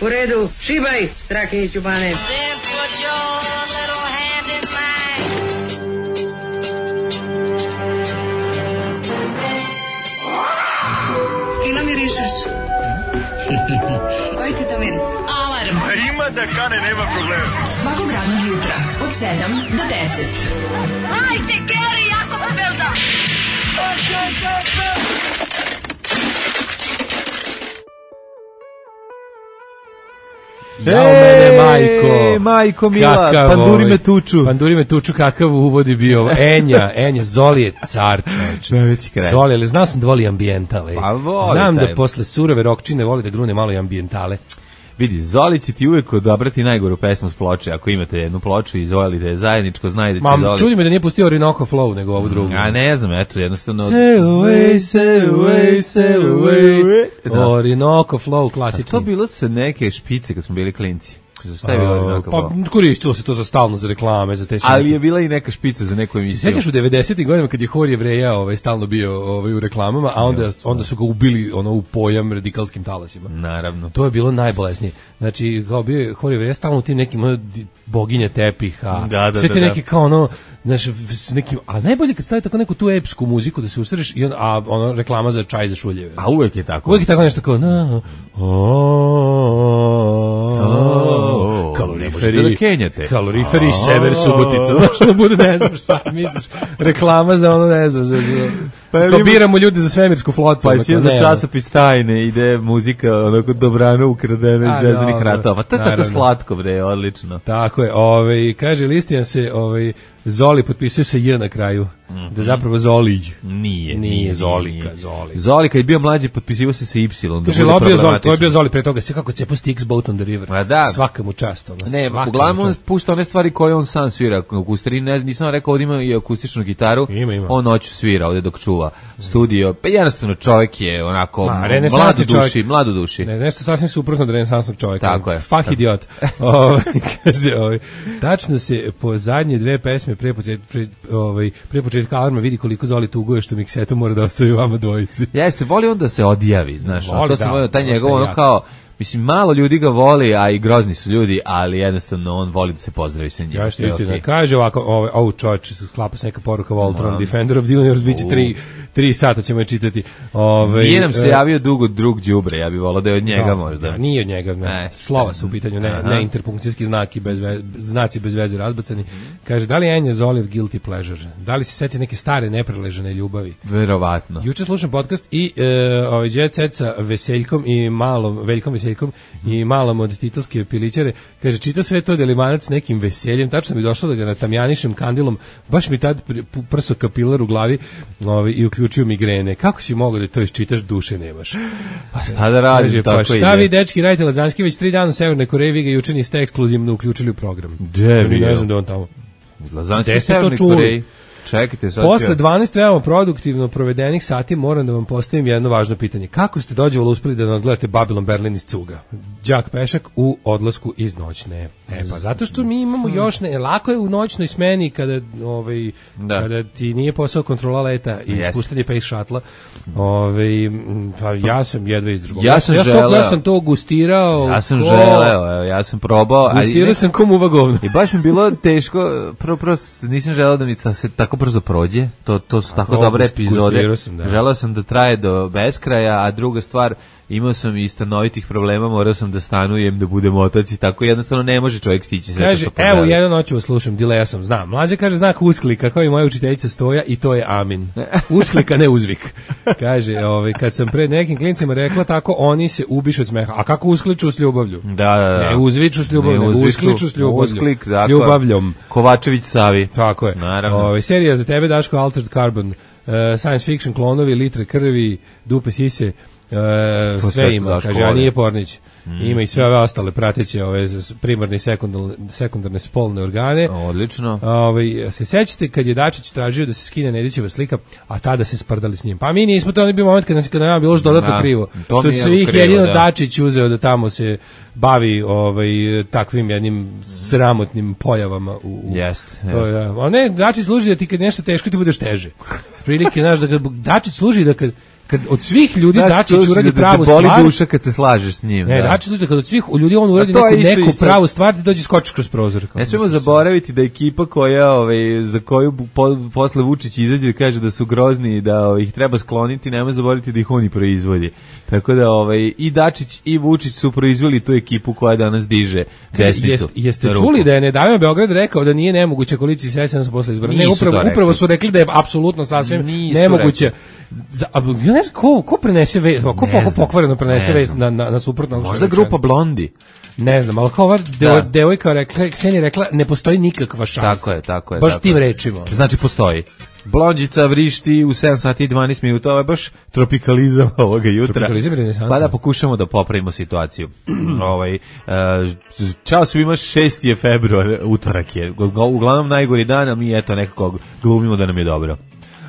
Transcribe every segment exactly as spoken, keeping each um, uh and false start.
U redu, šibaj, Strakiniću Bane. Fino mirišeš. Koji ti to miris? Alarm. A ima da kane, nema problema. Svakog radnog jutra, od sedam do deset. Hajde, Geri, jako se velda. Jao mene, majko. Ej, majko mila, Kakav panduri ovaj, me tuču. Panduri me tuču, kakav uvod je bio. Enja, Enja, Zoli je car, čovječe. Najveći kraj. Zoli, ali znao sam da voli ambijentale. Pa voli Znam taj. da posle surove rokčine voli da grune malo i ambijentale. Vidi, Zoli će ti uvek odabrati najgoru pesmu s ploče. Ako imate jednu ploču i Zoli da je zajedničko, znaj da će Mam, Zoli... čudi me da nije pustio Orinoco Flow, nego ovu drugu. A ne znam, eto, jednostavno... Sail away, sail away, sail away. Da. Orinoco Flow, A klasični. to bilo sa neke špice kad smo bili klinci. Šta je bilo Orinoco Pa Flow? koristilo se to za stalno, za reklame, za te sve. Ali je bila i neka špica za neku emisiju. Sećaš u devedesetim godinama kad je Hor Jevreja ovaj, stalno bio ovaj, u reklamama, a onda, onda su ga ubili ono, u pojam radikalskim talasima. Naravno. To je bilo najbolesnije. Znači, kao bio je Hor Jevreja stalno u tim nekim ono, di- boginje tepiha, Da, da, sve te da, neki kao ono, znaš, s nekim, a najbolje kad stavi tako neku tu epsku muziku da se usreš i on, a ono reklama za čaj za šuljeve. A uvek je tako. Uvijek je tako nešto kao na, o, kaloriferi, ne možete da kenjate. kaloriferi sever Subotica, znaš, da bude, ne znaš, sad misliš, reklama za ono, ne znam, za, za, Pa kao ili- biramo ljude za svemirsku flotu. Pa ono, si kao, za ne, časopis tajne, ide muzika onako dobrano ukradena iz A, Zvezdanih dobro, ratova. To je tako naravno. slatko, bre, odlično. Tako je, ovaj, kaže, Listijan se, ovaj, Zoli potpisuje sa J na kraju, da je zapravo Zolij. Nije, Nije Zolika, nije. Zoli. Zoli kad je bio mlađi potpisivao se sa Y. da Kaže, bude lobio Zoli, to je problematično. bio Zoli pre toga, sve kako cepo Sticks Boat on the River. Ma da. Svaka mu čast. Ono, Ne, svaka uglavnom mu on čast. pušta one stvari koje on sam svira. U stvari, ne, nisam rekao, ovdje ima i akustičnu gitaru. Ima, ima. On noću svira ovdje dok čuva studio. Pa jednostavno čovjek je onako Ma, mlad renesansni u duši, čovjek. mlad u duši. Ne, nešto sasvim suprotno od renesansnog čovjeka. Tako je. Fak idiot. Ovaj, kaže, ovaj, tačno se po zadnje dve pesme pre početka, pre, ovaj, pre početka alarma vidi koliko Zoli tuguje što mikseto mora da ostavi vama dvojici. Jeste, voli on da se odjavi, znaš. Voli, to sam da, volio, taj dosta njegov je ono jak. kao, mislim, malo ljudi ga voli, a i grozni su ljudi, ali jednostavno on voli da se pozdravi sa njim. Ja što To je istina. okej. Kaže ovako, ovaj, oh, čovječ, sklapa se neka poruka Voltron, Defender of the Universe, bit će tri, tri sata ćemo je čitati. Ovaj, Nije nam se e, javio dugo drug đubre, ja bih volao da je od njega da, možda. da, nije od njega, ne. Ne. Slova su u pitanju, ne, Aha. ne interpunkcijski znaki bez ve, znaci bez veze razbacani. Kaže, da li je Enja Zoliv guilty pleasure? Da li se seti neke stare nepreležene ljubavi? Verovatno. Juče slušam podcast i e, ovaj Jet Set sa Veseljkom i malom, Veljkom Veseljkom i malom od titelske pilićare. Kaže, čita sve to delimanac s nekim veseljem. Tačno mi došlo da ga natamjanišem kandilom. Baš mi tad pr- pu- prso kapilar u glavi ovaj, i uključio migrene. Kako si mogao da to iščitaš, duše nemaš? Pa šta da radim, Kaže, tako pa šta ide. vi, dečki, radite Lazanski već tri dana u Severnoj Koreji, vi ga juče niste ekskluzivno uključili u program. Gde Ni bio? ne znam da je on tamo. Lazanski Gde ste to Severnoj čuli? Koreji. Čekajte sad. Posle ću- dvanaest veoma produktivno provedenih sati moram da vam postavim jedno važno pitanje. Kako ste dođevalo uspeli da nadgledate Babylon Berlin iz cuga? Đak Pešak u odlasku iz noćne. E pa zato što mi imamo još ne, lako je u noćnoj smeni kada ovaj Da. kada ti nije posao kontrola leta i Jeste. ispuštanje pace shuttle. Ovaj m, pa ja sam jedva izdržao. Ja sam ja, to, želeo. ja sam to gustirao. Ja sam ko- želeo, evo, ja sam probao. ali Gustirao ne- sam ko muva govno. I baš mi bilo teško, prvo, prvo s- nisam želeo da mi ta, se tako brzo prođe, to, to su tako to, dobre gust- epizode, gustirao sam, da. želeo sam da traje do beskraja, a druga stvar, imao sam i stanovitih problema, morao sam da stanujem, da budem otac i tako, jednostavno ne može čovjek stići sve Kaže, to što evo, poželi. jednu noć vas slušam, dileja sam, znam. Mlađa kaže znak usklika, kao i moja učiteljica Stoja, i to je amin. Usklika, ne uzvik. Kaže, ovaj, kad sam pred nekim klincima rekla tako, oni se ubišu od smeha. A kako uskliču s ljubavlju? Da, da, da. Ne uzviču s ljubavlju, Ne nego uzviču, uskliču s ljubavlju. usklik, S dakle. ljubavljom. Kovačević Savi. Tako je. Naravno. Ovaj, serija za tebe, Daško, Altered Carbon, uh, science fiction, klonovi, litre krvi, dupe sise, uh, To sve sve ima, Daško kaže, a voli. nije Pornić. Ima i sve ove ostale prateće, ove z- primarne i sekundarne, sekundarne spolne organe. Odlično. Ovaj, se sećate kad je Dačić tražio da se skine Nedićeva slika, a tada se sprdali s njim. Pa mi nismo, to je bio moment kad nas kada nam je bilo još dodatno Da, krivo. to Što mi je se ih krivo, jedino da. Dačić uzeo da tamo se bavi ovaj takvim jednim sramotnim pojavama u, u Jest, to jest. je, da. A ne, Dačić služi da ti kad nešto teško ti budeš teže. Prilike, znaš, da kad Dačić služi da kad kad od svih ljudi da, Dačić uradi da pravu boli stvar. duša kad se slažeš s njim. Ne, da. Dačić slučaj kad od svih ljudi on uradi neku, neku pravu stvar, ti dođe skočiš kroz prozor. Ne smemo zaboraviti da ekipa koja, ovaj, za koju po, posle Vučić izađe da kaže da su grozni i da ovaj, ih treba skloniti, nema zaboraviti da ih oni proizvodi. Tako da ovaj, i Dačić i Vučić su proizveli tu ekipu koja danas diže desnicu. Jest, jeste čuli da je Nedavimo Beograd rekao da nije nemoguće koaliciji s S N S posle izbora? Ne, upravo, upravo su rekli da je apsolutno sasvim Nisu nemoguće. Za, ja ne znam ko, ko prenese vest, ko poko pokvareno prenese vest na, na, na suprotno. Možda grupa Blondi. Ne znam, ali kao ova deo, devojka rekla, Ksenija rekla, ne postoji nikakva šansa. Tako je, tako je. Baš tako tim je. rečima. Znači postoji. Blondjica vrišti u sedam sati i dvanaest minuta, ovo je baš tropikalizam ovoga jutra. Tropikalizam i renesansa. Pa da pokušamo da popravimo situaciju. ovaj, uh, čao svima, šesti je februar, utorak je. Uglavnom najgori dan, a mi eto nekako glumimo da nam je dobro.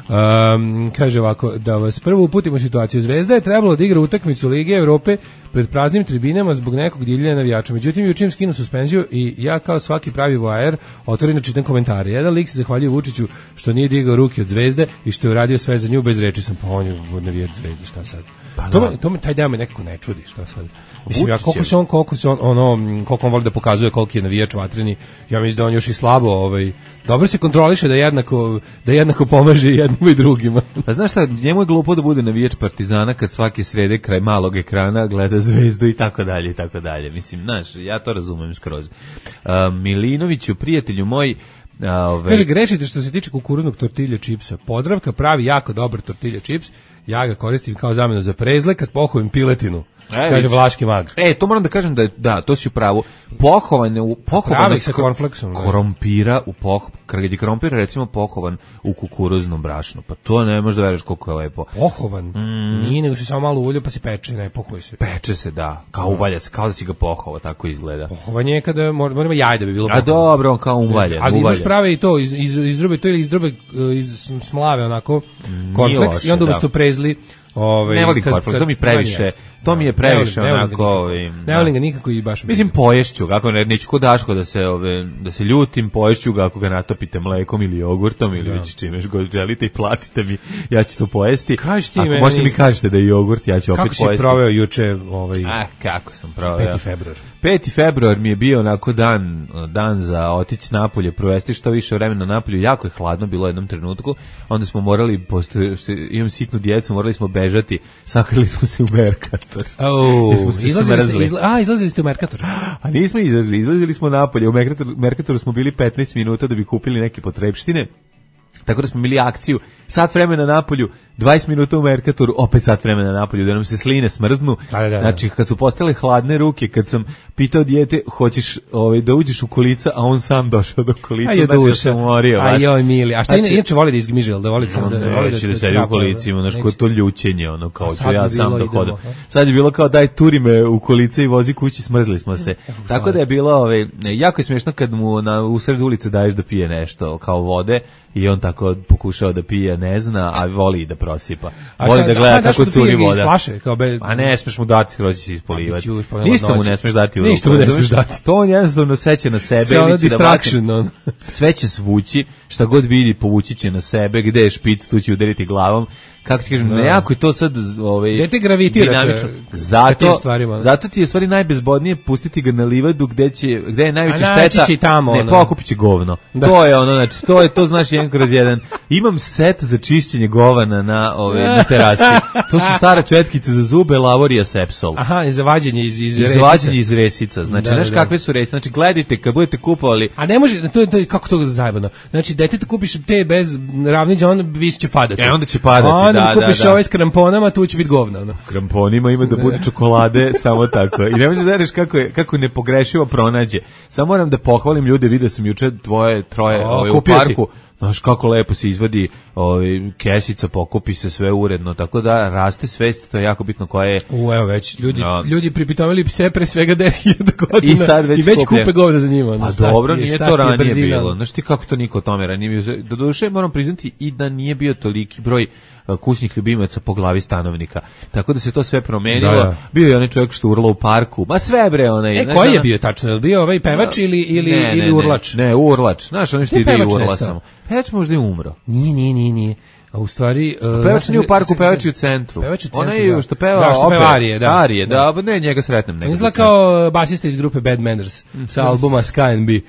Um, kaže ovako, da vas prvo uputimo u situaciju. Zvezda je trebalo da igra utakmicu Lige Evrope pred praznim tribinama zbog nekog divljenja navijača. Međutim, juče im skinu suspenziju i ja kao svaki pravi voajer otvoreno čitam komentare. Jedan lik se zahvaljuje Vučiću što nije digao ruke od Zvezde i što je uradio sve za nju bez reči. Sam pa on je navijač Zvezde, šta sad? Pa to, me, to me taj deo me nekako ne čudi, šta sad? Mislim, ja, koliko se on, koliko se on, ono, koliko on voli da pokazuje koliki je navijač vatreni, ja mislim da on još i slabo, ovaj, dobro se kontroliše da jednako, da jednako pomaže jednim i drugima. Pa znaš šta, njemu je glupo da bude navijač Partizana kad svake srede kraj malog ekrana gleda Zvezdu i tako dalje i tako dalje. Mislim, znaš, ja to razumem skroz. Uh, Milinoviću, prijatelju moj, Ove... Kaže, grešite što se tiče kukuruznog tortilja čipsa. Podravka pravi jako dobar tortilja čips. Ja ga koristim kao zamenu za prezle kad pohovim piletinu. E, kaže Vlaški mag. E, to moram da kažem da je, da, to si u pravu. Pohovane u pohovane sa kornfleksom. Krompira u poh, kad je krompir recimo pohovan u kukuruznom brašnu. Pa to ne možeš da veruješ koliko je lepo. Pohovan. Mm. Nije, nego se samo malo ulje pa se peče, ne pohuje se. Peče se, da. Kao uvalja se, kao da si ga pohovao, tako izgleda. Pohovanje je kada moramo jaj da bi bilo. A dobro, on kao uvalja. Ali imaš prave i to iz iz izdrobe to ili izdrobe iz smlave onako kornfleks i onda umesto prezli. Ove, ne volim kornfleks, to mi previše, to mi je previše ne volim, onako, ne, ne volim ga nikako i baš. Mislim poješću, kako ne, neću ko Daško da se ove da se ljutim, poješću ga ako ga natopite mlekom ili jogurtom ili već čime god želite i platite mi, ja ću to pojesti. Kažete ako meni, možete mi kažete da je jogurt, ja ću opet pojesti. Kako si proveo juče ovaj Ah, kako sam proveo? peti februar. peti februar mi je bio onako dan, dan za otići napolje, provesti što više vremena napolju, jako je hladno bilo u jednom trenutku, onda smo morali, posto, imam sitnu djecu, morali smo bežati, sakrili smo se u Merkator. Oh, izlazili ste, izla, a, izlazili ste u Merkator. A nismo izlazili, izlazili smo napolje, u Merkator, Merkatoru smo bili petnaest minuta da bi kupili neke potrepštine, tako da smo imali akciju, sat vremena napolju, dvadeset minuta u Merkatoru, opet sat vremena napolju, da nam se sline smrznu. Da, da, da. Znači, kad su postale hladne ruke, kad sam pitao dijete, hoćeš ovaj, da uđeš u kolica, a on sam došao do kolica, znači da sam umorio. Aj joj mili, a šta znači, inače voli da izgmiže, da voli sam da, da voli da, da, da sedi u kolicima, znaš, ko to ljućenje, ono, kao ću ja sam da hodam. Sad je bilo kao, daj, turi me u kolice i vozi kući, smrzli smo se. Tako da je bilo, ovaj, jako je smiješno kad mu na, u sred ulice daješ da pije nešto, kao vode, i on tako pokušao da pije, ne zna, a voli i da prosipa. Voli da gleda kako curi voda. Flaše, kao bez... A ne smeš mu dati, skroz će se ispolivati. Ništa mu ne smeš dati u ruku. Ništa mu ne smeš dati. To on jednostavno sve će na sebe. Sve ono distraction. On. Sve će svući, šta god vidi povući će na sebe, gde je špic, tu će udariti glavom. Kako ti kažem, nejako je to sad ovaj, gde te gravitira zato, zato ti je stvari najbezbodnije pustiti ga na livadu gde, će, gde je najveća šteta, će tamo, ne, pokupit će govno. Da. To je ono, znači, to je, to znaš jedan kroz jedan. Imam set za čišćenje govana na, ove, na terasi. To su stara četkice za zube, Lavorija Sepsol. Aha, i za vađenje iz, iz resica. Iz vađenje iz resica. Znači, da, znaš da, kakve su resice. Znači, gledajte, kad budete kupovali... A ne može, to je, to je kako to zajebano. Znači, dete kupiš te bez ravniđa, on vis će padati. E, onda će padati, a, da, kupiš da, da. ovaj s kramponama, tu će biti govna. No. Kramponima ima da bude čokolade, samo tako. I ne možeš da reš kako je, kako nepogrešivo pronađe. Samo moram da pohvalim ljude, vidio sam juče dvoje, troje o, ovaj, u parku. Znaš kako lepo se izvadi ovaj, kesica, pokupi se sve uredno, tako da raste svest, to je jako bitno koja je... U, evo već, ljudi, no. ljudi pripitovali pse pre svega deset hiljada godina i, sad već, i već kupe govna za njima. Pa dobro, je, nije to ranije bilo. Znaš ti kako to niko o tome ranije bio? Do duše moram priznati i da nije bio toliki broj kućnih ljubimaca po glavi stanovnika. Tako da se to sve promenilo. Da, da. Bio je onaj čovjek što urla u parku. Ma sve bre, onaj. E, znaš, koji je bio tačno? Je bio ovaj pevač ili ili ne, ili ne, urlač? Ne, ne urlač. Znaš, on što ide i urla samo. Pevač možda je umro. Nije, nije, nije, nije. A u stvari... Uh, pevač nije u parku, pevač je u centru. Pevač je u centru, Ona je da. što peva da, što opet. peva Arije, da. Arije, da, da, ne, njega sretnem. Izgleda kao basista iz grupe Bad Manners, sa albuma Sky and B.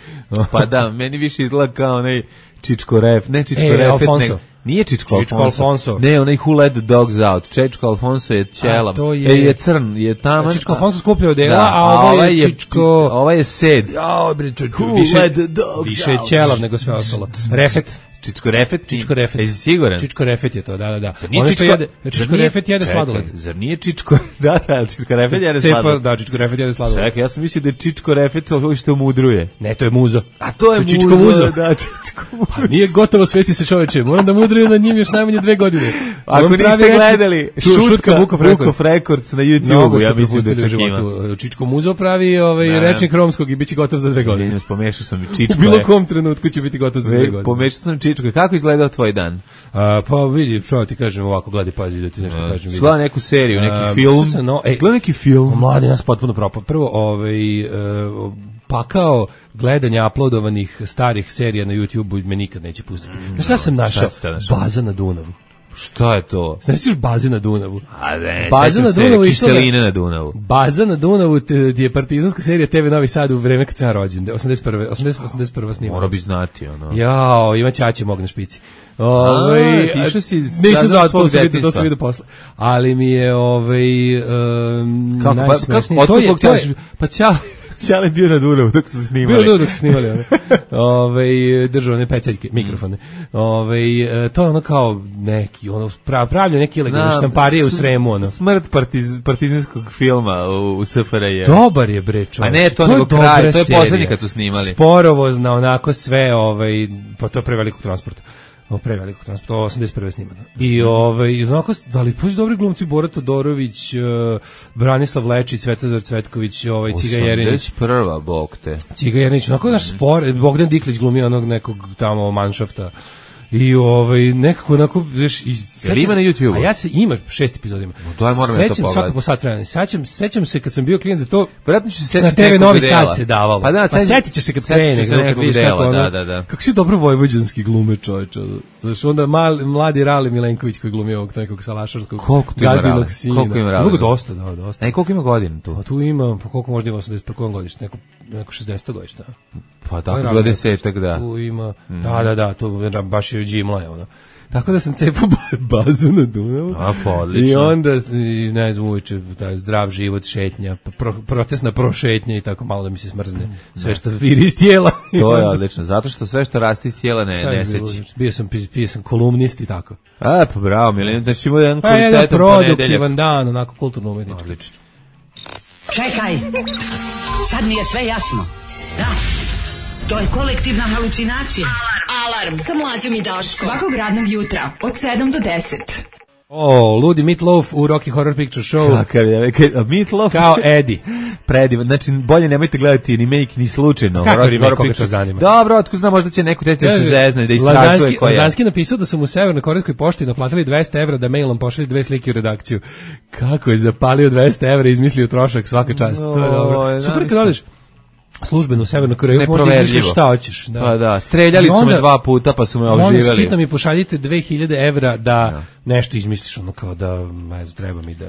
Pa da, meni više izgleda kao onaj Čičko Ref, ne Čičko e, Refet, Alfonso. ne, nije Čičko, Čičko Alfonso. Alfonso. Ne, onaj Who Let the Dogs Out. Čičko Alfonso je ćelam. To je... E, je crn, je taman. Čičko Alfonso skuplja odela, da, a ovo je Čičko... Ovo je Sed. Jao, bre, Who više, let the dogs više je out? ćelav nego sve ostalo. Refet. Čičko Refet? Čičko Refet. Jesi siguran? Čičko Refet je to, da, da, da. Ono što Čičko, jede, Čičko nije, Refet jede čekaj, sladoled. Zar nije Čičko... Da, da, Čičko Refet jede Cepa, sladoled. da, Čičko Refet jede sladoled. Čekaj, ja sam mislio da je Čičko Refet ovo što mudruje. Ne, to je muzo. A to je Čičko muzo. muzo. Da, Čičko muzo. Pa nije gotovo svesti se čoveče. Moram da mudruju na njim još najmanje dve godine. Ako niste gledali Šutka Vukov Records. Records na YouTube, ja mislim da je životu. Čičko muzo pravi ovaj da, rečnik romskog i biće gotov za dve godine. Izvinjam, pomešao sam i Čičko. U bilo kom trenutku će biti gotov za dve godine. Pomešao sam Čičko. Kako izgledao tvoj dan? A, pa vidi, što ti kažem ovako, gledaj, pazi da ti nešto A, kažem. Gleda neku seriju, neki A, film. No, ej, gleda neki film. Mladi nas potpuno propao. Prvo, ovaj, uh, pakao gledanja uploadovanih starih serija na YouTube-u me nikad neće pustiti. Znaš šta sam našao? Baza na Dunavu. Šta je to? Znaš još baze na Dunavu? A ne, baza na Dunavu i kiseline na Dunavu. Baza na Dunavu ti je partizanska serija T V Novi Sad u vreme kad sam ja rođen, osamdeset prve osamdeset prva snimana. Mora bi znati, ono. Jao, ima ćaće mog na špici. Ovaj, ti što si nisam zvao, to se vidi, to se vidi posle. Ali mi je ovaj um, kako, najsmešnije. Pa, kako, to je, pa ćao. Ćale bio na Dunavu dok su snimali. Bio dok su snimali. Ove, držao one peceljke, mikrofone. Ove, to je ono kao neki, ono, pravlja neki ilegalne štamparije u Sremu. Ono. Smrt partiz, partizanskog filma u, u S F R J. Dobar je, bre, čovječ. A ne, to, to nego kraj, to je poslednji kad su snimali. Sporovozna, onako sve, ovaj, pa to je prevelikog transporta. O prevelikog transporta, osamdeset prve snimano. I ovaj onako, da li pođe dobri glumci Bora Todorović, uh, Branislav Lečić, Svetozar Cvetković, ovaj Ciga Jerinić. osamdeset prva bog te. Ciga Jerinić, onako naš spor, Bogdan Diklić glumi onog nekog tamo manšafta. I ovaj nekako onako viš i sećam, ima na YouTubeu. A ja se ima šest epizoda. No, to je moram da to pogledam. Svako po sat vremena. Sećam, sećam se kad sam bio klijent za to. Verovatno ću se setiti na T V Novi Sad se davalo. Pa da, pa setiće se kad krene, se nekog dela, da, da, da. Kako si dobro vojvođanski glume, čoveče. Znači onda mal, mladi Rali Milenković koji glumi ovog nekog salašarskog gazdinog sina. Koliko ima Rali? Mnogo dosta, da, dosta. Ej, koliko ima godina tu? Pa tu ima, pa koliko možda ima osamdeset prvo godište, neko neko šezdeset godište. Pa tako dvadesetak, da. Tu ima, mm. da, da, da, tu baš je džimla je ono. Tako da sam cepao bazu na Dunavu. A, pa odlično. I onda, i, ne znam, uveče, taj zdrav život, šetnja, pro, protestna prošetnja i tako malo da mi se smrzne sve što viri iz tijela. To je odlično, zato što sve što raste iz tijela ne, ne seći. Bio sam, bio sam kolumnist i tako. A, pa bravo, Milena, znači imao jedan kvalitetan ponedeljak. Pa jedan produktivan dan, onako kulturno umjetnički. Odlično. Čekaj, sad mi je sve jasno. Da, to je kolektivna halucinacija. Alarm, Alarm. Sa Mlađom i Daškom. Svakog radnog jutra od sedam do deset. O, ludi Meatloaf u Rocky Horror Picture Show. Kakav je, Meatloaf? Kao Eddie. Predivan, znači bolje nemojte gledati remake ni slučajno. Kako remake, koga to zanima? Dobro, otko znam, možda će neko tete da se zezne, da istražuje ko je. Lazanski napisao da su mu u Severno-korejskoj pošti naplatili dvesta evra da mailom pošalje dve slike u redakciju. Kako je zapalio dvesta evra i izmislio trošak svaka čast. To je dobro. Super kad odeš službenu Severnu Koreju, možda izmišljaš šta hoćeš. Da. Pa da, streljali onda, su me dva puta pa su me oživjeli. Onda skitno mi pošaljite dve hiljade evra da no. nešto izmisliš, ono kao da, ne znam, treba mi da...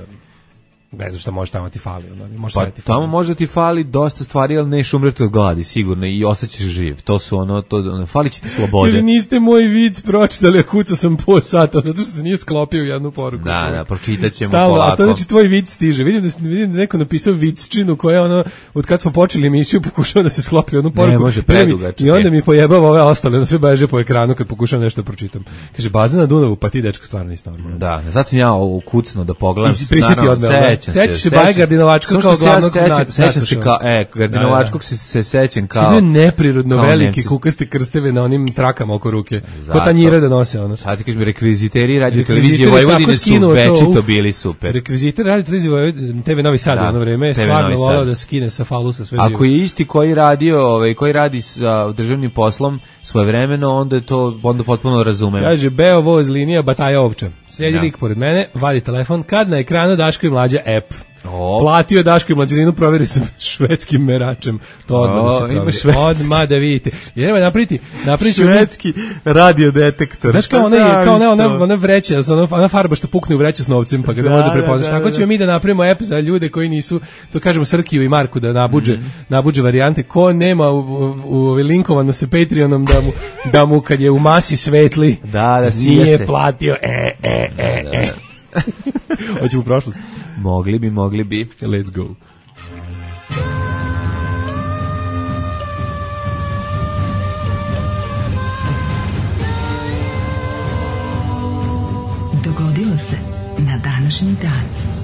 Ne znam šta može tamo ti fali. Ono, može pa ti tamo fali. može ti fali dosta stvari, ali neš umreti od gladi, sigurno, i ostaćeš živ. To su ono, to, ono fali će ti slobode. Ili niste moj vic pročitali, a kucao sam po sata, zato što se nije sklopio u jednu poruku. Da, svoj. Da, pročitat ćemo Stalno, polako. A to znači tvoj vic stiže. Vidim da, vidim da neko napisao vicčinu koja ono, od kad smo počeli emisiju pokušava da se sklopi u jednu poruku. Ne, može predugačke. I onda mi pojebava ove ostale, onda sve beže po ekranu kad pokušavam nešto pročitam. Kaže, baza na Dunavu, pa ti dečko stvarno nisi normalno. Da, sad sam ja ukucno da pogledam. Prisjeti odmah. Sećaš se Baje Gardinovačka kao glavnog nacrta. Sećam se kao, e, Gardinovačkog se, se sećam kao... Si bio neprirodno veliki kukaste krsteve na onim trakama oko ruke. Ko tanjire da nose ono. Sad ti kažeš mi, rekviziteri radio televizije Vojvodine su večito bili super. Rekviziteri radio televizije Vojvodine, T V Novi Sad jedno vreme, stvarno volao da skine sa falusa sve živo. Ako je isti koji radio, ovaj, koji radi sa državnim poslom svojevremeno, onda je to onda potpuno razumem. Kaže, Beo voz linija, bataja ovča. Sedi lik pored mene, vadi telefon, kad na ekranu Daško i Mlađa app. O. Platio je Daško i Mlađaninu, proveri sa švedskim meračem. To odmah da se proveri. Odmah da vidite. Jer nema napriti, napriti švedski radiodetektor. Znaš kao onaj, kao ona, ona, ona vreća, ona, ona farba što pukne u vreću s novcem, pa ga da, možda prepoznaš. Da, da, tako ćemo mi da napravimo app za ljude koji nisu, to kažemo Srkiju i Marku da nabuđe, mm. nabuđe varijante. Ko nema u, u, u linkovano sa Patreonom da mu, da mu kad je u masi svetli, da, da nije se. platio. E, e, e, da, da, da. e. Hoćemo u prošlost. Mogli bi, mogli bi. Let's go. Dogodilo se na današnji dan.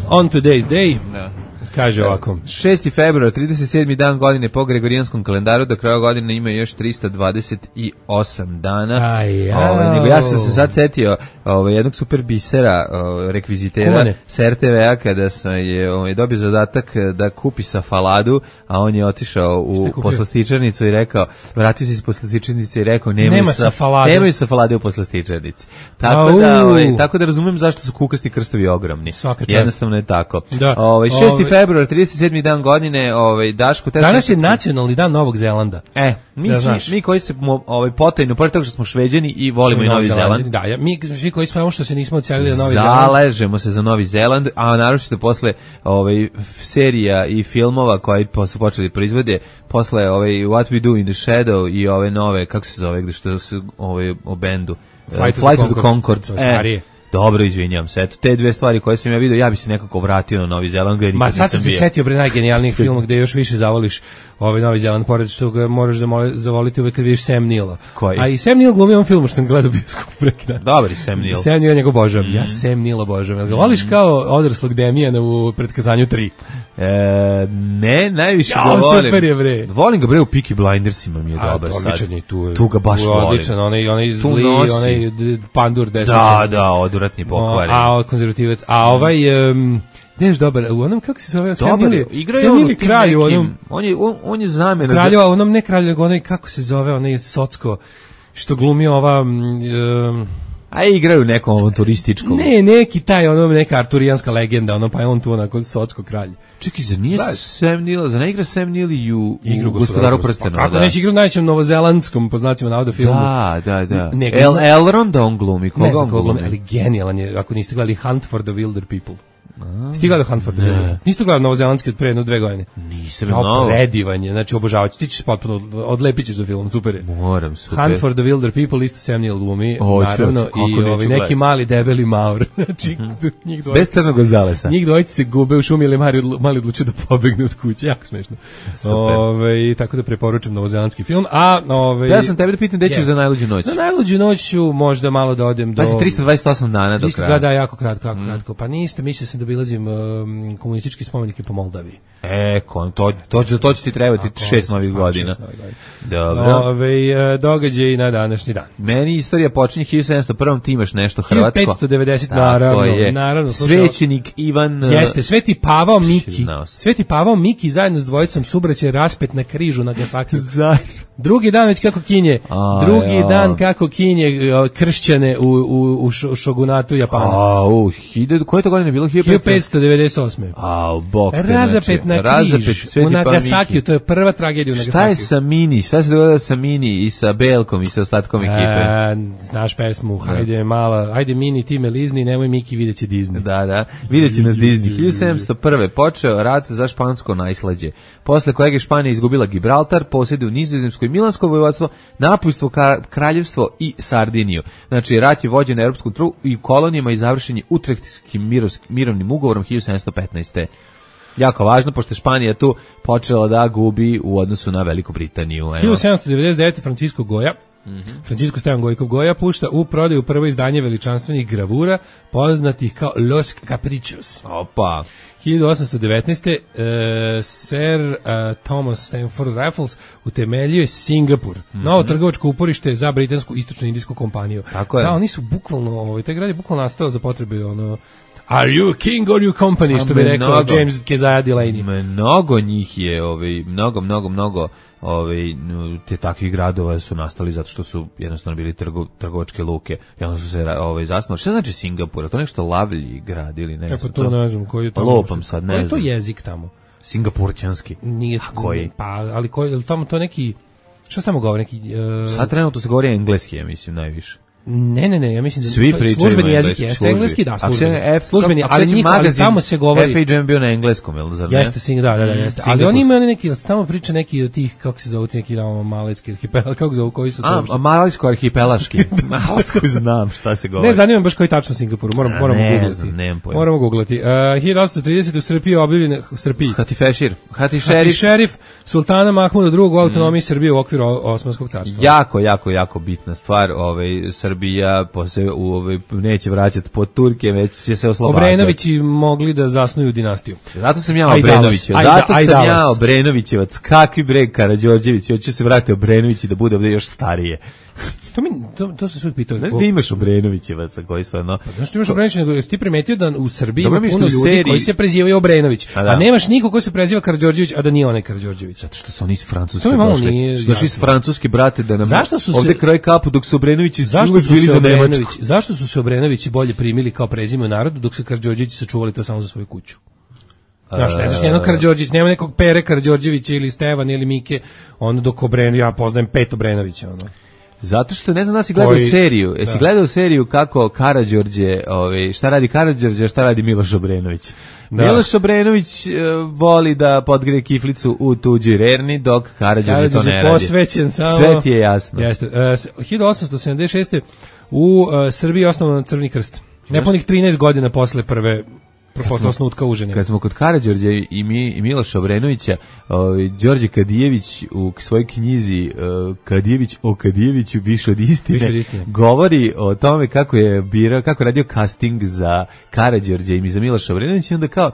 On today's day. Da. Kaže ovako. šesti februar, trideset sedmi dan godine po Gregorijanskom kalendaru, do kraja godine ima još trista dvadeset osam dana. Aj, ovaj, nego ja sam se sad setio ovaj, jednog super bisera, ovaj, rekvizitera Kumane. s er te ve a kada sam je ovaj, dobio zadatak da kupi safaladu, a on je otišao u poslastičarnicu i rekao, vratio se iz poslastičarnice i rekao, nemoj Nema safalade. Nemoj safalade u poslastičarnici. Tako da, ovaj, tako da razumem zašto su kukasti krstovi ogromni. Jednostavno je tako. Da. Ovaj, šesti februar, trideset sedmi dan godine, ovaj Daško, danas je nacionalni dan Novog Zelanda. E, mi da svi, mi koji se ovaj potajno, pored toga što smo Šveđani i volimo i Novi Zeland. Da, ja, mi svi koji smo što se nismo odselili na Novi Zeland. Zaležemo se za Novi Zeland, a naročito posle ovaj serija i filmova koji su počeli proizvode, posle ovaj What We Do in the Shadow i ove nove, kako se zove, gde što se ovaj o bendu Flight, uh, Flight of the Concord. E, dobro, izvinjam se. Eto, te dve stvari koje sam ja vidio, ja bi se nekako vratio na Novi Zeland. Gde Ma sad sam se setio bre najgenijalnijih filma gde još više zavoliš ovaj Novi Zeland, pored što ga moraš zavoliti uvek kad vidiš Sam Neila. Koji? A i Sam Neill glumi on film što sam gledao bioskop preki dan. Dobri Sam Neill. Sam Neill njegov obožavam. Mm. Ja Sam Neill obožavam. Ga voliš kao odraslog Demijana u Pretkazanju tri? E, ne, najviše ja, ga volim. Super je bre. Volim ga bre u Peaky Blindersima, mi je A, dobar sad. Odličan je tu. Tu ga baš volim. Odličan, onaj, onaj zli, onaj pandur desničan. Da, da, odvratni pokvaren. A, konzervativac. A ovaj... Um, Neš dobar, u onom kako se zove, Sam Neill, Sam Neill kralj u onom, on je on, on je zamena kralj, za... onom ne kralj, nego onaj kako se zove, onaj Socko što glumi ova um, a igraju nekom avanturističkom. Ne, neki taj, ono neka arturijanska legenda, ono pa je on tu onako Socko kralj. Čekaj, za nije Sam Neill, za ne igra Sam Neill i u, u Gospodaru prstenova. Kako da. Neće igra u najvećem novozelandskom, po znacima navoda filmu. Da, da, da. Ne, El, Elrond on glumi, koga ne on glumi? glumi? Ali genijalan je, ako niste gledali Hunt for the Wilder People. Ti gledao Hunt for the Wilder? Niste gledao novozelandski od pre jedno dve godine? Nisam. Kao predivan je, znači obožavač, ti ćeš potpuno, odlepit ćeš za film, super je. Moram, super. Hunt for the Wilder People, isto Sam Neill glumi, Oću, naravno, i ovaj, neki mali debeli Maur. Znači, njih dvojica. Bez Crnog Gonzalesa. Njih dvojica se gube u šumi ili mali, mali odlučio da pobegne od kuće, jako smešno. Ove, tako da preporučujem novozelandski film. A, ove, ja sam tebe da pitam gde ćeš yes. za najluđu noć. Za najluđu noć ću možda malo da odem do... Pa si trista dvadeset osam dana do kraja. Da, da, jako kratko, jako mm. kratko. Pa niste, mislio sam da bilazim um, komunistički spomenike po Moldaviji. E, kon, to, to, to, to će ti trebati a, šest novih godina. Dobro. Ove, događaj na današnji dan. Meni istorija počinje hiljadu sedamsto prvi. Ti imaš nešto hrvatsko. hiljadu petsto devedeset. Naravno, je. naravno. Svećenik Ivan... Jeste, Sveti Pavao Miki. Sveti Pavao Miki zajedno s dvojicom subraća raspet na križu na Nagasaki. Drugi dan već kako kinje. A, drugi ja. dan kako kinje kršćane u, u, u šogunatu Japana. A, u, hiljadu, koje to godine bilo? hiljadu petsto devedeset osme. A, bok te, razapet znači, na razapet, križ u Nagasakiju, to je prva tragedija u Nagasakiju. Šta je sa Mini? Šta se dogodilo sa Mini i sa Belkom i sa ostatkom ekipe? A, znaš pesmu, hajde mala, hajde Mini, ti me lizni, nemoj Miki, vidjet će Disney. Da, da, vidjet će nas Disney. hiljadu sedamsto prve. počeo rat za špansko najslađe, posle kojeg je Španija izgubila Gibraltar, posjede u Nizozemskoj Milansko vojvodstvo, napujstvo kraljevstvo i Sardiniju. Znači, rat je vođen na europskom tlu i kolonijama i završen je Utrehtskim mirovnim ugovorom hiljadu sedamsto petnaeste. Jako važno, pošto je Španija tu počela da gubi u odnosu na Veliku Britaniju. hiljadu sedamsto devedeset devete. Francisco Goja, mm-hmm. Francisco Stevan Gojkov Goja pušta u prodaju prvo izdanje veličanstvenih gravura poznatih kao Los Caprichos. Opa. hiljadu osamsto devetnaeste. Uh, Sir uh, Thomas Stamford Raffles utemeljio je Singapur, mm-hmm. novo trgovačko uporište za britansku istočno-indijsku kompaniju. Tako je. Da, oni su bukvalno, ovaj, taj grad je bukvalno nastao za potrebe ono Are you a king or you company, što bi rekao mnogo, James Keziah Delaney. Mnogo njih je, ovaj, mnogo, mnogo, mnogo ovaj, te takvih gradova su nastali zato što su jednostavno bili trgo, trgovačke luke i onda su se ovaj, zasnovali. Šta znači Singapur? Je to nešto lavlji grad ili ne? Kako to ne znam, koji je tamo? Lopam sad, ne znam. Koji je to jezik tamo? Singapurćanski. Nije, a koji? Pa, ali koji, je li tamo to neki, šta se tamo govori? Neki, uh, sad trenutno se govori engleski, ja mislim, najviše. Ne, ne, ne, ja mislim da svi pričaju službeni jezik jeste engleski, da, službeni. F, službeni, ali njih, ali tamo se govori. F H M bio na engleskom, jel zar ne? Jeste, sing, da, da, da, jeste. Mm, ali oni imaju neki, tamo priča neki od tih, kako se zove, neki tamo malecki arhipel, kako zove, koji su to? A, malecko arhipelaški. Malecko znam šta se govori. Ne, zanima me baš koji tačno Singapur, moramo, moramo googlati. Moramo googlati. Uh, hiljadu osamsto tridesete u Srbiji objavljen, u Srbiji. Hatifešir. Hatifešir. šerif Sultana Mahmuda drugog u autonomiji Srbije u okviru Osmanskog carstva. Jako, jako, jako bitna stvar, ovaj, Srbija se u ovaj neće vraćati pod Turke, već će se oslobađati. Obrenovići mogli da zasnuju dinastiju. Zato sam ja Obrenović, zato sam ja Obrenovićevac. Kakvi bre Karađorđević, hoće se vratiti Obrenović da bude ovde još starije. To mi to, to se sve pitao. Znaš da imaš Obrenovićevaca koji su ono... Pa, znaš ti imaš Obrenović, nego jesi ti primetio da u Srbiji ima puno ljudi seriji... koji se prezivaju Obrenović, a, a nemaš nikog ko se preziva Karađorđević, a da nije onaj Karađorđević. Zato što su oni iz Francuske došli. Došli iz Francuske, brate, da nam zašto su ovde se... kroj kapu dok su Obrenovići zašto su bili za Nemačku. Zašto su se Obrenovići bolje primili kao prezime u narodu, dok se Karađorđevići sačuvali to samo za svoju kuću? Znaš, ne znaš nijednog Karađorđević, nema nekog Pere Karađorđevića ili Stevan ili Mike, ono dok Obrenović, ja poznajem pet Obrenovića, ono. Zato što ne znam da si gledao koji, seriju. Jesi da. gledao seriju kako Karađorđe, ovaj, šta radi Karađorđe, šta radi Miloš Obrenović? Da. Miloš Obrenović uh, voli da podgreje kiflicu u tuđoj rerni, dok Karađorđe to ne radi. Posvećen samo. Sve ti je jasno. Jeste. Uh, hiljadu osamsto sedamdeset šeste u uh, Srbiji osnovan Crveni krst. Nepunih trinaest godina posle prve posle osnutka Užine. Kad smo kod Karađorđa i, mi, i Miloša Obrenovića, ovaj, Đorđe Kadijević u svojoj knjizi uh, Kadijević o Kadijeviću više od istine, više od istine govori o tome kako je birao, kako je radio casting za Karađorđa i za Miloša Obrenovića i onda kao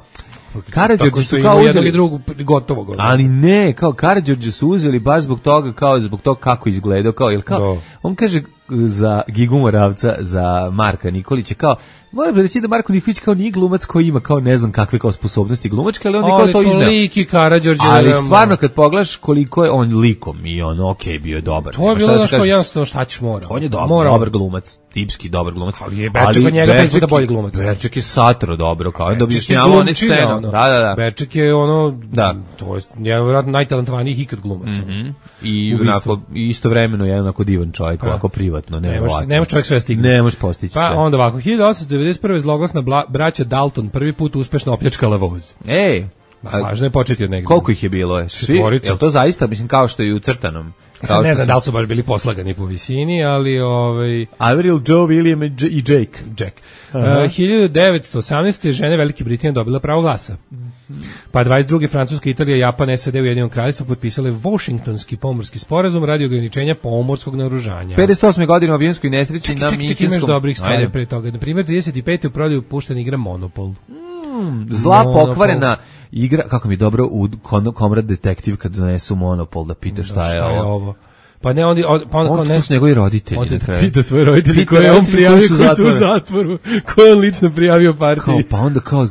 Karađorđe su kao uzeli i drugu gotovo gotovo. Ali ne, kao Karađorđe su uzeli baš zbog toga, kao zbog toga kako izgledao, kao jel kao do. On kaže za Gigu Moravca, za Marka Nikolića, kao moram reći da Marko Nikolić kao nije glumac koji ima kao ne znam kakve kao sposobnosti glumačke, ali on je kao to izneo. Liki Karađorđe. Ali stvarno kad pogledaš koliko je on likom i on okej okay, bio je dobar. To je bilo da što jednostavno šta ćeš mora. On je dobar, Morao. dobar glumac, tipski dobar glumac. Ali je Beček od njega pet puta bolji glumac. Beček je satro dobro, kao da objašnjavao one scene. Ono. Da, da, da. Beček je ono, da. To je jedan vjerojatno najtalentovanijih ikad glumac. Mm -hmm. I onako istovremeno jedan onako divan čovjek, ovako privatno, ne ovako. Ne može čovjek sve stigne. Ne može postići pa, sve. Pa onda ovako, hiljadu osamsto devedeset prve zloglasna bla, braća Dalton prvi put uspešno opljačkala voz. Ej, ba, važno je početi od negdje. Koliko ih je bilo? Je? Svi, je li to zaista, mislim, kao što je u crtanom? Sad ne znam da li su baš bili poslagani po visini, ali... Ovaj... Avril, Joe, William i Jake. Jack. Uh, hiljadu devetsto osamnaeste. žene Velike Britanije dobila pravo glasa. Pa dvadeset druge Francuska, Italija, Japan, S A D u Jedinom kraljevstvu potpisale Washingtonski pomorski sporazum radi ograničenja pomorskog naoružanja. pedeset osme godine u avionskoj nesreći na Minhenskom... Čekaj, imaš dobrih stvari pre toga. Na primjer, trideset pete. u prodaju puštena igra Monopol. Mm, zla Monopol. Pokvarena igra, kako mi je dobro u Komrad detektiv kad donesu Monopol da pita šta, da, šta je, ovo. je ovo. Pa ne, onda, pa onda on to su njegovi roditelji. Onda pita svoje roditelji koje je on prijavio, koji su u zatvoru, koje on lično prijavio partiji. Kao, pa onda kao,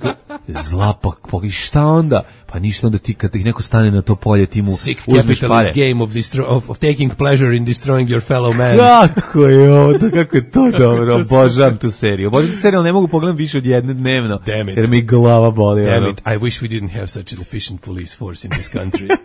zla, pa, pa i šta onda? Pa ništa, onda ti kad ih neko stane na to polje, ti mu Sick uzmeš pare. Game of, of, of taking pleasure in destroying your fellow man. Kako je ovo, kako je to dobro, obožavam tu seriju. Obožavam tu seriju, ali ne mogu pogledam više od jedne dnevno, jer mi glava boli. Damn it, I wish we didn't have such an efficient police force in this country.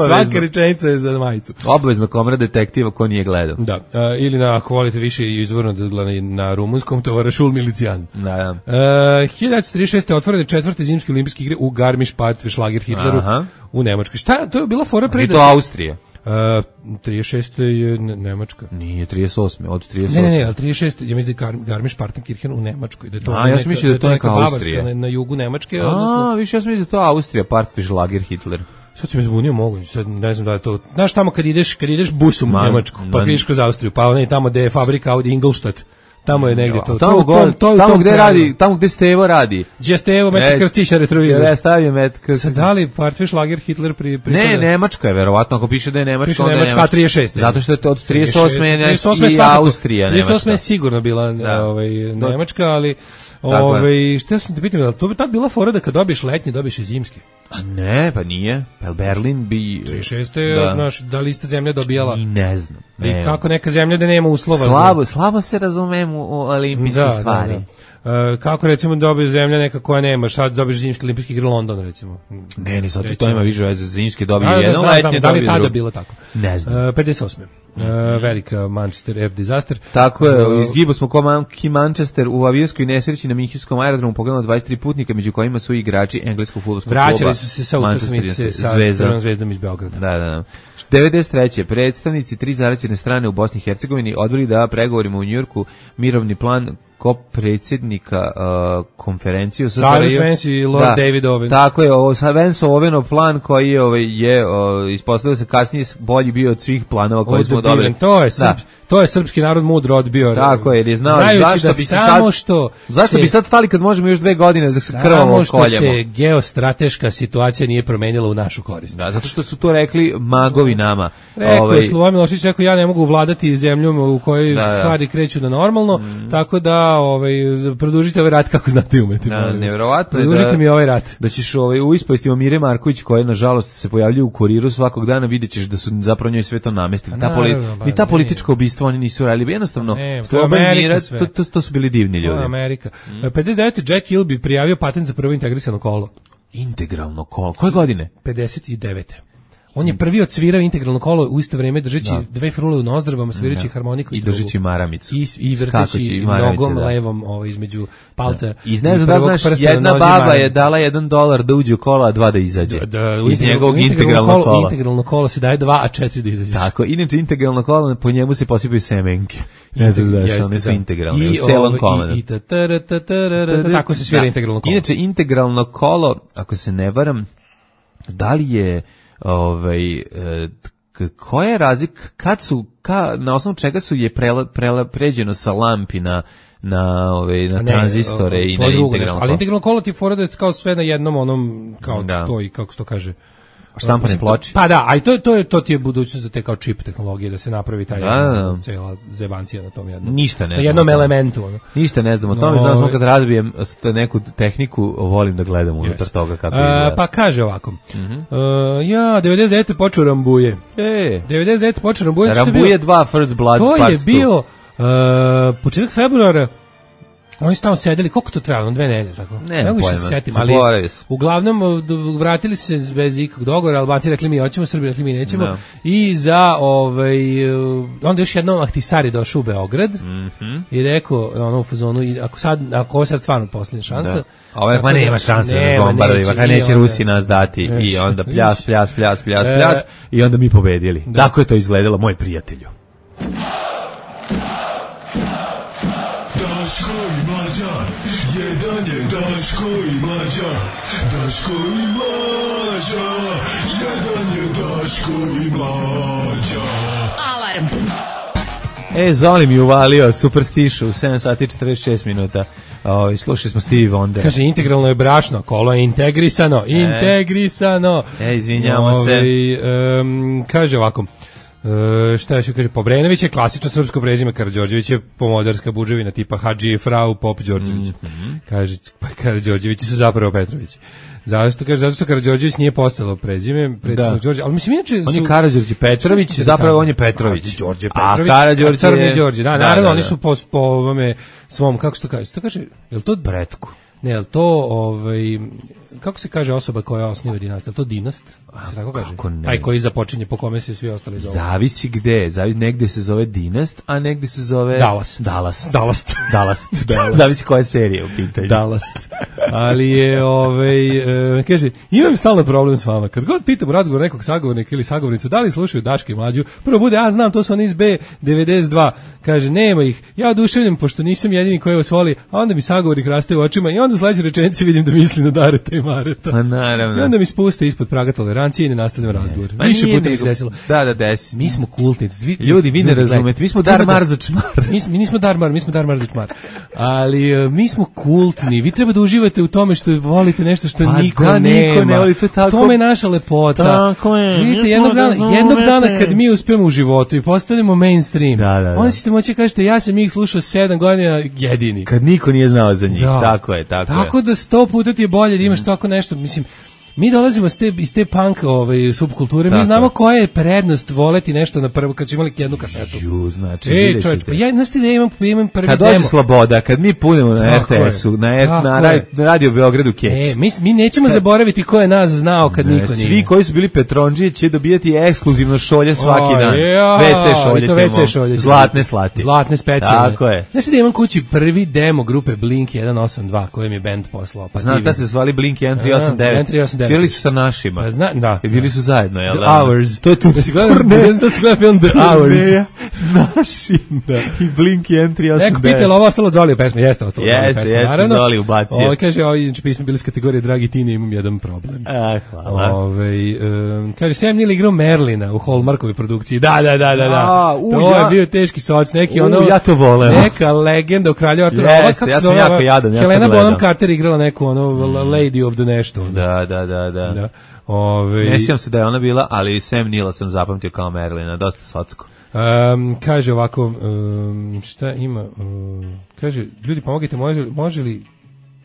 Svaka rečenica je za majicu. Obavezno Komrad detektiva ko nije gledao. Da, uh, ili na, ako volite više izvorno da gledate na rumunskom, to vara Šul Milicijan. Da, da. Uh, hiljadu devetsto trideset šeste. otvorene četvrte zimske olimpijske igre u Garmisch-Partenkirchen Hitleru. Aha. U Nemačkoj. Šta, to je bila fora pre da... I to Austrija. Uh, trideset šeste. je Nemačka. Nije, trideset osme. Od trideset Ne, osme. ne, ne, ali trideset šeste. ja mislim da je Garmisch-Partenkirchen u Nemačkoj. Da je to A, ja sam mislio da je to neka Austrija. Na, na jugu Nemačke. A, odnosno... više ja sam mislio da je to Austrija, Partenkirchen Hitler. Sad se mi zbunio mogu, sad ne znam da je to. Znaš tamo kad ideš, kad ideš busom u Njemačku, pa ideš kroz Austriju, pa onaj tamo gde je fabrika Audi Ingolstadt, tamo je negde to. Tamo, to, god, to, to, tamo to gde kraju. radi, tamo gde Stevo radi. Gdje Stevo meče krstiša retrovizor. Ja stavio met krstiša. Sad da li Partviš Lager Hitler pri, pri Ne, Nemačka je verovatno, ako piše da je Nemačka, piše onda je Nemačka, Nemačka. trideset šest. Zato što je to od trideset osme i Austrija Nemačka. trideset osme je sigurno bila da. ovaj, Nemačka, ali ovaj, što sam te pitam, da to bi tad bila fora da kad dobiješ letnji, dobiješ i zimski. A ne, pa nije. Pa Berlin bi... trideset šeste je, znaš, da li ista zemlja dobijala? I ne znam. Ne. I kako neka zemlja da nema uslova? Slabo, za... slabo se razumem u olimpijske da, stvari. Da, da. Uh, kako recimo dobije zemlja neka koja nema, šta dobiješ zimski olimpijski igre London recimo. Ne, ne, sad ti to ima više veze, zimski dobije da, jedno, da, letnje dobije drugo. Da li tada bilo tako? Ne znam. Uh, pedeset osme Uh, velika Manchester Air disaster. Tako je, izgibo smo ko Monkey Manchester u avionskoj nesreći na Minhenskom aerodromu poginulo dvadeset tri putnika, među kojima su igrači engleskog fudbalskog kluba. Vraćali su se sa utakmice sa Crvenom zvezdom iz Beograda. Da, da, da. devedeset treće predstavnici tri zaraćene strane u Bosni i Hercegovini odbili da pregovorima u Njujorku mirovni plan ko predsjednika uh, konferenciju sa Cyrus Vance i Lord da, David Owen. Tako je, ovo sa Vance Owenov plan koji je ovaj je uh, ispostavio se kasnije bolji bio od svih planova koje smo dobili. To je srp, to je srpski narod mudro odbio. Tako je, jer je znao zašto da bi se samo sad što zašto se, bi sad stali kad možemo još dve godine da se krvavo koljemo. Samo što se geostrateška situacija nije promenila u našu korist. Da, zato što su to rekli magovi nama. Rekao ovaj, je Slobodan Milošević, rekao ja ne mogu vladati zemljom u kojoj da, da. stvari kreću na normalno, mm. tako da ovaj produžite ovaj rat kako znate i umete. Da, neverovatno je produžite da, mi ovaj rat. Da ćeš ovaj u ispovestima Mire Marković koja nažalost se pojavljuje u Kuriru svakog dana, videćeš da su zapravo njoj sve to namestili. Ta poli, ni ta politička ubistva oni nisu radili, jednostavno. Slobodan Mira, to, to, to su bili divni ljudi. Amerika. Mm. pedeset devete Jack Hill bi prijavio patent za prvo integrisano kolo. Integralno kolo. Koje godine? pedeset devete On je prvi odsvirao integralno kolo u isto vrijeme držeći da. dve frule u nozdrvama, svirajući da. harmoniku i, i držeći maramicu. I, i vrteći nogom da. levom ovo, između palca. Da. I ne znam da znaš, jedna baba maramicu. Je dala jedan dolar da uđe u kola, a dva da izađe. Da, da, iz njegovog integralnog kola. Integralno kolo se daje dva, a četiri da izađe. Tako, inače integralno kolo, po njemu se posipaju semenke. Ne znam da znaš, one su integralne, u celom komadu. Tako se svira integralno kolo. Inače, integralno kolo, ako se ne varam, da li je ovaj e, koja je razlika kad su ka, na osnovu čega su je prela, prela, pređeno sa lampi na na ove na ne, tranzistore o, o, i na integralno kolo. Ali integralno kolo ti fora da kao sve na jednom onom kao da. To i kako se to kaže štampane ploče. Pa da, a i to to je to ti je budućnost za te kao čip tehnologije da se napravi taj da, da. cela zebancija na tom jednom. Ništa ne. Na jednom elementu, ono. Ništa ne znam o tome, no, znam samo kad razbijem neku tehniku, volim da gledam unutar yes. toga kako izgleda. Pa kaže ovako. Mm-hmm. Uh, ja devedeset devete počeo Rambuje. E, devedeset devete počeo Rambuje. Rambuje dva First Blood to part je bio uh, početak februara. Oni su tamo sedeli, koliko to trajalo, dve nedelje, tako? Ne, ne mogu se setim, ali uglavnom vratili su se bez ikakvog dogovora, Albanci rekli mi hoćemo, Srbi rekli mi nećemo, no. I za, ovaj, onda još jednom Ahtisari došao u Beograd mm-hmm. i rekao, ono u fazonu, ako sad, ako ovo sad stvarno posljednja šansa. Da. Ovo pa nema šanse da nas bombardaju, kad neće Rusi nas dati neš, i onda pljas, pljas, pljas, pljas, e, pljas i onda mi pobedili. Da. Tako je to izgledalo, moj prijatelju. Daško i Mlađa, jedan je Daško i Mlađa, Daško i Mlađa, jedan je Daško i Mlađa. Alarm. E, Zoli mi uvalio Superstition u sedam sati i četrdeset šest minuta. O, slušali smo Stevie Wonder. Kaže, integralno je brašno, kolo je integrisano, e. integrisano. E, izvinjamo Ovi, se. Um, kaže ovako, Uh, šta još kaže, Pobrenović je klasično srpsko prezime, Karađorđević je pomodarska buđevina tipa Hadži, Frau, Pop, Đorđević. Mm-hmm. Kaže, pa Karađorđevići su zapravo Petrović. Zašto kaže, zato što Karađorđević nije postalo prezime, predsjednik Đorđe, ali mislim inače su on je Karađorđe Petrović, zapravo on je Petrović. Đorđe Petrović, a Karađorđe je Đorđe, da, naravno da, da. Oni su po po ovome svom, kako se to kaže? Se to kaže, jel to Bretku? Ne, jel to ovaj kako se kaže osoba koja osniva dinastiju, to dinast? Tako kaže. Taj koji započinje po kome se svi ostali zovu. Zavisi gde, zavisi negde se zove dinast, a negde se zove Dallas. Dallas. Dallas. Dallas. Zavisi koja serija u pitanju. Dallas. Ali je ovaj e, kaže, imam stalno problem s vama. Kad god pitam u razgovoru nekog sagovornika ili sagovornicu da li slušaju Daške i Mlađu, prvo bude ja znam, to su oni iz B devedeset dva. Kaže, nema ih. Ja oduševljen pošto nisam jedini koji vas voli, a onda mi sagovornik raste u očima i onda u sledećoj rečenici vidim da misli na Dareta i Mareta. Pa naravno. I onda mi spuste ispod praga toleracije. tolerancije i ne nastavljamo razgovor. Pa Više puta mi nego, se desilo. Da, da, desi. Mi smo kultnici. Vi, ljudi, vi ne razumete. Mi smo Darmar za čmar. Mi, mi nismo Darmar, mi smo Darmar za čmar. Ali uh, mi smo kultni. Vi treba da uživate u tome što volite nešto što pa niko da, nema. Niko ne voli, to je tako. Tome je naša lepota. Tako je. Vidite, jednog dana, jednog dana kad mi uspemo u životu i postanemo mainstream, da, da, da. onda ćete moći kažete ja sam ih slušao sedam godina jedini. Kad niko nije znao za njih. Da. Tako je, tako, tako je. Tako da sto puta ti je bolje da imaš mm. tako nešto, mislim, mi dolazimo iz te, iz te punk ovaj, subkulture, tako. Mi znamo koja je prednost voleti nešto na prvo, kad su imali jednu kasetu. Ju, znači, e, čovječ, pa ja, znaš ti da imam, imam prvi kad demo. Kad dođe Sloboda, kad mi punimo na R T S-u, na, na, na, na Radio Beogradu Kec. E, mi, mi nećemo kad, zaboraviti ko je nas znao kad ne, niko nije. Svi koji su bili Petronđije će dobijati ekskluzivno šolje svaki o, dan. Ja, ve ce šolje ćemo. ve ce šolje zlatne slati. Zlatne specijalne. Tako je. Znaš ti da imam kući prvi demo grupe Blink jedan osam dva koji mi je band poslao. Pa znam, tad se zvali Blink jedan tri osam devet. Svirali su sa našim. Pa zna, da. I bili su zajedno, jel? The Hours. To je tu. Da si gledao, da si gledao film The Hours. Naši. Da. I Blink jedan tri osam devet. Neko pitala, ovo ostalo Zoli u pesmi. Jeste ostalo Zoli u pesmi. Jeste, jeste, Zoli ubacio. Ovo kaže, ovo inače pismo bili iz kategorije Dragi Tine, imam jedan problem. A, hvala. Ove, um, kaže, Sam Neill igrao Merlina u Hallmarkovoj produkciji. Da, da, da, da. da. A, u, to ja, je bio teški soc, neki u, ono... Ja to voleo. Neka legenda u Kralju Artura. Jeste, ja sam jako jadan, ja sam Helena gledao. Bonham Carter igrala neku ono mm. Lady of the nešto. Ono. Da, da, da, da. da. Ove... Ne sjećam se da je ona bila, ali Sam Neilla sam zapamtio kao Merlina, dosta socko. Um, kaže ovako, um, šta ima, um, kaže, ljudi pomogite, može, može li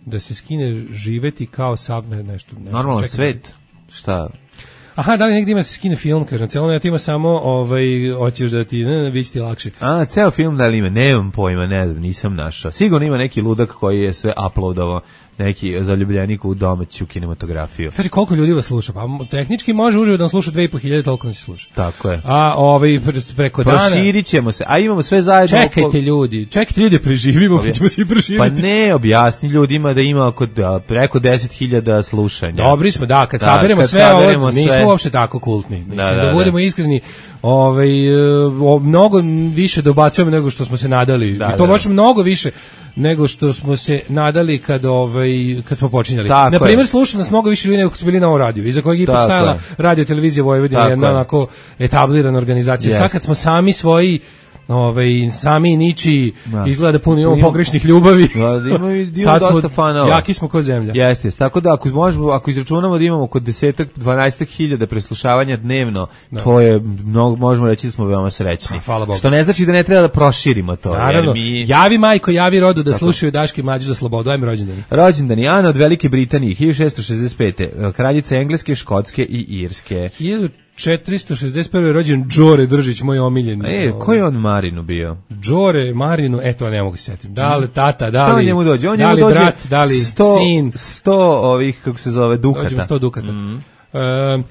da se skine živeti kao sav, ne, nešto. nešto normalan svet, šta? Aha, da li negdje ima se skine film, kažem, celo ne, ti ima samo, ovaj, hoćeš da ti, ne, ne, bit će ti lakše. A, ceo film da li ima, nemam pojma, ne znam, nisam našao. Sigurno ima neki ludak koji je sve uploadovao, neki zaljubljenik u domaću kinematografiju. Kaže, koliko ljudi vas sluša? Pa tehnički može uživo da nas sluša dve i po hiljade, toliko nas sluša. Tako je. A ovaj, preko dana... Proširit ćemo se, a imamo sve zajedno... Čekajte oko... ljudi, čekajte ljudi, preživimo, pa ćemo svi preživiti. Pa ne, objasni ljudima da ima oko, da, preko deset hiljada slušanja. Dobri smo, da, kad da, saberemo kad sve ovo, nismo uopšte tako kultni. Mislim, da, da, da budemo da. iskreni, ovaj, o, mnogo više dobacujemo nego što smo se nadali. Da, I to baš da, da. mnogo više nego što smo se nadali kad ovaj kad smo počinjali. Na primjer, sluša nas mnogo više ljudi nego su bili na ovom radiju, iza kojeg je ipak stajala Radio Televizija Vojvodine, jedna onako etablirana organizacija. Yes. Sad kad smo sami svoji ovaj sami niči da. izgleda puno imamo pogrešnih ljubavi. Da, ima i dosta fanova. Jaki smo ko zemlja. Jeste, tako da ako možemo, ako izračunamo da imamo oko deset dvanaest hiljada preslušavanja dnevno, da. to je mnogo, možemo reći da smo veoma srećni. Pa, što ne znači da ne treba da proširimo to. Naravno, jer mi... javi majko, javi rodu da tako. slušaju Daške i Mlađu za slobodu. Ajme rođendani. Rođendani Ana od Velike Britanije hiljadu šessto šezdeset pete. Kraljica Engleske, Škotske i Irske. četiristo šezdeset prve je rođen Đore Držić, moj omiljeni. E, ko je on Marinu bio? Đore Marinu, eto ne mogu se setiti. Da li tata, da li... Šta on njemu dođe? On da njemu li dođe brat, da li sto, sin. sto ovih, kako se zove, dukata. Dođe sto dukata. Mm. E,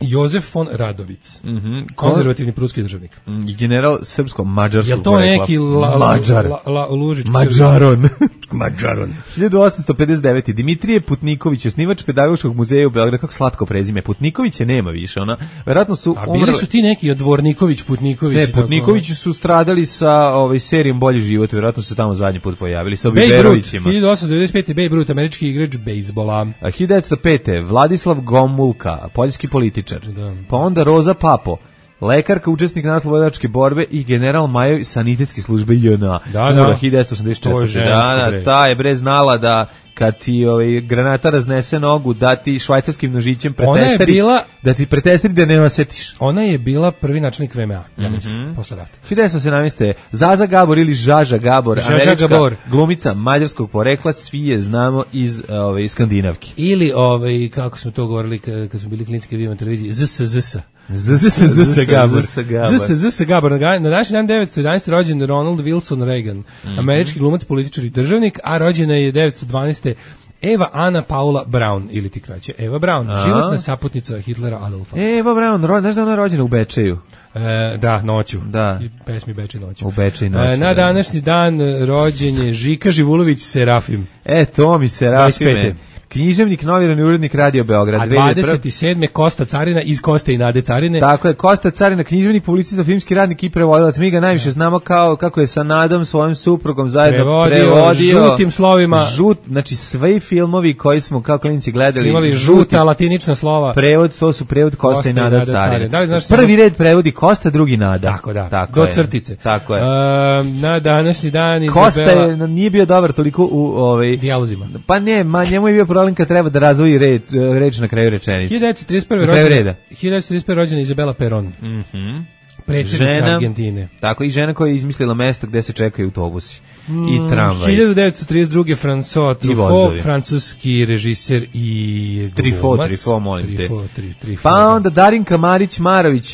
Jozef von Radovic, mm -hmm. konzervativni pruski državnik. I general srpsko-mađarskog porekla. Je to neki la, la, Mađar. La, la, Lužić? Mađaron. Mađaron. hiljadu osamsto pedeset devete. Dimitrije Putniković, osnivač Pedagoškog muzeja u Beogradu, kako slatko prezime. Putnikovića nema više, ona. Verovatno su A bili umrli... su ti neki od Dvorniković, Putniković. Ne, Putnikovići su stradali sa ovaj serijom Bolji život, verovatno su se tamo zadnji put pojavili sa Biberovićima. hiljadu osamsto devedeset pete. Babe Ruth, američki igrač bejzbola. A hiljadu devetsto pete. Vladislav Gomulka, poljski političar. Da. Pa onda Roza Papo, lekarka, učesnik narodnooslobodilačke borbe i general Majoj sanitetske službe J N A. Da, da. hiljadu devetsto osamdeset četvrte. Da, da, ta je bre znala da kad ti ovaj granata raznese nogu, da ti švajcarskim nožićem pretestari, bila, da ti pretestari da ne osetiš. Ona je bila prvi načelnik V M A, ja mislim, mm -hmm. posle rata. hiljadu devetsto sedamnaeste. Zaza Gabor ili Žaža Gabor, Žaža američka Gabor. glumica mađarskog porekla, svi je znamo iz ove skandinavke. Ili ovaj kako smo to govorili kad, kad smo bili klinski video na televiziji, Z S Z S. Z S Z S Gabor. Z S Z S Gabor. Na današnji dan devetsto jedanaeste. rođen Ronald Wilson Reagan, mm-hmm. američki glumac, političar i državnik, a rođena je devetsto dvanaeste. Eva Ana Paula Braun, ili ti kraće, Eva Braun, a? životna saputnica Hitlera Adolfa. Eva Braun, ro, znaš da ona je rođena u Bečeju? E, da, noću. Da. I pesmi Bečej noću. U Bečej noću. E, na današnji dan rođen je Žika Živulović Serafim. E, to mi Serafime. književnik, novinar i urednik Radio Beograd. A dvadeset sedme Kosta Carina iz Koste i Nade Carine. Tako je, Kosta Carina, književnik, publicista, filmski radnik i prevodilac. Mi ga najviše znamo kao kako je sa Nadom, svojim suprugom zajedno prevodio, prevodio. Žutim slovima. Žut, znači sve filmovi koji smo kao klinici gledali. Imali žuta latinična slova. Prevod, to su prevod Kosta, Kosta i Nada, Nada Carina. Da li znaš prvi red prevodi Kosta, drugi Nada. Tako da, tako do je. crtice. Tako je. Uh, na današnji dan Kosta Izabela... je, nije bio dobar toliko u ovaj dijalozima. Pa ne, ma njemu je bio problem kad treba da razdvoji red, reč na kraju rečenice. hiljadu devetsto trideset prve rođena, hiljadu devetsto trideset prve rođena Izabela Perón. Mhm. Predsjednica Argentine. Tako, i žena koja je izmislila mesto gde se čekaju autobusi mm, i tramvaj. hiljadu devetsto trideset druge François Truffaut, francuski režiser i Truffaut, Truffaut, molim te. Truffaut, tri, tri, pa onda Darinka Marić-Marović,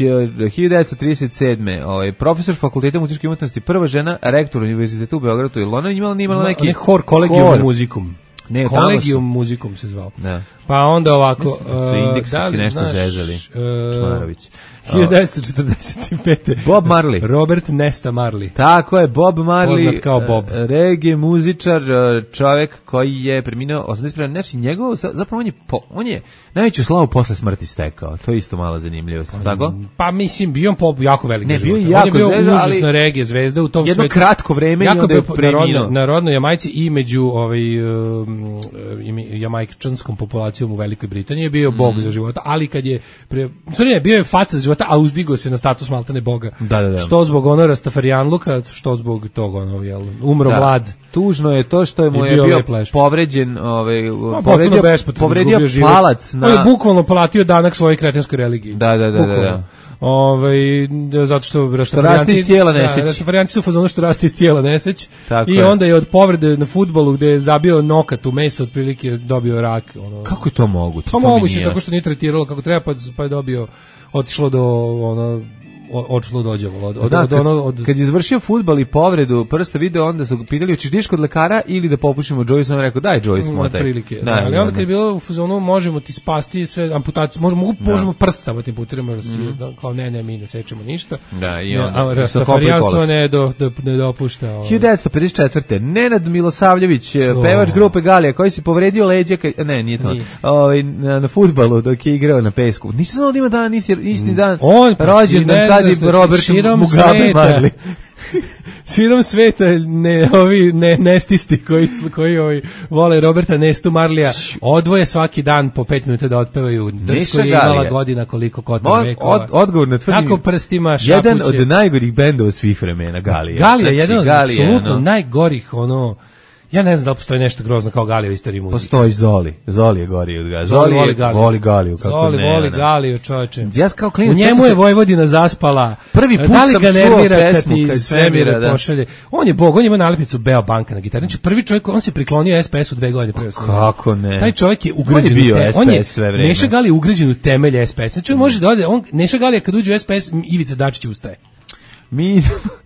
hiljadu devetsto trideset sedme ovaj, profesor fakulteta muzičke umetnosti, prva žena, rektor univerziteta u Beogradu, ili ona imala, imala neki... Ne, hor, kolegijum muzikum. Ne, kolegijum muzikum se zvao. Da. Pa onda ovako... Mislim, su indeksu uh, si nešto znaš, zezali. Uh, Čmarović. hiljadu devetsto četrdeset pete. Bob Marley. Robert Nesta Marley. Tako je, Bob Marley. Poznat kao Bob. Reggae muzičar, čovjek koji je preminuo osamdeset prve. Znači, njegov, zapravo on je, po, on je najveću slavu posle smrti stekao. To je isto malo zanimljivo. Tako? Pa mislim, bio on pop jako veliki. Ne, bio život. jako on je bio zvezda, užasna ali reggae zvezda u tom jedno svetu. kratko vreme jako i onda je preminuo. Na rodnoj Jamajci i među ovaj, um, jamajčanskom populacijom u Velikoj Britaniji je bio mm. bog za života, ali kad je pre, ne, bio je faca za života, a uzdigo se na status maltene boga. Da, da, da. Što zbog ono Rastafarijanluka, što zbog tog ono, jel, umro da. Mlad. Tužno je to što je mu je bio, bio povređen, ovaj, no, povredio, povredio palac na... On je bukvalno platio danak svojoj kretenskoj religiji. Da, da, da, da, da. Ovaj zato što Rastafarijanci iz tijela neseć. Rastafarijanci su fazonu što raste iz tijela neseć. Tako I je. onda je od povrede na fudbalu gde je zabio nokat u meso otprilike dobio rak, ono. Kako je to moguće? Pa moguće tako što nije tretiralo kako treba pa pa je dobio otišlo do ono očilo dođevalo od, od, da, od, ono, od... kad je izvršio fudbal i povredu prsta video, onda su pitali hoćeš diš kod lekara ili da popušimo Joyce, on rekao daj Joyce motaj. Prilike. Da, ali onda kad je bilo u fazonu možemo ti spasti sve amputacije, možemo da. možemo prst samo tim putirima, mm. da, kao ne ne mi ne sečemo ništa. Da, i onda Rastafarijanstvo ne do, do ne dopušta. Ovaj. hiljadu devetsto pedeset četvrte Nenad Milosavljević, so. pevač grupe Galija koji se povredio leđa, kaj, ne, nije to. Ovaj na, na fudbalu dok je igrao na pesku. Nisam znao da ima dan isti isti dan. On rođendan kad je Robert Mugabe Marley. Širom sveta ne ovi ne nestisti koji koji ovi vole Roberta Nestu Marlija odvoje svaki dan po pet minuta da otpevaju Drsko je imala godina koliko kotor vekova. Od, odgovor na tvrdim. Kako prstima šapuće. Jedan od najgorih bendova svih vremena Galija. Galija znači, jedan od Galija, apsolutno no. najgorih ono. Ja ne znam da li postoji nešto grozno kao Galija u istoriji muzike. Postoji Zoli. Zoli je gori od Galija. Zoli, Zoli voli Galiju. Voli Galiju kako Zoli ne, voli ne. Galiju, čoveče. Ja kao klinac, u njemu je Vojvodina zaspala. Prvi put da li sam ga nervira čuo pesmu kad iz svemira da. pošalje. On je bog, on ima nalepnicu Beo Banka na gitari. Znači prvi čovjek, on se priklonio es pe esu dve godine pre. Kako ne? Taj čovjek je ugrađen on je bio u te, es pe es on je, sve vreme. Neša Galija ugrađen u temelje es pe es. Znači on može da ode, on Neša Galija kad uđe u es pe es, Ivica Dačić ustaje. Mi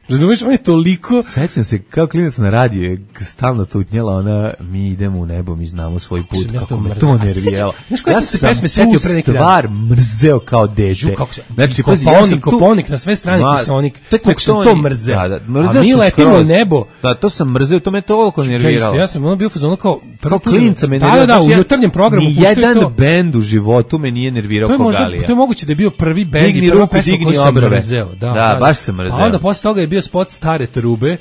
razumeš, on je toliko... Sećam se, kao klinac na radiju je stalno tutnjela ona, mi idemo u nebo, mi znamo svoj put, kako, kako me to nerviralo. Znaš koja ja sam se pesme setio pre neki dan? Ja sam tu stvar mrzeo kao dete. Znači, Koponik, Koponik, na sve strane Kisonik, tako sam to mrzeo. Da, da, mrzeo a mi letimo u nebo. Da, to sam mrzeo, to me toliko nerviralo. Ja sam ono bio fazonu kao... Kao klinca me nerviralo. Da, da, u jutarnjem programu puštaju to. Nijedan bend u životu me nije nervirao kao Galija. To je moguće da je bio prvi bend i prva pesma koju sam mrzeo. Da, baš sam mrzeo. A onda posle toga je bio spot Stare trube.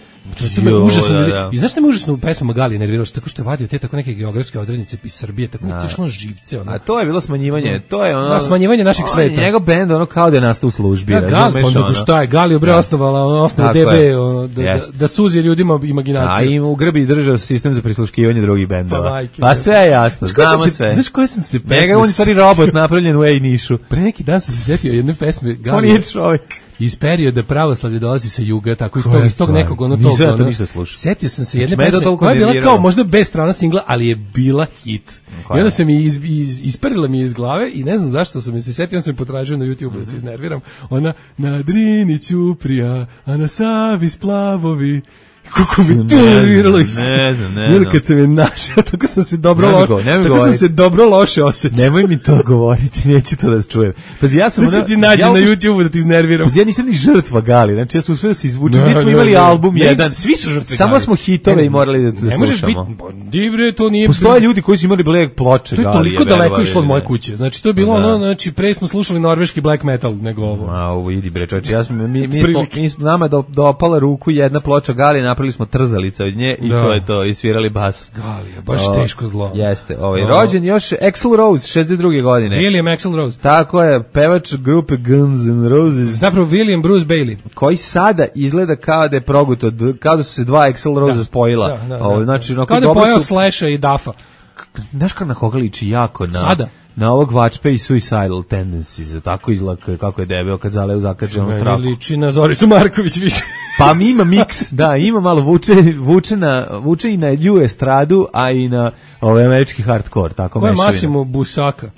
To me užasno. Da, da. I znaš šta me užasno u pesmama Galije nerviralo? Tako što je vadio te tako neke geografske odrednice iz Srbije, tako da. Tišlo živce. Ono. A to je bilo smanjivanje, to je ono... Da, smanjivanje našeg sveta. Njegov bend, ono kao da je nastao u službi. Da, Gali, onda ono. Šta je, Galiju bre osnovala, ono, osnovala de be, ono, da, da, da suzi ljudima imaginaciju. A im u grbi držao sistem za prisluškivanje drugih bendova. Pa, pa sve je jasno, znamo sve. Znaš koje sam se pesme... Njega on je stvari robot napravljen u A-Nišu. Pre neki dan sam se setio jedne pesme Galije. On je čovjek. Iz perioda pravoslavlje dolazi sa juga, tako iz tog, iz tog nekog ono tog. Nisam to ništa slušao. Setio sam se jedne pesme koja je bila kao možda bez strana singla, ali je bila hit. I onda se mi iz, iz, isperila mi iz glave i ne znam zašto sam mi se setio, sam mi potražio na YouTube da se iznerviram. Ona na Drini ćuprija, a na Savi splavovi, Kako mi to nerviralo isto. Ne znam, ne znam. Kad sam je našao, tako sam se dobro ne loše, go, ne tako sam se dobro loše osjećao. Nemoj mi to govoriti, neću to da čujem. Pazi, ja sam... Sad ću ti nađi ja, na YouTubeu da ti iznerviram. Pazi, ja nisam ni žrtva Gali, znači ja sam uspio da se izvučem, mi smo imali ne, album ne, jedan. Svi su žrtve Samo Gali. smo hitove ne, i morali da, da ne slušamo. Dibre, to nije... Postoje ljudi koji su imali black ploče Gali. To je toliko daleko išlo od moje kuće. Znači, to je bilo ono, znači, pre smo slušali norveški black metal nego ovo. A, ovo idi bre, čovječe, ja sam, mi, mi, smo, mi smo, nama do, dopala ruku jedna ploča Gali, napravili smo trzalica od nje i da. To je to, i svirali bas. Galija, baš o, teško zlo. Jeste, ovaj, rođen još Axl Rose, šezdeset druge godine. William Axl Rose. Tako je, pevač grupe Guns N' Roses. Zapravo William Bruce Bailey. Koji sada izgleda kao da je proguto, kao da su se dva Axl Rose da. Spojila. Da, da, da, o, znači, kao da je pojao su... Slasha i Duffa. Znaš kako na koga liči jako? Na, sada? Na ovog Vačpe i Suicidal Tendencies, tako izgleda kako je debeo kad zaleo zakačenu traku. Meni liči na Zoricu Marković više. Pa mi ima miks, da, ima malo vuče, vuče, na, vuče i na lju estradu, a i na ovaj američki hardcore, tako ko je mešavina. Massimo Busaka?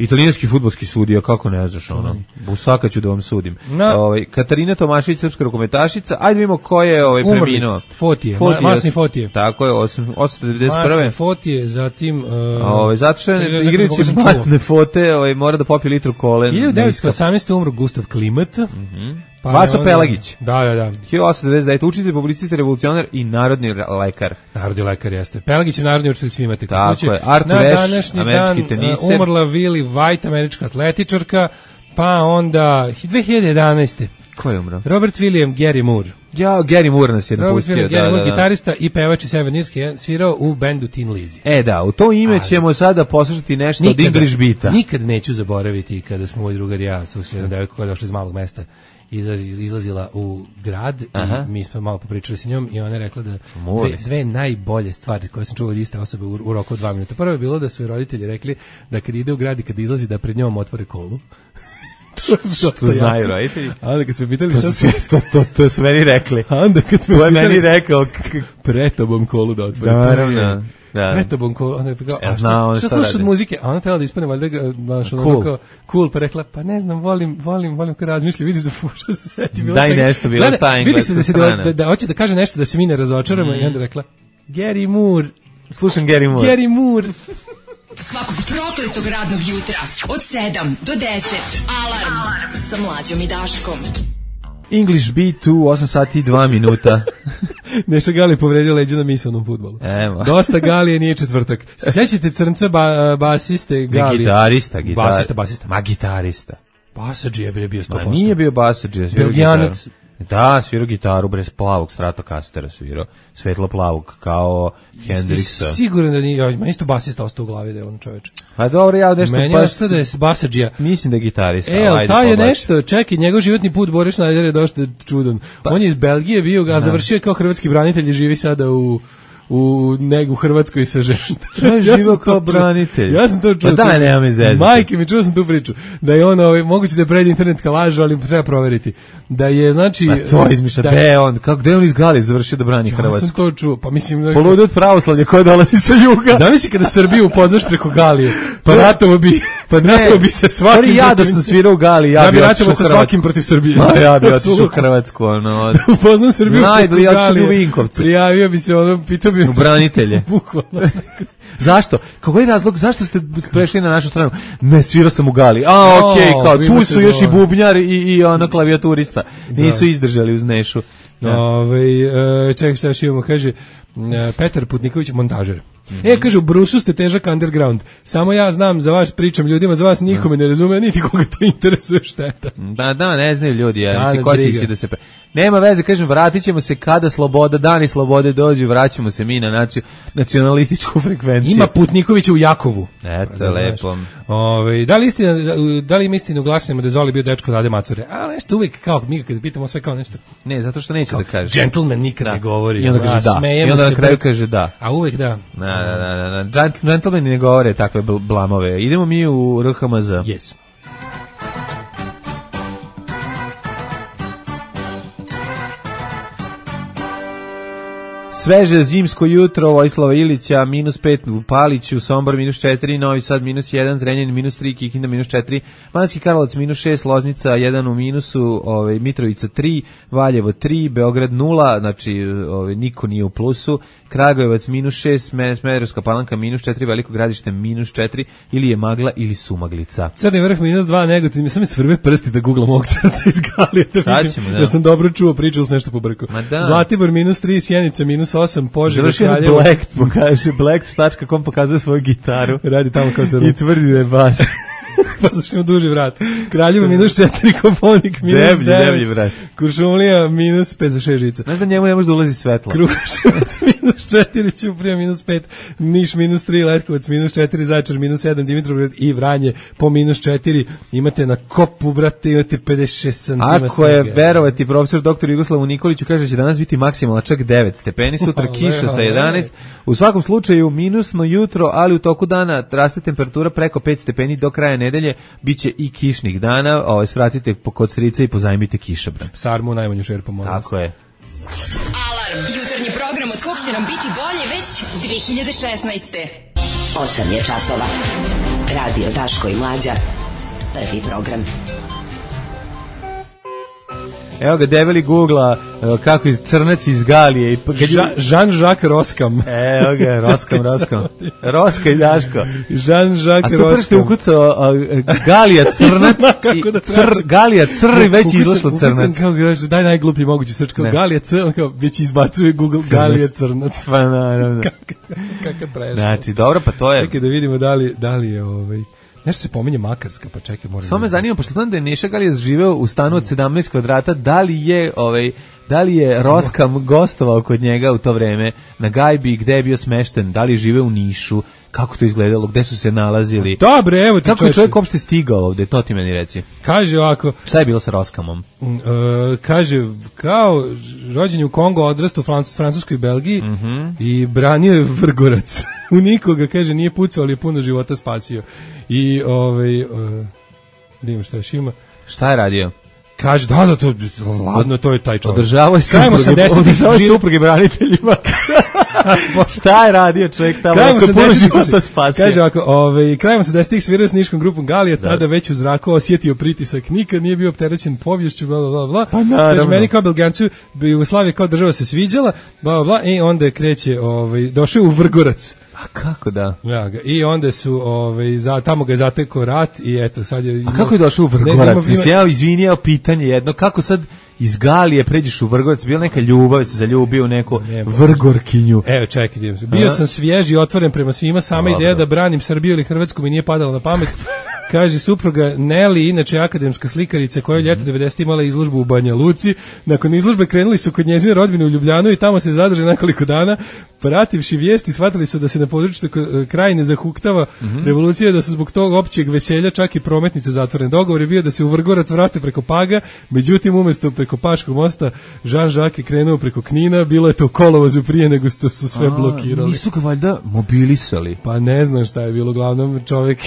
Italijanski fudbalski sudija, kako ne znaš ono. Busaka ću da vam sudim. No. Ovaj Katarina Tomašević, srpska rukometašica. Ajde vidimo ko je ovaj preminuo. Fotije, Fotije, Masni Fotije. Tako je, osamsto devedeset prve. Masni Fotije, zatim uh, ovaj zato što je igrajući masne fote, ovaj mora da popije litru kole. hiljadu devetsto osamnaeste. umro Gustav Klimt. Mhm. Pa Vasa onda, Pelagić. Da, da, da. hiljadu osamsto devedeset devete. učitelj, publicist, revolucionar i narodni lekar. Narodni lekar jeste. Pelagić je narodni učitelj, svi imate kako kuće. Tako je. Artur Ashe, američki teniser. Umrla Willie White, američka atletičarka, pa onda dve hiljade jedanaeste. Ko je umro? Robert William Gary Moore. Ja, Gary Moore nas je napustio. Robert William da, Gary Moore, da, da. gitarista i pevač iz Severne Irske, svirao u bendu Tin Lizzy. E da, u to ime ćemo sada poslušati nešto nikada, od English Beata. Nikad neću zaboraviti kada smo moj drugar i ja sa jednom devojkom koja je došla iz malog mesta izlazila u grad. Aha. I mi smo malo popričali sa njom i ona je rekla da dve, dve najbolje stvari koje sam čuo od iste osobe u, u roku od dva minuta. Prvo je bilo da su roditelji rekli da kad ide u grad i kad izlazi da pred njom otvore kolu. to, to znaju roditelji. A onda kad smo pitali to, su, to, to, to su meni rekli. A onda kad smo to je meni rekao pred tobom kolu da otvore. Naravno. Da. Pred tobom kolu. Onda je rekao, ja znao šta, šta slušaš od muzike? A ona trebala da ispane valjda baš ono cool. Kao, cool, pa rekla, pa ne znam, volim, volim, volim kad razmišlja, vidiš da fuša se seti. Daj čega. Nešto, bilo šta engleska. Vidi se da, se da, da, da hoće da kaže nešto da se mi ne razočaramo mm. i onda rekla, Gary Moore. Slušam Gary Moore. Gary Moore. Svakog prokletog radnog jutra od sedam do deset. Alarm, Alarm. Sa Mlađom i Daškom. English Beat u osam sati i dva minuta. Neša Gali povredio leđa na misalnom fudbalu. Evo. Dosta Galije, nije četvrtak. Sećate crnca ba, basiste Galije? Gitarista, gitar... basista, basista. Ma gitarista. Basadži je bio sto posto. Ma nije bio basadži, je svirao Belgijanac. Da, svirao gitaru bez plavog Stratocastera, svirao svetlo plavog kao Hendrixa. Siguran da nije, ma isto basista ostao u glavi da je on čoveč. Pa dobro, ja nešto meni pa ostao da je basadžija. Mislim da je gitarista. E, ali taj je nešto, čekaj, njegov životni put Boris Schneider je dosta čudan. Pa, on je iz Belgije bio, a završio je kao hrvatski branitelj i živi sada u u negu Hrvatskoj sa ženom. Ja živo kao branitelj. Ja sam to čuo. Pa daj, nema mi zezati. Majke mi, čuo sam tu priču. Da je ono, ovaj, moguće da je pred internetska laž, ali treba proveriti. Da je, znači... Pa to izmišlja, da je on, kako da je on iz Gali završio da brani ja Hrvatsku? Ja sam to čuo, pa mislim... Poludio od pravoslavlja koje dolazi sa juga. Zamisli kada Srbiju upoznaš preko Galije, pa ratovo bi... Pa ne, bi se svakim ja da sam svirao u Gali, ja, ja bi ratovo sa svakim protiv Srbije. Ma ja bi otišao u Hrvatsku, ono. Da upoznam Srbiju preko Galije. U Vinkovce. Prijavio bi se, ono, pitao bi... U branitelje. Bukvalno. Zašto? Kako je razlog? Zašto ste prešli na našu stranu? Ne, svirao sam u Gali. A, okej, okay, kao, tu su još i bubnjar i, i ono klavijaturista. Nisu da. Izdržali uz Nešu. Ja. Ove, čekaj šta još imamo, kaže Petar Putniković, montažer. Mm-hmm. E, kaže, u Brusu ste težak underground. Samo ja znam za vas, pričam ljudima, za vas nikome ne razume, niti koga to interesuje šteta. Da, da, ne znaju ljudi, ja, mislim, ko će da se... Pre... Nema veze, kažem, vratit ćemo se kada sloboda, dani slobode dođu, vraćamo se mi na naci... nacionalističku frekvenciju. Ima Putnikovića u Jakovu. Eto, da, lepo. Ove, da li istina, da li im istinu glasnimo da je Zoli bio dečko Dade Macure? A nešto uvijek, kao mi kad pitamo sve kao nešto. Ne, zato što neće kao, da kaže. Gentleman nikad da. Ne govori. I onda kaže da. I onda na kraju kaže da. A uvijek da. Da, da, da, da. Gentlemani ne govore takve blamove. Idemo mi u R H M Z. Yes. Sveže zimsko jutro, Vojislava Ilića, minus pet u Paliću, Sombor minus četiri, Novi Sad minus jedan, Zrenjanin minus tri, Kikinda minus četiri, Banatski Karlovac minus šest, Loznica jedan u minusu, ovaj, Mitrovica tri, Valjevo tri, Beograd nula, znači ovaj, niko nije u plusu, Kragujevac minus šest, Smederevska Palanka minus četiri, Veliko Gradište minus četiri, ili je magla ili sumaglica. Crni vrh minus dva, Negotin, mi sam mi svrbe prsti da googlam ovog crca iz Galije. Sad ćemo, da. Ja sam dobro čuo, pričao sam nešto pobrko. Da. Zlatibor minus tri, Sjenica minus osam, Požega, Kraljevo. Black, pokaže, black tačka com pokazuje svoju gitaru. Radi tamo kao crno. I tvrdi da je bas. Pa zašto ima duži vrat. Kraljevo minus četiri, Koponik minus deblji, devet. Deblji vrat. Kuršumlija minus pet za šest žica. Znaš da njemu ne može da ulazi svetlo. Kruševac minus četiri, Ćuprija minus pet, Niš minus tri, Leskovac minus četiri, Zaječar minus sedam, Dimitrovgrad i Vranje po minus četiri. Imate na kopu, brate, imate pedeset šest santima. Ako je verovati profesor doktor Jugoslavu Nikoliću, kaže da će danas biti maksimalno čak devet stepeni, sutra kiša sa jedanaest. U svakom slučaju minusno jutro, ali u toku dana raste temperatura preko pet stepeni do kraja nedelje, biće i kišnih dana. Ovaj svratite kod strica i pozajmite kišobran. Sarmu najmanju šerpu, molim. Tako je. Alarm, jutarnji program od kog će nam biti bolje već dve hiljade šesnaeste. osam je časova. Radio Daško i Mlađa. Prvi program. Evo ga debeli Googla kako iz crnac iz Galije. Jean, Jean-Jacques Roskam. Evo ga, Roskam, Roskam. Roska i Daško. Jean-Jacques Roskam. A super što je ukucao Galija crnac i cr, Galija crni već izlašlo crnac. Kao kaže, daj najgluplji mogući srč, kao Galija crnac, kao već izbacuje Google Galija crnac. Pa naravno. Kaka prešla. Znači, dobro, pa to je. Čekaj da vidimo da li, da li je ovaj... Nešto se pominje Makarska, pa čekaj, moram. Samo me zanima, pošto znam da je Neša Galija živeo u stanu od sedamnaest kvadrata, da li je ovaj da li je Roskam gostovao kod njega u to vreme na gajbi, gde je bio smešten, da li je živeo u Nišu, kako to izgledalo, gde su se nalazili. Dobre, evo ti kako je čovjek uopšte stigao ovde, to ti meni reci. Kaže ovako. Šta je bilo sa Roskamom? Uh, kaže, kao rođen je u Kongo, odrastao u Francuskoj, Francuskoj i Belgiji mm -hmm. i branio je Vrgorac. U nikoga, kaže, nije pucao, ali je puno života spasio. I, ovaj, uh, da imam šta još ima. Šta je radio? Kaže, da, da, to, ladno, to je taj čovjek. Održavao je supruge, održavao je supruge braniteljima. Šta je radio čovjek tamo? Krajem osamdesetih spasio. Kaže ovako, ovaj, krajem osamdesetih svirao s niškom grupom Galija, da. Tada već u zraku osjetio pritisak, nikad nije bio opterećen poviješću, bla, bla, bla, bla. Pa naravno. Kaže, meni kao Belgijancu, Jugoslavija kao država se sviđala, bla, bla, bla, i onda kreće, ovaj, došao u Vrgorac. A kako da? Ja, i onda su ovaj za tamo ga je zatekao rat i eto sad je. A kako je došao u Vrgorac? Mislim, ja izvinjao pitanje jedno, kako sad iz Galije pređeš u Vrgorac, bila neka ljubav, se zaljubio u neku Vrgorkinju. Evo, čekaj, bio A? sam svjež i otvoren prema svima, sama Dobro. Ideja da branim Srbiju ili Hrvatsku mi nije padala na pamet. Kaže supruga Nelly, inače akademska slikarica koja je ljeto devedesetih imala izložbu u Banja Luci. Nakon izložbe krenuli su kod njezine rodbine u Ljubljanu i tamo se zadrže nekoliko dana. Prativši vijesti, shvatili su da se na području Krajine zahuktava mm -hmm. revolucija, da su zbog tog općeg veselja čak i prometnice zatvorene. Dogovor je bio da se u Vrgorac vrate preko Paga, međutim umjesto preko Paškog mosta Jean-Jacques je krenuo preko Knina, bilo je to u kolovozu prije nego što su sve A, blokirali. Nisu ga valjda mobilisali? Pa ne znam šta je bilo, uglavnom čovjek...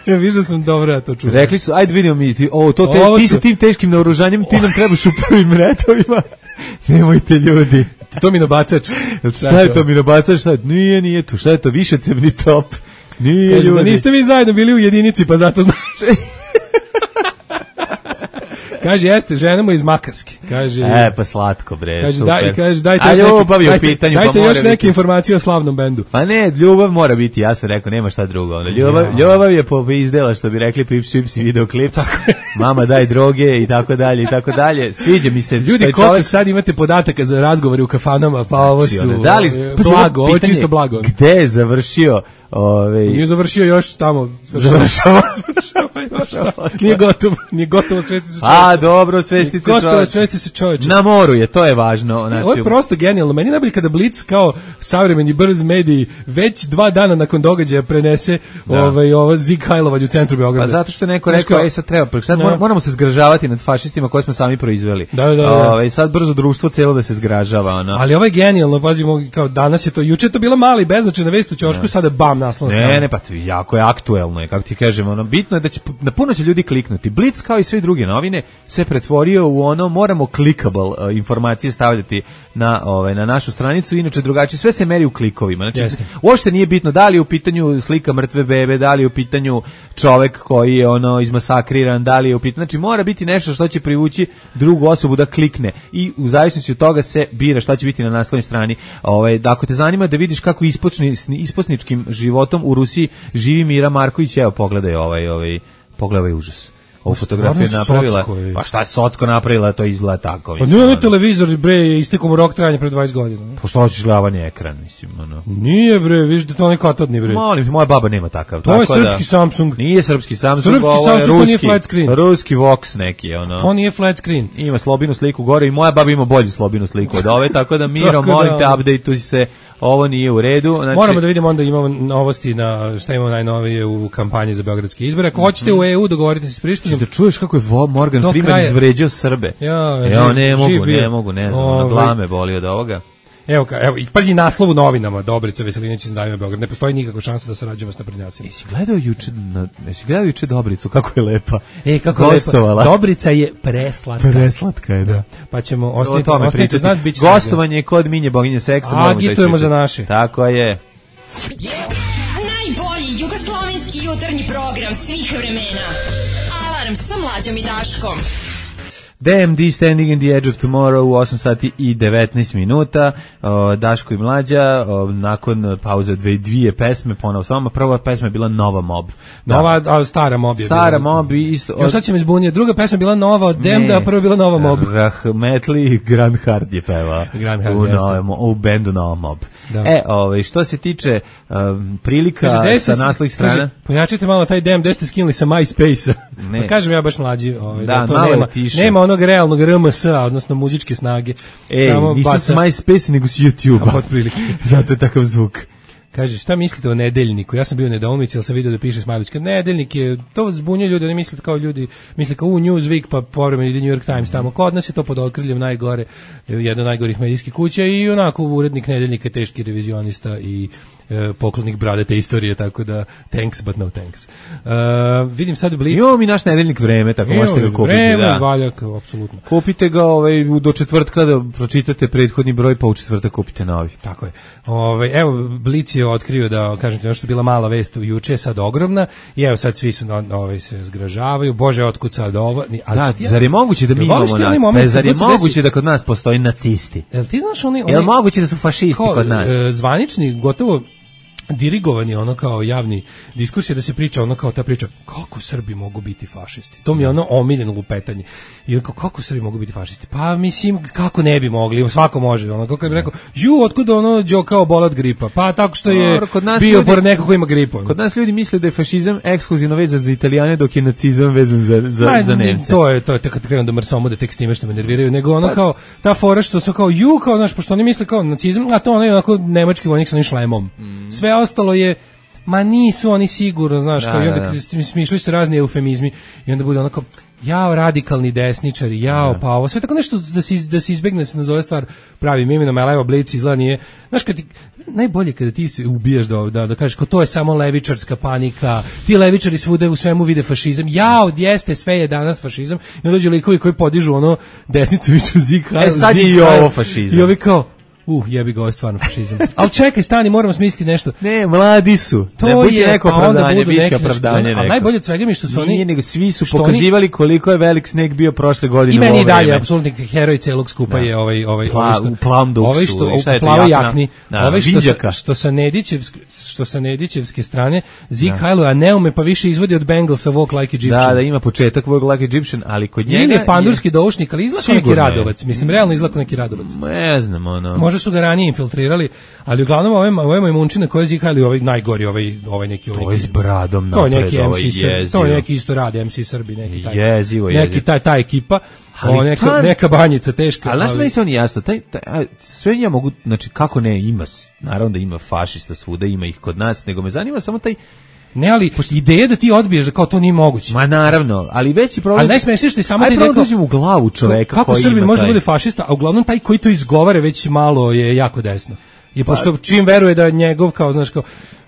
Ja viš da sam dobro ja to čuo. Rekli su, ajde vidimo mi, ti, o, to te, ti su... sa tim teškim naoružanjem, ti nam trebaš u prvim retovima. Nemojte ljudi. To mi nabacač. Šta je to mi nabacač? Šta je? Nije, nije to. Šta je to? Više cevni top. Nije Kaže, ljudi. Da niste vi zajedno bili u jedinici, pa zato znaš. Kaže, jeste, ženamo iz Makarske. Kaže, e, pa slatko, bre, kaže, super. Daj, kaže, dajte, A, još, neke, dajte, pitanju, dajte pa još neke biti. informacije o slavnom bendu. Pa ne, ljubav mora biti, ja sam rekao, nema šta drugo. Ono, ljubav, ja. ljubav je po izdela, što bi rekli Pips Pips i videoklips. Mama daj droge i tako dalje i tako dalje. Sviđa mi se. Ljudi, koliko čovjek... sad imate podataka za razgovore u kafanama, pa ovo su da li, blago, ovo je čisto blago. Gde je završio? Ove... Nije završio još tamo. Završava. Nije gotovo, nije gotovo svesti se čovječe. A, dobro, svesti se čovječe. Gotovo svesti se čovječe. Na moru je, to je važno. Znači... Ovo je prosto genijalno. Meni najbolje kada Blic kao savremeni brz mediji već dva dana nakon događaja prenese da. ovaj, ovo Zig Hajlovalj u centru Beograda. Pa zato što je neko rekao, ej sad treba, sad da. moramo se zgražavati nad fašistima koje smo sami proizveli. Da, da, da. Ove, sad brzo društvo celo da se zgražava. Ono. Ali ovo je genijalno, pazimo, kao danas je to, juče je to bila mala i beznačajna vest u ćošku, sada bam, naslovnom Ne, ne, pa jako je aktuelno je, kako ti kažem, ono, bitno je da će, na puno će ljudi kliknuti. Blic, kao i sve druge novine, se pretvorio u ono, moramo clickable uh, informacije stavljati na, ovaj, na našu stranicu, inače drugačije, sve se meri u klikovima. Znači, Jeste. uopšte nije bitno da li je u pitanju slika mrtve bebe, da li je u pitanju čovek koji je ono izmasakriran, da li je u pitanju, znači mora biti nešto što će privući drugu osobu da klikne i u zavisnosti od toga se bira šta će biti na naslovnoj strani. Ovaj, da ako te zanima da vidiš kako ispočni, isposničkim životom u Rusiji živi Mira Marković, evo pogledaj ovaj, ovaj, pogledaj ovaj užas. Ovu fotografiju je napravila, pa šta je Socko napravila, to izgleda tako. Pa nije televizor, bre, istekao mu rok trajanja pre dvadeset godina. Pa što hoćeš gledavanje ekran, mislim, ono. Nije, bre, vidiš da to ne katodni, bre. Molim, moja baba nema takav. To je srpski Samsung. Nije srpski Samsung, srpski ovo je Samsung, ruski, nije flat screen. Ruski Vox neki, ono. To nije flat screen. Ima slobinu sliku gore i moja baba ima bolju slobinu sliku od ove, tako da Miro, molim te, update-uj se, ovo nije u redu. Znači, moramo da vidimo, onda imamo novosti na šta imamo najnovije u kampanji za beogradske izbore. Ako hoćete u E U dogovorite se s Prištinom. Da čuješ kako je Morgan Freeman kraja izvređao Srbe. Ja, ja ne mogu, ne mogu, ne znam, na glame boli od ovoga. Evo, evo, i pazi naslov u novinama, Dobrica Veselinović iz Zdravlja Beograd. Ne postoji nikakva šansa da sarađujemo s naprednjacima. Jesi gledao juče, na, jesi gledao juče Dobricu, kako je lepa. E, kako gostovala. Lepa. Dobrica je preslatka. Preslatka je, da. Pa ćemo ostaviti, ostaviti znat, bit će gostovanje je kod Minje boginje seksa. Agitujemo za naše. Tako je. Najbolji jugoslovenski jutarnji program svih vremena. Alarm sa Mlađom i Daškom. D M D Standing in the Edge of Tomorrow u osam sati i devetnaest minuta. O, Daško i Mlađa, o, nakon pauze dve, dvije pesme, ponovo s vama. Prva pesma je bila Nova Mob. Nova, da. A stara Mob je stara bila. Mob i isto. Jo, sad će me zbuniti. Druga pesma je bila Nova od Demda, a prva je bila Nova Mob. Rahmetli Grand Hard je peva. Grand Hard, u, nove, u bendu Nova Mob. Da. E, ovaj, što se tiče um, prilika kaže, sa naslovih strana. Kaže, pojačite malo taj Dem, gde ste skinuli sa MySpace-a. Pa kažem ja baš Mlađi. Ovaj, da, da to nema, nema onog realnog R M S-a, odnosno muzičke snage. Ej, samo nisam s MySpace, nego s YouTube-a. Otprilike. Zato je takav zvuk. Kaže, šta mislite o Nedeljniku? Ja sam bio u nedoumici, ali sam vidio da piše Smajlić. Nedeljnik je, to zbunjuje ljudi, oni misle kao ljudi, misle kao u Newsweek, pa povremeno ide New York Times tamo. Kod nas je to pod okriljem najgore, jedna od najgorih medijskih kuća i onako urednik Nedeljnika je teški revizionista i e, poklonik bradate istorije, tako da thanks, but no thanks. Uh, vidim sad Blitz. Imamo mi naš Nedeljnik vreme, tako možete ga kupiti. Vreme, da. valjak, apsolutno. Kupite ga ovaj, do četvrtka da pročitate prethodni broj, pa u četvrtak kupite novi. Tako je. Ovaj, evo, Blitz je otkrio da, kažem ti, ono što je bila mala vest u juče, sad ogromna, i evo sad svi su ovaj, se zgražavaju, bože, otkud sad ovo. Ali da, ja, zar je moguće da mi imamo nacisti? Zar je moguće da kod nas postoji nacisti? Jel ti znaš oni... oni Jel moguće da su fašisti ko, kod nas? E, zvanični, gotovo dirigovani ono kao javni diskurs je da se priča ono kao ta priča kako Srbi mogu biti fašisti. To mi je ono omiljeno lupetanje. I kao kako Srbi mogu biti fašisti? Pa mislim kako ne bi mogli, svako može. Ono kako bi rekao, ju otkud ono đo kao bol od gripa? Pa tako što je bio pored nekog ko ima gripu. Kod nas ljudi misle da je fašizam ekskluzivno vezan za Italijane, dok je nacizam vezan za za Ma, za Nemce. To je to je kad krenu da mrsomu da tek s time što me nerviraju, nego ono pa, kao ta fora što su kao ju kao znaš pošto oni misle kao nacizam, a to ono je onako nemački vojnik sa onim šlemom. Mm. Sve ostalo je, ma nisu oni sigurno, znaš, da, kao i onda da. Smišljaju se razni eufemizmi i onda bude onako, jao radikalni desničari, jao, da. Pa ovo, sve tako nešto da se, da se izbegne, se nazove stvar pravim imenom, ali evo Blic izgleda nije, znaš, kad ti, najbolje kada ti se ubijaš da, da, da kažeš, kao to je samo levičarska panika, ti levičari svuda u svemu vide fašizam, jao, jeste, sve je danas fašizam, i onda dođu likovi koji podižu ono desnicu, viću zik, e sad je i ovo fašizam. I ovi kao, Uh, jebi ga, ovo je stvarno fašizam. Ali čekaj, stani, moramo smisliti nešto. Ne, mladi su. To ne, je, neko pa onda opravdanje, budu neki, opravdanje ali najbolje od svega mi što su oni... Nije, nego svi su pokazivali oni, koliko je velik sneg bio prošle godine. I meni i dalje, apsolutni heroj celog skupa da. Je ovaj... ovaj, Pla, ovaj što, u plavom duksu. Ovaj što, u plavoj jakni. Da, ovaj što, sa, što, sa Nedićevske, što sa Nedićevske strane, Zeke Hajlo, a ne ume pa više izvodi od Bengalsa Walk Like Egyptian. Da, da, ima početak Walk Like Egyptian, ali kod njega... Ili je pandurski je, doušnik, ali izlako neki Radovac. Mislim, realno izlako neki Radovac. Ne znam, ono... Može su ga ranije infiltrirali, ali uglavnom ovaj ovaj moj munčina koji je zikali ovaj najgori ovaj ovaj neki ovaj s bradom napred, to je neki M C Srbi, to je neki isto radi M C Srbi, neki taj jezivo, neki jezivo. taj ta ekipa, o, neka ta, neka banjica teška, ali znaš, meni se on jasno, taj, taj a, sve ja mogu, znači kako ne ima, naravno da ima fašista svuda, ima ih kod nas, nego me zanima samo taj. Ne, ali ideja da ti odbiješ da kao to nije moguće. Ma naravno, ali veći problem. Ali najsmešnije što je samo da ide kao dođem u glavu čoveka kako koji Srbin može taj... da bude fašista, a uglavnom taj koji to izgovara već malo je jako desno. I pošto čim veruje da njegov kao znaš kao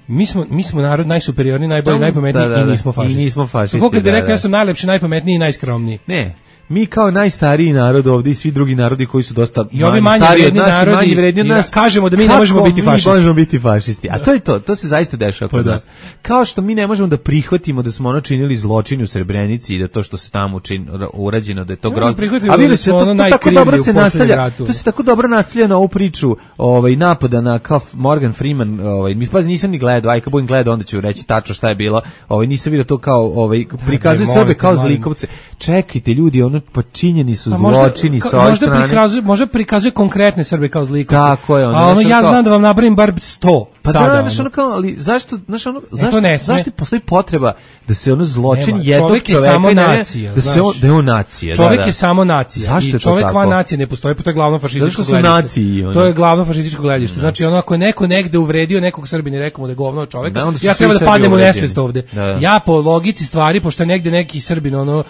mi smo mi smo narod najsuperiorniji, najbolji, najpametniji da, da, i nismo fašisti. I nismo fašisti. Kako kad bi da, rekao da. ja sam najlepši, najpametniji i najskromniji. Ne. Mi kao najstariji narod ovdje i svi drugi narodi koji su dosta i ovi manje vredni narodi, manje vredni od nas, kažemo da mi ne možemo biti fašisti. Mi možemo biti fašisti. A to je to, to se zaista dešava kod nas. Kao što mi ne možemo da prihvatimo da smo ono činili zločin u Srebrenici i da to što se tamo čin, urađeno, da je to grozno. A vidite se, to, to tako dobro se nastavlja, to se tako dobro nastavlja na ovu priču ovaj, napada na kao Morgan Freeman, ovaj, mi pazi, nisam ni gledao, aj kad budem gledao, onda ću reći tačno šta je bilo, ovaj, nisam vidio to kao, ovaj, prikazuje Srbe kao zlikovce. Čekajte ljudi, ono pa činjeni su zločini sa ove strane. Možda prikazuje, možda prikazuje konkretne Srbe kao zlikovce. Tako je. Ono, a ono ja kao, znam da vam nabrojim bar sto pa sada. Pa da, znaš ono kao, ali zašto, znaš ono, e, zašto, zašto postoji potreba da se ono zločin Nema, jednog čovjek čoveka... je samo ne, nacija. Da, se on, da je on nacija. Čovjek da, da. je samo nacija. Zašto I čovjek van nacije ne postoji, pa to je glavno fašističko gledište. Naciji, ono. To je glavno fašističko gledište. Znači ono, ako je neko negde uvredio nekog Srbina i rekao mu da je govno čovjeka, da, ja treba da padnem u nesvest ovde. Da, da. Ja po logici stvari, pošto je negde neki Srbin ono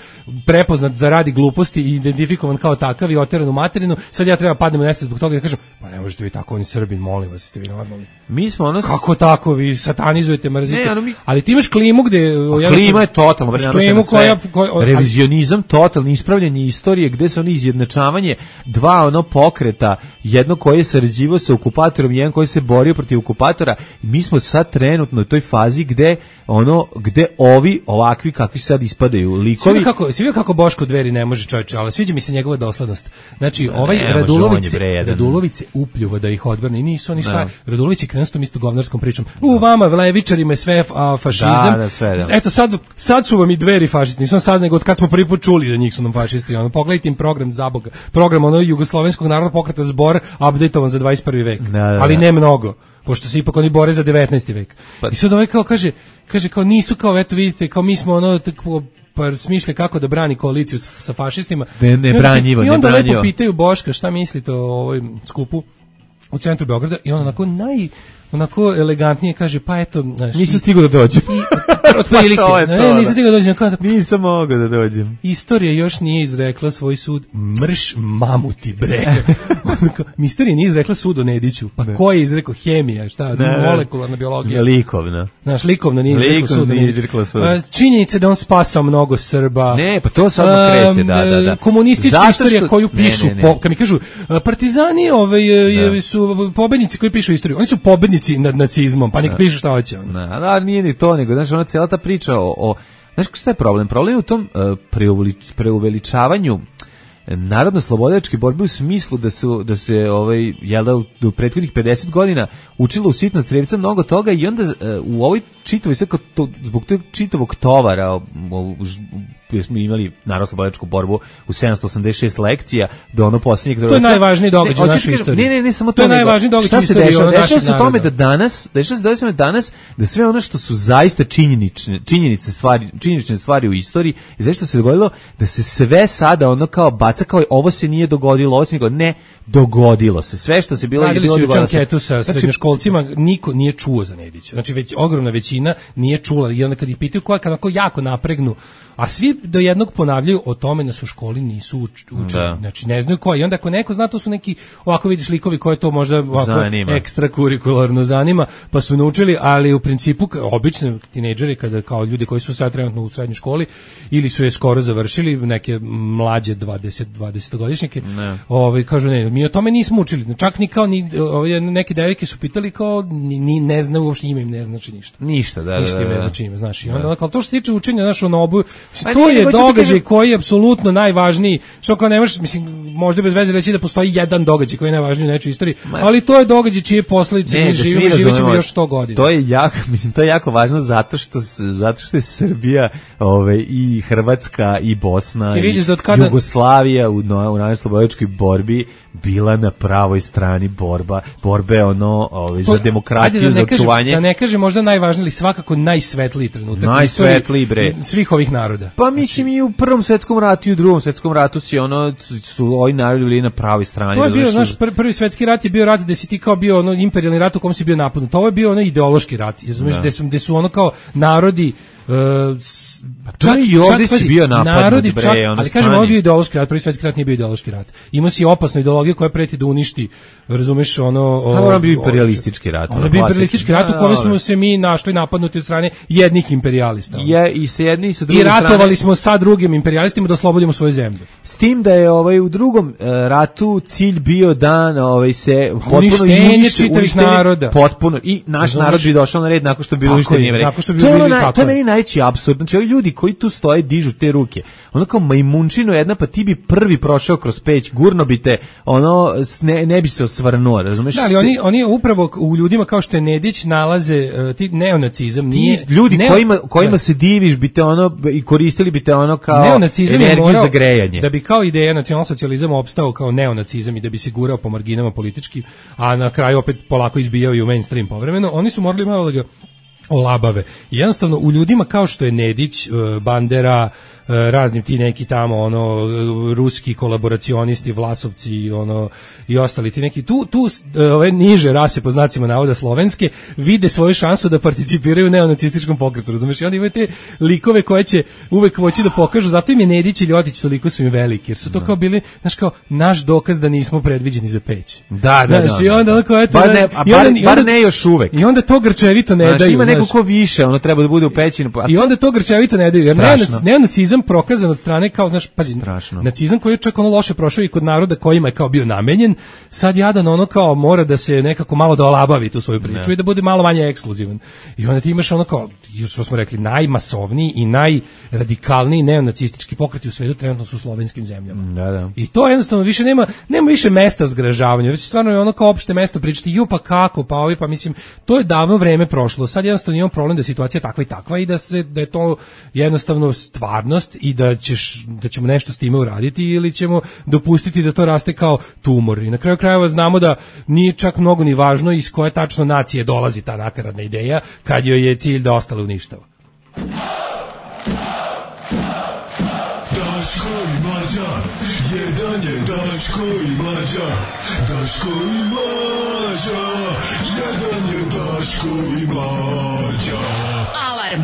prepoznat da radi gluposti i identifikovan kao takav i oteran u materinu, sad ja treba padnem u nesvest zbog toga i kažem, pa ne možete vi tako, on je Srbin, molim vas, ste vi normalni. Mi smo ono... Kako tako, vi satanizujete, mrzite. Ne, ono mi... Ali ti imaš klimu gde... Klima je totalno, klimu koja, koja, revizionizam, totalno ispravljanje istorije, gde se ono izjednačavanje dva ono pokreta, jedno koje je sarađivao sa okupatorom, jedan koji se borio protiv okupatora. Mi smo sad trenutno u toj fazi gde ono, gde ovi ovakvi kakvi sad ispadaju likovi... Svi kako, svi kako Boško Dveri ne može čovječe, ali sviđa mi se njegova doslednost. Znači, ovaj ne, Radulović, Radulović se upljuva da ih odbrani, nisu oni šta. Radulović je krenuo s tom isto govnarskom pričom. U vama, levičarima je sve a, fašizam. Da, da, sve, da. Eto, sad, sad su vam i Dveri fašisti, nisu sad nego od kad smo prvi put čuli da njih su nam fašisti. Ono, pogledajte im program za Boga. Program ono jugoslovenskog narodnog pokreta Zbor, updateovan za dvadeset prvi vek. Da, da, ali ne mnogo, pošto se ipak oni bore za devetnaesti vek. Pa. I sad ovaj kao kaže, kaže kao nisu kao, eto vidite, kao mi smo ono tako pa smišlja kako da brani koaliciju sa fašistima. Ne, ne branjivo, I onda ne lepo pitaju Boška šta mislite o ovoj skupu u centru Beograda i on onako naj onako elegantnije kaže pa eto znaš, nisam stigao da dođem. Otprilike. Ne, nisam stigao da dođem. Kao, nisam mogao da dođem. Istorija još nije izrekla svoj sud. Mrš mamuti bre. Istorija nije izrekla sud o Nediću. Pa ne. Ko je izrekao? Hemija, šta? Ne, molekularna biologija. Likovna. Znaš, likovna nije izrekla sud. Nije izrekla sud. Činjenica da on spasao mnogo Srba. Ne, pa to samo kreće, da, da, da. Komunistička što... istorija koju pišu, ne, ne, ne. Po, kad mi kažu, partizani ove, da. Su pobednici koji pišu istoriju. Oni su pobednici nad nacizmom, pa nek pišu šta hoće. Ne, da, nije ni to, nego, znaš, ona cijela ta priča o, o znaš šta je problem? Problem je u tom uh, preuveličavanju narodno-slobodačke borbe u smislu da su da se ovaj jel da u, u prethodnih pedeset godina učilo u sitno crevca mnogo toga i onda uh, u ovoj čitavoj sve to, zbog tog čitavog tovara gdje smo imali narodno-slobodačku borbu u sedamsto osamdeset šest lekcija do ono posljednjeg... To je najvažniji događaj u našoj istoriji. Ne, ne, ne, samo to, to je najvažniji događaj u istoriji dešava? Dešava se tome da danas, dešava se dešava danas da sve ono što su zaista činjenične, činjenice stvari, činjenične stvari u istoriji, i zašto se dogodilo da se sve sada ono kao baca kao ovo se nije dogodilo, ovo se nije ne dogodilo se. Sve što se bilo je bilo dogodilo. Radili su anketu sa srednjoškolcima, niko nije čuo za Nedića. Znači već ogromna većina nije čula i onda kad ih pitaju koja kako jako napregnu, a svi do jednog ponavljaju o tome da su u školi nisu uč, učili. Znači ne znaju koji. I onda ako neko zna, to su neki ovako vidiš likovi koje to možda ovako ekstra kurikularno zanima, pa su naučili, ali u principu obični tinejdžeri kada kao ljudi koji su sad trenutno u srednjoj školi ili su je skoro završili, neke mlađe dvadeset dvadesetogodišnjake, ovaj kažu ne, mi o tome nismo učili. Čak ni kao ni ovaj neke devojke su pitali kao ni, ni ne znaju uopšte ime im ne znači ništa. Ništa, da, ništa da, da. ne znači ime, znaš. I onda kao to što se tiče učenja našo na obu, to je događaj koji je apsolutno najvažniji. Što kao ne možeš, mislim, možda bez veze reći da postoji jedan događaj koji je najvažniji u nečoj istoriji, ali to je događaj čije posledice mi živimo i živećemo još sto godina. To je jako, mislim, to je jako važno zato što zato što je Srbija, ove i Hrvatska i Bosna i, i da kada... Jugoslavija u, u narodno-slobodačkoj borbi bila na pravoj strani borba, borbe ono, ove, za demokratiju, da za očuvanje. Da ne kaže možda najvažniji, ali svakako najsvetliji trenutak najsvetliji bre svih ovih naroda. Pa mislim i u Prvom svetskom ratu i u Drugom svetskom ratu si ono su ovi narodi bili na pravoj strani. To je bio, znaš, pr prvi svetski rat je bio rat gde si ti kao bio ono imperijalni rat u kom si bio napadnut. Ovo je bio ono ideološki rat, razumiješ, gde su, gde su ono kao narodi uh, Pa čak i ovdje si bio napadnut, bre, čak, ali kažem, ovo je bio ideološki rat, prvi svetski rat nije bio ideološki rat. Ima si opasnu ideologiju koja preti da uništi, razumeš, ono... A ono bio imperialistički rat. Ono bio imperialistički rat u kome smo se mi našli napadnuti od strane jednih imperijalista. Je, i sa jedne i sa druge strane. I ratovali strane, smo sa drugim imperialistima da oslobodimo svoju zemlju. S tim da je ovaj, u drugom uh, ratu cilj bio da ovaj, se potpuno uništenje čitavih naroda. Potpuno. I naš Razumeš? narod bi došao na red nakon što bi bilo uništenje Jevreja. To, na, to je meni najveći apsurd. Znači, ovi ljudi koji tu stoje dižu te ruke. Ono kao majmunčino jedna, pa ti bi prvi prošao kroz peć, gurno bi te, ono, ne, ne bi se osvrnuo, razumeš? Da, ali oni, oni upravo u ljudima kao što je Nedić nalaze uh, ti neonacizam. Nije, ti ljudi neo, kojima, kojima se diviš bi te ono, i koristili bi te ono kao neonacizam energiju za grejanje. Da bi kao ideja nacionalsocijalizam opstao kao neonacizam i da bi se gurao po marginama politički, a na kraju opet polako izbijao i u mainstream povremeno, oni su morali malo da ga olabave. I jednostavno u ljudima kao što je Nedić, Bandera, raznim ti neki tamo ono ruski kolaboracionisti, Vlasovci, ono i ostali ti neki tu tu ove niže rase po znacima navoda slovenske vide svoju šansu da participiraju u neonacističkom pokretu, razumeš? I onda imaju te likove koje će uvek hoći da pokažu, zato im je Nedić i Ljotić toliko su im veliki, jer su to kao bili, znaš, kao naš dokaz da nismo predviđeni za peć. Da, da, znaš, da. I onda onako eto, bar, ne, a bar, onda, bar ne još uvek. I onda to grčevito ne znaš, daju. Ima neko ko više, ono treba da bude u peći. I onda to grčevito ne daju, jer neonacizam prokazan od strane kao, znaš, pazi, strašno. Nacizam koji je čak ono loše prošao i kod naroda kojima je kao bio namenjen, sad jadan ono kao mora da se nekako malo da olabavi tu svoju priču ne. I da bude malo manje ekskluzivan. I onda ti imaš ono kao, što smo rekli, najmasovniji i najradikalniji neonacistički pokreti u svetu trenutno su u slovenskim zemljama. Da, da. I to jednostavno više nema, nema više mesta zgražavanja, već stvarno je ono kao opšte mesto pričati, ju pa kako, pa ovi, pa mislim, to je davno vreme prošlo. Sad jednostavno imamo problem da je situacija takva i takva i da se da je to jednostavno stvarnost i da ćeš da ćemo nešto s time uraditi ili ćemo dopustiti da to raste kao tumor. I na kraju krajeva znamo da nije čak mnogo ni važno iz koje tačno nacije dolazi ta nakaradna ideja kad joj je cilj da ostale uništava. Daško i Mlađa, jedan je Daško i Mlađa, Daško i Mlađa, jedan je Daško i Mlađa. Alarm.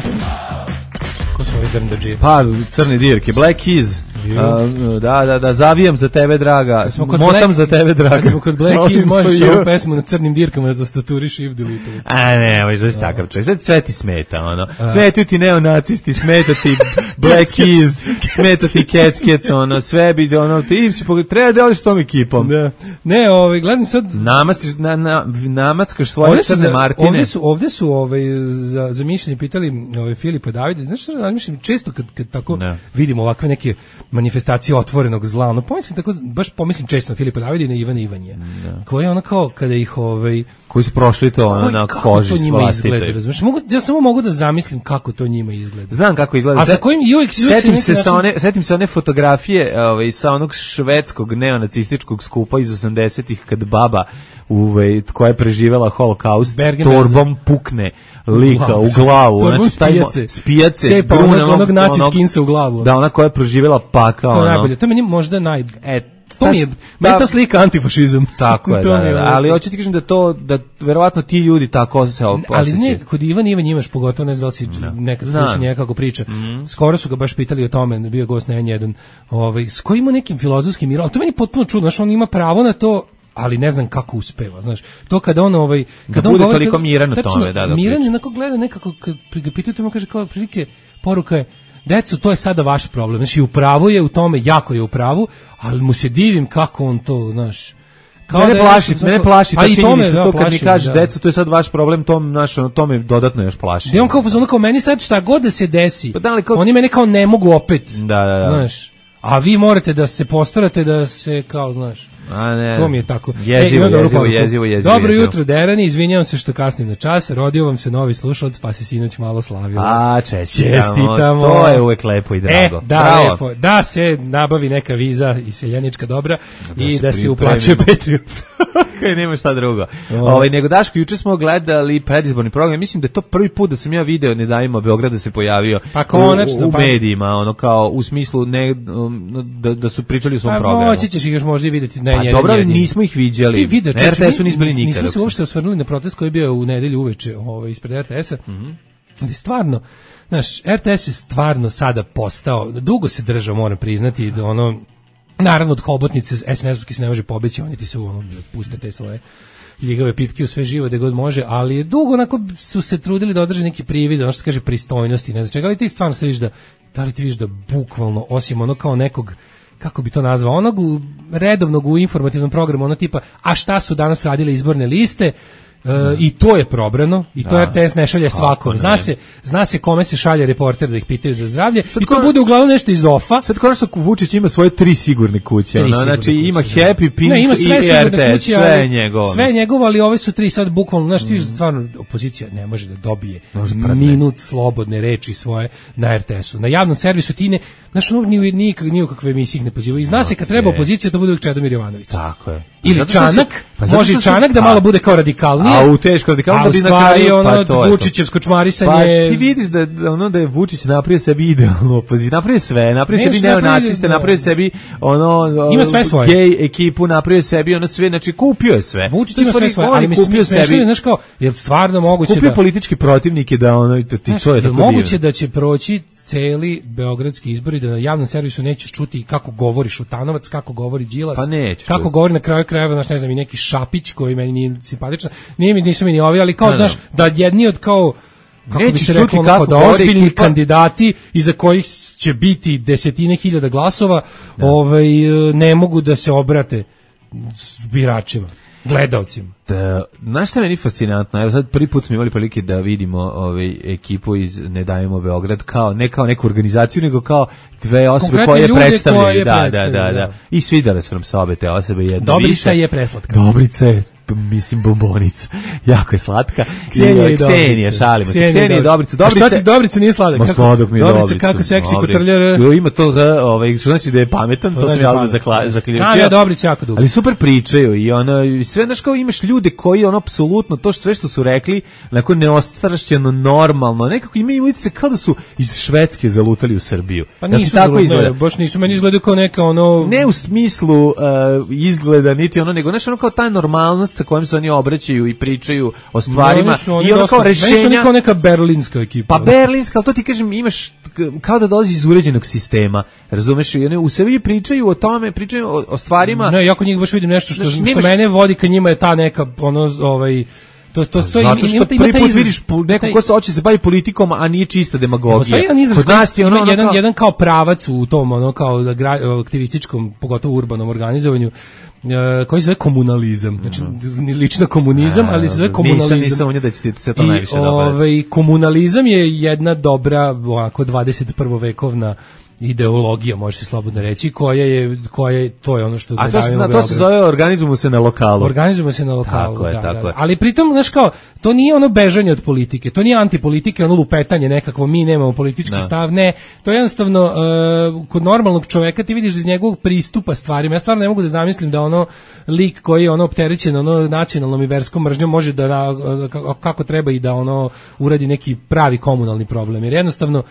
Ko su ovi drndađije? Pa, crni dirke, Black Keys. Uh, da, da, da, zavijam za tebe, draga. Motam Black, za tebe, draga. Kad smo kod Black Keys, možeš ovu pesmu na crnim dirkama da zastaturiš i delete. A ne, možeš da si takav čovjek. Sad sve ti smeta, ono. Smetaju ti neonacisti, smeta ti Black Keys, smeta ti Cats, ono, sve bi, ono, ti si pogled, treba da oliš s tom ekipom. Da. Ne, ovaj, gledam sad... Namastiš, na, na, namackaš svoje crne Martine. Ovdje su, ovdje su ovaj, za, za mišljenje pitali ovaj, Filipa Davide, znaš što razmišljam, često kad, kad tako ne. vidimo ovakve neke manifestacije otvorenog zla, ono pomislim tako, baš pomislim često na Filipa Davida i na Ivana Ivanje, koji je ono kao kada ih ovaj koji su prošli to ono, na koži to njima izgleda, razumiješ? Mogu, ja samo mogu da zamislim kako to njima izgleda. Znam kako izgleda. A sa kojim i uvijek, uvijek setim se sa one, setim se one fotografije, ovaj, sa onog švedskog neonacističkog skupa iz osamdesetih kad baba ovaj koja je preživela holokaust torbom pukne lika u glavu, znači taj spijace, cepa onog, onog naci skinsa u glavu. Da, ona koja je proživela pakao. To je najbolje, to je meni možda naj... E, to mi je, meni ta slika antifašizam. Tako je, da, da, da, ali hoću ti kažem da to, da verovatno ti ljudi tako se osjećaju. Ali ne, kod Ivan Ivan imaš, pogotovo ne znam da si no. nekad slušao njega kako priča. Mm. Skoro su ga baš pitali o tome, bio gost na N jedan, ovaj, s kojim nekim filozofskim mirom, ali to meni potpuno čudno, znaš, on ima pravo na to, ali ne znam kako uspeva, znaš. To kada on ovaj kada da on bude govori, toliko miran u tome, da, da. Miran je onako gleda nekako kad ga pitaju, mu kaže kao prilike poruka je: "Deco, to je sada vaš problem." Znači, u pravu je u tome, jako je u pravu, ali mu se divim kako on to, znaš. Kao mene da plaši, mene svako... plaši ta činjenica, da, to kad plaši, mi kažeš, da. deco, to je sad vaš problem, to, naš, to me dodatno još plaši. Da on kao, ono kao meni sad šta god da se desi, pa da kao... oni mene kao ne mogu opet, da, da, da. Znaš, a vi morate da se postarate da se kao, znaš, a ne. To mi je tako. Jezivo, e, jezivo, jezivo, jezivo. Dobro jutro, Derani, izvinjavam se što kasnim na čas, rodio vam se novi slušalac, pa se sinoć malo slavilo. A, čestitamo. Čestitamo. To je uvek lepo i drago. E, da, bravo. lepo. Da se nabavi neka viza i seljanička dobra da i se da se uplaćuje Petriju. Kaj nema šta drugo. Ovaj nego Daško, juče smo gledali predizborni program. Mislim da je to prvi put da sam ja video Ne davimo Beograd da se pojavio pa konačno, u, u medijima, ono kao u smislu ne da, da su pričali o svom pa, programu. Moći ćeš ih još možda vidjeti na pa, jedan dobro, jedin. Nismo ih viđali. Vidio, R T S-u nismo bili nikada. Nismo se uopšte osvrnuli na protest koji je bio u nedelju uveče ovaj, ispred R T S-a. Mm-hmm. Ali stvarno, Znaš, R T S je stvarno sada postao, dugo se držao, moram priznati, da ono, naravno od hobotnice es en es-ovski se ne može pobeći, oni ti se ono, puste te svoje ljigave pipke u sve živo gde god može, ali je dugo onako su se trudili da održe neki privid, ono što se kaže pristojnosti, ne znam čega, ali ti stvarno se vidiš da, da li ti vidiš da bukvalno, osim ono kao nekog, kako bi to nazvao, onog u, redovnog u informativnom programu, ono tipa, a šta su danas radile izborne liste, Uh, i to je probrano i to da. R T S ne šalje svakom. Zna se, zna se kome se šalje reporter da ih pitaju za zdravlje. Sad i to ko... bude uglavnom nešto iz ofa. Sad konačno Vučić ima svoje tri sigurne kuće. Tri sigurne znači kuće, ima da. Happy, Pink ne, ima sve i R T S. Kuće, sve je njegovo. Sve je njegovo, ali ove su tri sad bukvalno, znaš ti mm. stvarno opozicija ne može da dobije minut slobodne reči svoje na R T S-u. Na javnom servisu ti ne, znaš, ono, ni, ni, ni u kakve emisije ih ne pozivaju. I zna se kad treba opozicija, to bude uvijek Čedomir Jovanović. Tako je. Ili Čanak, pa može i Čanak da malo bude kao radikalnije. A u teško radikalno da bi na kraju ono pa Vučićevsko čmarisanje. Pa ti vidiš da ono da je Vučić napravio sebi idealnu opoziciju, napravio sve, napravio sebi neonaciste, napravio sebi ono ima sve svoje. Gej ekipu, napravio sebi ono sve, znači kupio je sve. Vučić ima sve svoje, ali mi kupio sebi, znaš kao, je stvarno moguće da kupio politički protivnike da ono ti to je tako. Moguće da će proći celi beogradski izbori, da na javnom servisu nećeš čuti kako govori Šutanovac, kako govori Đilas, pa kako čuti. Govori na kraju krajeva, znaš, ne znam, i neki Šapić koji meni nije simpatičan, nije mi, nisu mi ni ovi, ali kao, znaš, da jedni od kao, kako nećeš bi se reklo, onako, da ozbiljni ekipa... kandidati iza kojih će biti desetine hiljada glasova, da. ovaj, ne mogu da se obrate biračima, gledaocima. Da, znaš šta je meni fascinantno, evo sad prvi put smo imali prilike da vidimo ovaj, ekipu iz Ne davimo Beograd kao, ne kao neku organizaciju, nego kao dve osobe konkretne koje predstavljaju, da, da, da, da. I svidjele su nam se obe te osobe jedno Dobrica više. je preslatka. Dobrica je, mislim, bombonica. Jako je slatka. Ksenija i Ksenija, šalimo se. Ksenija i Dobrica. Dobrica. A šta ti Dobrica nije sladak? Ma sladak mi je Dobrica. Dobrica kako seksi kotrljar. Ima to, ovaj, što znači da je pametan, to sam ja zaključio. Znam ja Dobrica jako dugo. Ali super pričaju i ono, sve, znaš, kao imaš ljude koji ono apsolutno to što sve što su rekli, onako neostrašćeno, normalno, nekako imaju utice kao da su iz Švedske zalutali u Srbiju. Pa nisu tako izgleda. Baš nisu, meni izgledaju kao neka ono... Ne u smislu uh, izgleda, niti ono, nego nešto ono kao ta normalnost sa kojom se oni obraćaju i pričaju o stvarima. No, i ono kao rešenja... Meni su oni kao neka berlinska ekipa. Pa berlinska, ali to ti kažem, imaš kao da dolazi iz uređenog sistema, razumeš? I oni u sebi pričaju o tome, pričaju o, o stvarima... Ne, jako njih baš vidim nešto što, znači, što mene vodi ka njima je ta neka, ono, ovaj... To to to zato što prvi put vidiš neko ko se hoće se bavi politikom, a nije čista demagogija. Kod nas je ono jedan kao... jedan kao pravac u tom ono kao aktivističkom, pogotovo urbanom organizovanju, koji se zove komunalizam. Znači lično komunizam, ali se zove komunalizam. Nisam, nisam onje da će ti se to najviše dopada. Ovaj komunalizam je jedna dobra ovako dvadeset prvovekovna ideologija, može se slobodno reći, koja je, koja je, to je ono što... A to se, na, to se zove organizujemo se na lokalu. Organizujemo se na lokalu, tako je, da, tako da. je. Ali pritom, znaš kao, to nije ono bežanje od politike, to nije antipolitike, ono lupetanje nekakvo, mi nemamo politički da. stav, ne, to je jednostavno, uh, kod normalnog čoveka ti vidiš iz njegovog pristupa stvarima, ja stvarno ne mogu da zamislim da ono lik koji je ono opterećen ono nacionalnom i verskom mržnjom može da, na, kako treba i da ono uradi neki pravi komunalni problem, jer jednostavno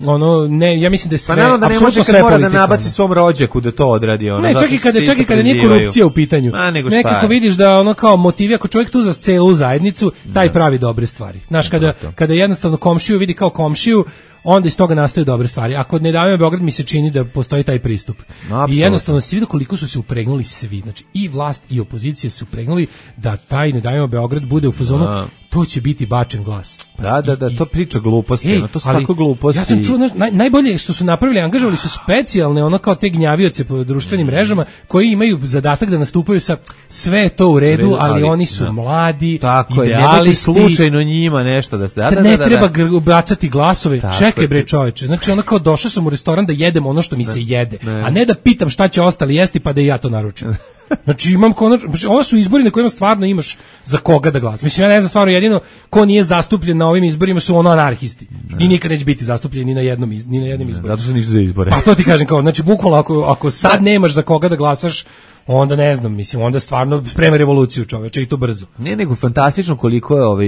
ono ne, ja mislim da sve, pa naravno da ne može kad mora da nabaci svom rođaku da to odradi ono. Ne, čak i kada čak i kada nije korupcija u pitanju. Nekako vidiš da ono kao motivi ako čovjek tu za celu zajednicu, taj da. pravi dobre stvari. Znaš, kada kada jednostavno komšiju vidi kao komšiju, onda iz toga nastaju dobre stvari. Ako Ne davimo Beograd mi se čini da postoji taj pristup. No, i jednostavno se vidi koliko su se upregnuli svi. Znači i vlast i opozicija su upregnuli da taj Ne davimo Beograd bude u fazonu no. to će biti bačen glas. Da, da, da, to priča gluposti, ej, to su tako gluposti. Ja sam čuo, naj, najbolje što su napravili, angažovali su specijalne, ono kao te gnjavioce po društvenim mrežama, koji imaju zadatak da nastupaju sa sve to u redu, redu ali, ali oni su da. mladi, tako idealisti. Je, ne slučajno njima nešto da se da, da, ne da, treba da. bacati glasove, tako čekaj bre čoveče, znači ono kao došao sam u restoran da jedem ono što mi se jede, ne. a ne da pitam šta će ostali jesti pa da i ja to naručim. Znači imam konačno, znači ovo su izbori na kojima stvarno imaš za koga da glasaš. Mislim, ja ne znam stvarno, jedino ko nije zastupljen na ovim izborima su ono anarhisti. Ne. I nikad neće biti zastupljen ni na jednom ni na jednom izboru. Zato što nisu za izbore. Pa to ti kažem kao, znači bukvalno ako ako sad nemaš za koga da glasaš, onda ne znam, mislim, onda stvarno sprema revoluciju čoveče i to brzo. Ne, nego fantastično koliko je ovaj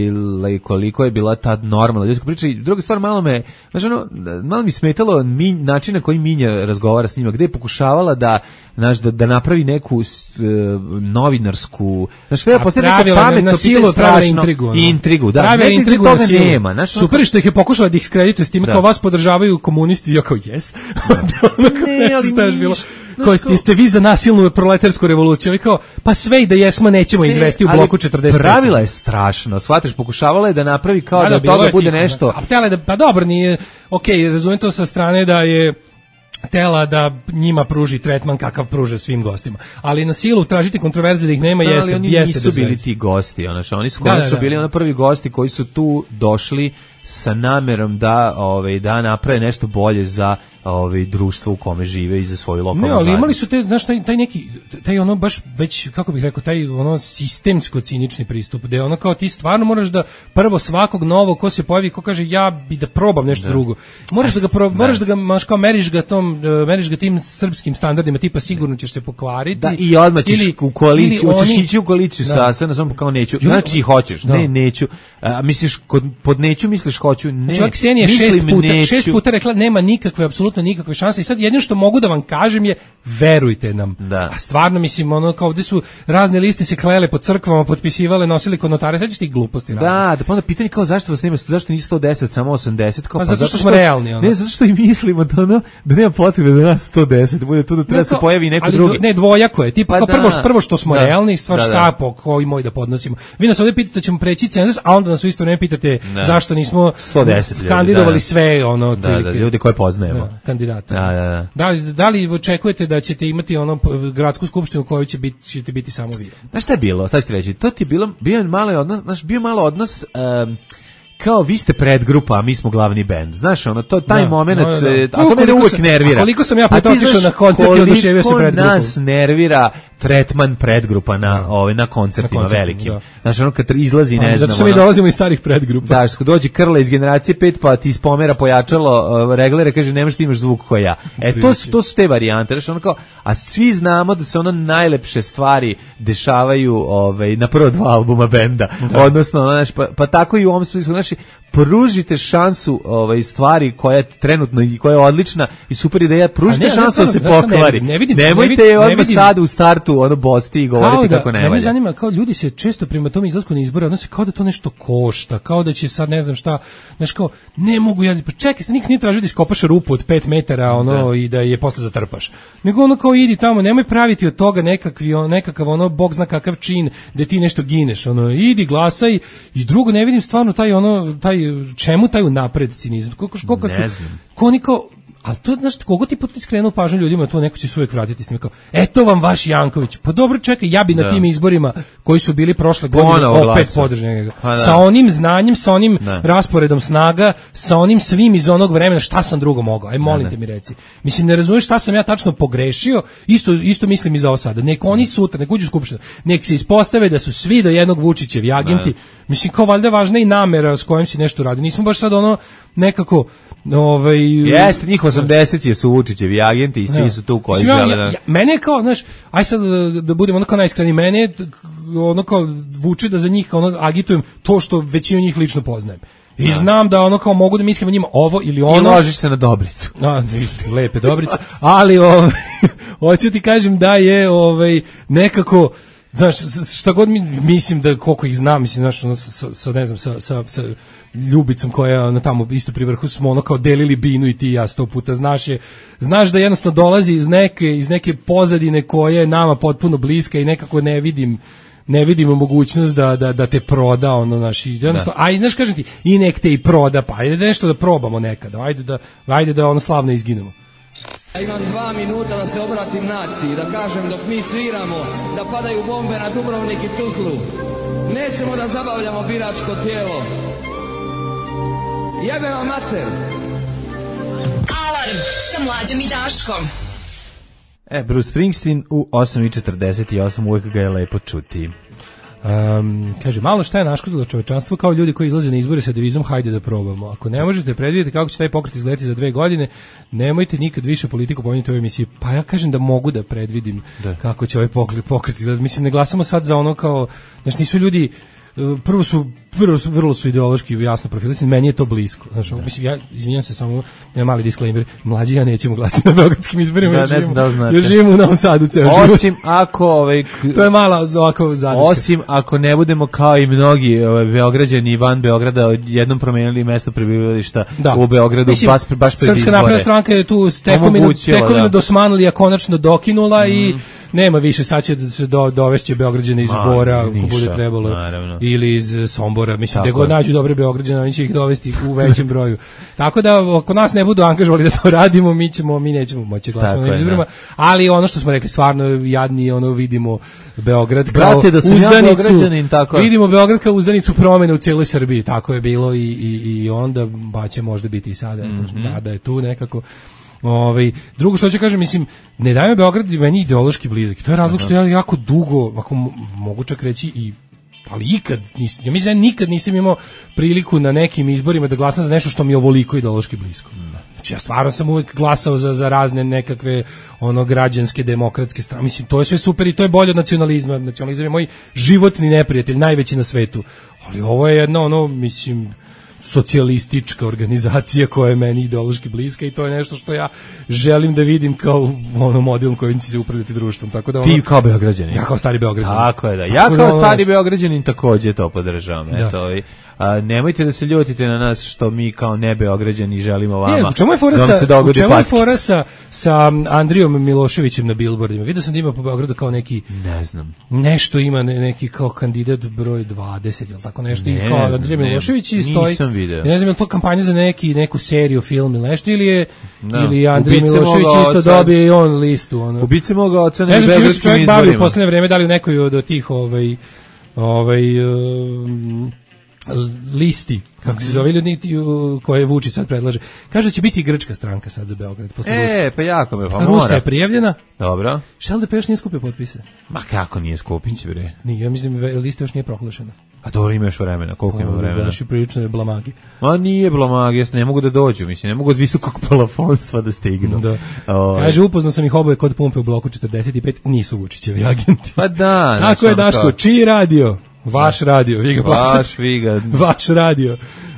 koliko je bila ta normalna ljudska priča. I druga stvar, malo me, znači ono, malo mi smetalo mi, način na koji Minja razgovara s njima, gde je pokušavala da, znaš, da, da napravi neku uh, novinarsku, znači kada je postavila neko pametno na silu strašno intrigu, ono. intrigu, da, pravila ne, intrigu toga na silu. nema, znači, super što ih je pokušala da ih skredituje s time, kao vas podržavaju komunisti, ja kao yes. Ne, ali šta je bilo? Koji ste, ste vi za nasilnu proletarsku revoluciju i kao, pa sve i da jesmo nećemo izvesti u bloku četrdeset pet. Pravila je strašno, shvatiš, pokušavala je da napravi kao da, da, da toga bude tiho, nešto. A htjela je da, pa dobro, nije, okej, okay, razumijem to sa strane da je tela da njima pruži tretman kakav pruže svim gostima. Ali na silu tražiti kontroverze da ih nema, da, jeste, ali oni jeste nisu bili ti gosti, ono što oni su konačno da, da, da. bili ono prvi gosti koji su tu došli sa namerom da ovaj da naprave nešto bolje za ovaj društvo u kome žive i za svoju lokalnu zajednicu. Ne, ali imali su te, znaš, taj, taj neki, taj ono baš već, kako bih rekao, taj ono sistemsko cinični pristup, gde ono kao ti stvarno moraš da prvo svakog novog ko se pojavi, ko kaže ja bi da probam nešto da. drugo. Moraš da ga prob, moraš da ga maš kao meriš ga tom, meriš ga tim srpskim standardima, tipa sigurno ćeš se pokvariti. Da, i odmah ćeš ili, u koaliciju, hoćeš oni, ići u koaliciju da. sa, samo kao neću. Znači hoćeš, da. ne, neću. A, misliš, kod, pod neću misliš hoću, ne. Čovjek Ksenija šest puta, neću. šest puta rekla nema nikakve, apsolutno nikakve šanse i sad jedino što mogu da vam kažem je verujte nam. Da. A stvarno mislim ono kao ovde su razne liste se klele po crkvama, potpisivale, nosili kod notara, sećaš ti gluposti. Da, radi. Da pa onda pitanje kao zašto vas nema, zašto nisu sto deset, samo osamdeset, kao pa, pa zato što smo realni. Ono. Ne, zato što i mislimo da ono da nema potrebe da nas sto deset, da bude tu da treba ne, se pojavi neko ali drugi. Ne, dvojako je, tipa pa kao prvo, prvo što smo da. realni, stvar da, šta da. po koji moj da podnosimo. Vi nas ovde pitate da ćemo preći cenzus, a onda nas u isto vreme pitate da. zašto nismo sto deset kandidovali da. sve ono otprilike. Da, da, ljudi koje poznajemo. Da, kandidate. Da, da, da. Da li, da li očekujete da ćete imati ono gradsku skupštinu u kojoj će biti ćete biti samo vi? Znaš šta je bilo? Sad ću ti reći, to ti je bilo bio malo odnos, znaš, bio malo odnos um, kao vi ste predgrupa, a mi smo glavni bend. Znaš, ono to taj da, momenat, no, da. a to me uvek sam, nervira. Koliko sam ja puta otišao na koncert i oduševio se predgrupom. Nas nervira tretman predgrupa na da. ovaj na koncertima, na koncertima velikim. Da. Znaš, ono kad izlazi, ne znam. Zato što mi dolazimo iz starih predgrupa. Da, što dođe Krla iz generacije pet pa ti spomera pojačalo uh, reglere, kaže nemaš ti imaš zvuk koji ja. E to su to su te varijante, znači ono kao, a svi znamo da se ono najlepše stvari dešavaju ovaj na prva dva albuma benda. Da. Odnosno, znaš, pa, pa tako i u ovom smislu, znači pružite šansu ovaj stvari koja je trenutno i koja je odlična i super ideja, pružite ne, šansu da se pokvari. Ne vidim, nemojte je odmah sad u startu ono bosti i govoriti da, kako ne valja. Mene zanima, kao ljudi se često prema tom izlasku na izbore odnose kao da to nešto košta, kao da će sad ne znam šta, znaš kao, ne mogu ja, pa čekaj, nikad nije tražio da iskopaš rupu od pet metara ono, da. i da je posle zatrpaš. Nego ono kao idi tamo, nemoj praviti od toga nekakvi, on, nekakav ono, bog zna kakav čin da ti nešto gineš, ono, idi glasaj i drugo ne vidim stvarno taj ono, taj čemu taj unapred cinizam, koliko koliko su koniko, ali to znaš kogo ti put skrenuo pažnju ljudima, to neko će se uvek vratiti s njim kao eto vam vaš Janković. Pa dobro, čekaj, ja bi da. na tim izborima koji su bili prošle godine opet podržao njega. Da. Sa onim znanjem, sa onim da. rasporedom snaga, sa onim svim iz onog vremena, šta sam drugo mogao? Aj molim da, te mi reci. Mislim ne razumeš šta sam ja tačno pogrešio. Isto isto mislim i za ovo sada. Nek oni sutra, nek uđu u skupštinu, nek se ispostave da su svi do jednog Vučićevi agenti. Da. Mislim kao valjda važna i namera s kojom se nešto radi. Nismo baš sad ono nekako ovaj jeste njih osamdeset su Vučićevi agenti i svi ja. su tu koji ja, žele. Ja, ja, mene kao, znaš, aj sad da, da budemo onako najiskreniji, mene ono kao vuče da za njih ono agitujem to što većinu njih lično poznajem. I ja. znam da ono kao mogu da mislim o njima ovo ili ono. I ložiš se na Dobricu. A, lepe Dobrice. Ali ovaj hoću ti kažem da je ovaj nekako znaš, šta god mi, mislim da koliko ih znam, mislim, znaš, ono, sa, sa, ne znam, sa, sa, sa Ljubicom koja je ono, tamo isto pri vrhu smo ono kao delili binu i ti i ja sto puta, znaš je, znaš da jednostavno dolazi iz neke, iz neke pozadine koja je nama potpuno bliska i nekako ne vidim, ne vidimo mogućnost da, da, da te proda, ono, naš, jednostavno, ajde, znaš, kažem ti, i nek te i proda, pa ajde da nešto da probamo nekada, ajde da, ajde da ono slavno izginemo. Ja imam dva minuta da se obratim naciji, da kažem dok mi sviramo, da padaju bombe na Dubrovnik i Tuzlu. Nećemo da zabavljamo biračko tijelo. Jebe vam mater. Alarm sa Mlađom i Daškom. E, Bruce Springsteen u osam i četrdeset osam, uvijek ga je lepo čuti. Um, kaže, malo šta je naškodilo čovečanstvo kao ljudi koji izlaze na izbore sa devizom hajde da probamo. Ako ne možete predvidjeti kako će taj pokret izgledati za dve godine, nemojte nikad više politiku pominjati u ovoj emisiji. Pa ja kažem da mogu da predvidim da. Kako će ovaj pokret, pokret izgledati. Mislim, ne glasamo sad za ono kao, znači nisu ljudi, prvo su prvo su, vrlo su ideološki jasno profilisani, meni je to blisko. Znači, mislim, ja izvinjam se samo, ja mali disclaimer, mlađi ja nećemo glasati na beogradskim izborima, da, ne znam da znate. Jer živimo u Novom Sadu ceo život. Osim ako, ovaj, to je mala ovako zadrška. Osim ako ne budemo kao i mnogi ovaj, Beograđani van Beograda jednom promenili mesto prebivališta da. U Beogradu, mislim, baš, baš pred izbore. Srpska napredna stranka je tu tekovinu, tekovinu do Osmanlija konačno dokinula mm. i nema više, sad će se do, dovešće Beograđane iz Bora, ako bude trebalo, naravno. Ili iz Sombora, mislim, da god nađu dobre Beograđane, oni će ih dovesti u većem broju. Tako da, ako nas ne budu angažovali da to radimo, mi ćemo, mi nećemo moći glasati na izborima, ali ono što smo rekli, stvarno jadni, ono vidimo Beograd kao Brate, da uzdanicu, ja tako. Vidimo Beograd kao uzdanicu promene u cijeloj Srbiji, tako je bilo i, i, i onda, ba će možda biti i sada, eto, mm-hmm. nada je tu nekako. Ovaj, drugo što ću kažem, mislim, ne daje me Beograd meni ideološki blizak. To je razlog što ja jako dugo, ako mogu čak reći i ali ikad nisam, ja mislim da nikad nisam imao priliku na nekim izborima da glasam za nešto što mi je ovoliko ideološki blisko. Znači ja stvarno sam uvijek glasao za, za razne nekakve ono građanske, demokratske strane. Mislim, to je sve super i to je bolje od nacionalizma. Nacionalizam je moj životni neprijatelj, najveći na svetu. Ali ovo je jedno ono, mislim, socijalistička organizacija koja je meni ideološki bliska i to je nešto što ja želim da vidim kao ono model kojim će se upravljati društvom. Tako da ono, ti kao Beograđanin. Ja kao stari Beograđanin. Tako je da. Ja kao da, stari Beograđanin takođe to podržavam. Da. Eto, i, a, nemojte da se ljutite na nas što mi kao ne Beograđani želimo vama. Ne, u čemu je fora da sa, u čemu je fora sa, sa Andrijom Miloševićem na billboardima? Vidio sam da ima po Beogradu kao neki, ne znam, nešto ima ne, neki kao kandidat broj dvadeset ili tako nešto ne, i kao Andrija Milošević i stoji. Nisam video. Ne znam je li to kampanja za neki neku seriju, film ili nešto ili je no. ili Andrija Milošević isto oca, dobije i on listu ono. Ubice moga oca ne znam čim se čovjek bavi u poslednje vreme, da li u nekoj od tih ovaj ovaj um, listi, kako se zove ljudi koje Vučić sad predlaže. Kaže da će biti grčka stranka sad za Beograd. Posle e, Ruska. Pa jako me, pa mora. Ruska je prijavljena. Dobro. Šta da peš nije skupio potpise? Ma kako nije skupit, bre? Nije, ja mislim, lista još nije proglašena. A dobro, ima još vremena, koliko pa, ima vremena? Baš i prilično blomagi. Ma nije blomagi, ne mogu da dođu, mislim, ne mogu od visokog palafonstva da stignu. Da. O, kaže, upoznao sam ih oboje kod pumpe u bloku četrdeset pet, nisu Vučićevi agenti. Pa da. Tako je, Daško, čiji radio? Vaš radio, vi ga plaćate. Vaš, vi ga. Vaš radio.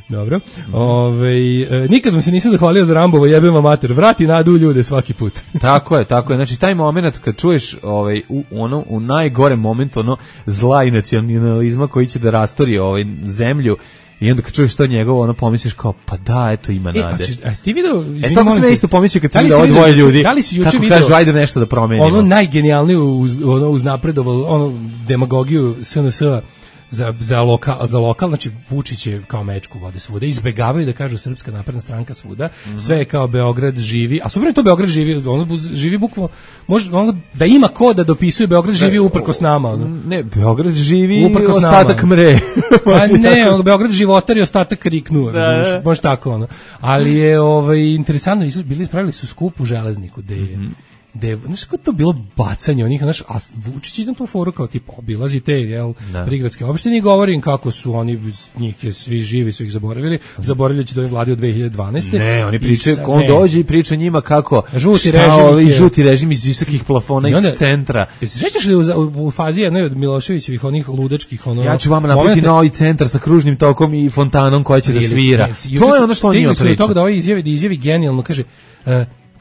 Dobro. Ove, e, nikad vam se nisam zahvalio za Rambovo, jebem vam mater. Vrati nadu u ljude svaki put. Tako je, tako je. Znači taj momenat kad čuješ ovaj u ono u najgorem momentu ono zla i nacionalizma koji će da rastori ovaj zemlju. I onda kad čuješ to njegovo, ono pomisliš kao, pa da, eto ima nade. E, a, a ti video, e, to sam ja isto pomislio kad sam vidio ovo dvoje ljudi, da li si juče kako video, kažu, ajde nešto da promenimo. Ono najgenijalnije uz, ono, uznapredovalo, ono demagogiju S N S-a za, za, lokal, za lokal, znači Vučić je kao mečku vode svuda, izbegavaju da kažu Srpska napredna stranka svuda, mm-hmm. sve je kao Beograd živi, a super je to Beograd živi, ono živi bukvalno, može ono, da ima ko da dopisuje Beograd živi uprkos nama. Ono. Ne, Beograd živi uprkos ostatak nama. Mre. Pa ne, ono, Beograd životar i ostatak riknuo, da. Može tako ono. Ali je ovaj, interesantno, bili ispravili su skup u Železniku, gde je mm-hmm. de, znaš kako to bilo bacanje onih, znaš, a Vučić ide na tu foru kao tipa obilazi te, jel, da. Prigradske opštine i govori im kako su oni, njih je svi živi, su ih zaboravili, zaboravljajući da je vladi od dve hiljade dvanaeste. Ne, oni pričaju, on ne. dođe i priča njima kako žuti režim, je, žuti režim iz visokih plafona onda, iz centra. Se sećaš li u, u, u fazi jednoj od Miloševićevih onih ludačkih, ono... Ja ću vama napraviti novi centar sa kružnim tokom i fontanom koja će da svira. Ne, to je ono što on njima priča. Toga da ovaj izjavi, da izjavi genijalno, kaže, uh,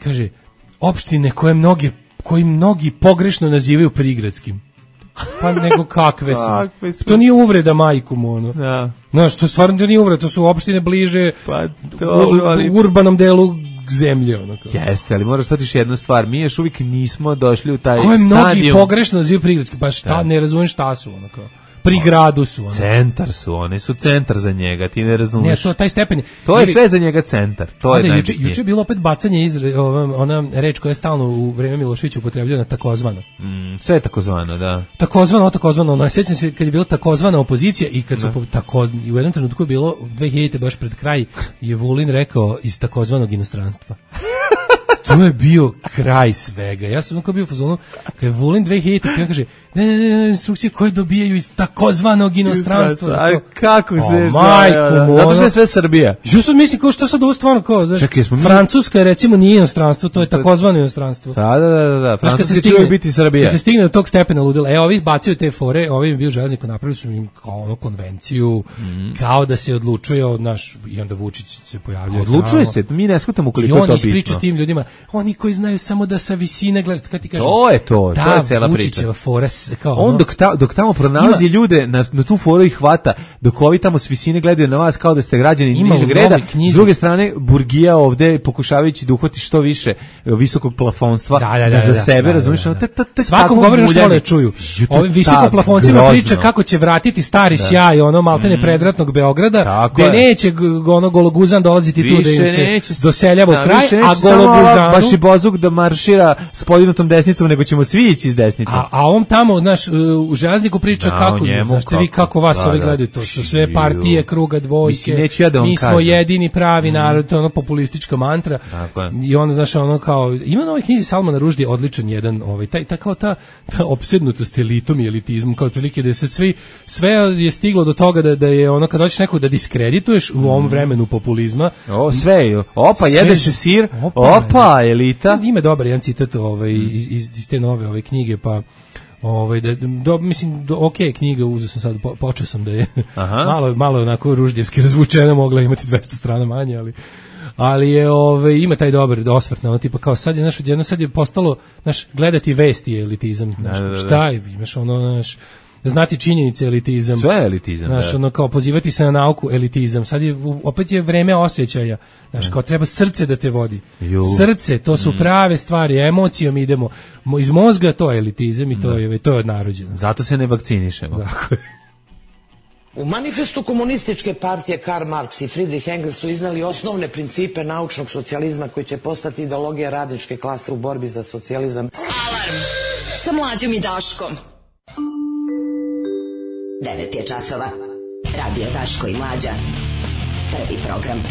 kaže, opštine koje mnogi, koji mnogi pogrešno nazivaju prigradskim. Pa nego kakve su. Kakve su. To nije uvreda majku ono. Da. Znaš, to stvarno nije uvreda, to su opštine bliže pa to, ali... u urbanom delu zemlje. Ono kao. Jeste, ali moraš shvatiti jednu stvar, mi još uvijek nismo došli u taj koje stadijum. Koje mnogi pogrešno nazivaju prigradskim, pa šta, da. Ne razumem šta su ono kao. Pri gradu su oni. Centar su, oni su centar za njega, ti ne razumiješ. Ne, to taj stepen. To je sve za njega centar. To je juče, juče je bilo opet bacanje iz ona reč koja je stalno u vreme Miloševića upotrebljena, takozvano. Mm, sve je takozvano, da. Takozvano, takozvano, ono, sjećam se kad je bila takozvana opozicija i kad su po, tako, i u jednom trenutku je bilo dve hiljadite baš pred kraj je Vulin rekao iz takozvanog inostranstva. to je bio kraj svega. Ja sam onako bio u fazonu, kad je Vulin dve hiljadite, on kaže, ne, ne, ne, instrukcije koje dobijaju iz takozvanog inostranstva. Aj, kako se što? Majku mu. Zato što je sve Srbija. Što sad mislim, kao što sad ovo stvarno, kao, znaš, čekaj, smo mi... Francuska je recimo nije inostranstvo, to je takozvano inostranstvo. Da, da, da, da. Francuska će biti Srbija. Kad se stigne do tog stepena ludila, e, ovi bacaju te fore, ovi im bio železniku, napravili su im kao ono konvenciju, mm. kao da se odlučuje od naš, i onda Vučić se pojavljuje. Odlučuje se, mi ne shvatamo koliko je to bitno. I on ispriča tim ljudima, oni koji znaju samo da sa visine gledaju, kad ti kažem, to je to, to je cela priča. Fora, kao on ono, dok, ta, dok tamo pronalazi ima, ljude, na, na tu foru ih hvata, dok ovi tamo s visine gledaju na vas kao da ste građani nižeg reda, s druge strane, Burgija ovde pokušavajući da uhvati što više visokog plafonstva da, da, da, za sebe, da, da, razumiješ? Da, da, da. Svakom govori što vole čuju. Ovi visoko plafoncima priča kako će vratiti stari da. sjaj, ono maltene mm. predratnog Beograda, gde neće ono Gologuzan dolaziti više tu da im se doseljava u da, kraj, a Gologuzanu... baš i Bozuk da maršira s podignutom desnicom, nego ćemo svi ići iz desnice. A, a on tamo, znaš, u železniku priča da, kako, njemu, znaš, kako, vi kako vas da, ovi gledaju, to su sve partije, kruga, dvojke, Mislim, ja da mi smo kažem. jedini pravi mm. narod, to je ono populistička mantra. I onda, znaš, ono kao, ima na ovoj knjizi Salmana Ruždija odličan jedan, ovaj, taj, ta, kao ta, ta opsednutost elitom i elitizmom, kao otprilike da se svi, sve je stiglo do toga da, da je ono, kad hoćeš nekog da diskredituješ u ovom vremenu populizma. O, sve, opa, sve, jede se sir, opa, opa elita. Ima dobar jedan citat ovaj, iz, iz, iz te nove ove knjige, pa ovaj da do, mislim do, ok knjiga uzeo sam sad po, počeo sam da je malo malo onako ruždjevski razvučena, mogla imati dvesta strana manje, ali ali je ovaj ima taj dobar osvrt na ono tipa kao sad je naš odjedno sad je postalo naš gledati vesti je elitizam, znaš, da, da, da. Šta je, imaš ono naš znati činjenice elitizam. Sve je elitizam, znaš, da. ono kao pozivati se na nauku elitizam. Sad je, opet je vreme osjećaja. Znaš, kao treba srce da te vodi. Ju. Srce, to su prave stvari, emocijom idemo. Iz mozga to je elitizam i to da. je, to je odnarođeno. Zato se ne vakcinišemo. Dakle. U manifestu komunističke partije Karl Marx i Friedrich Engels su iznali osnovne principe naučnog socijalizma koji će postati ideologija radničke klase u borbi za socijalizam. Alarm sa Mlađom i Daškom. devet je časova. Radio Daško i Mlađa. Prvi program.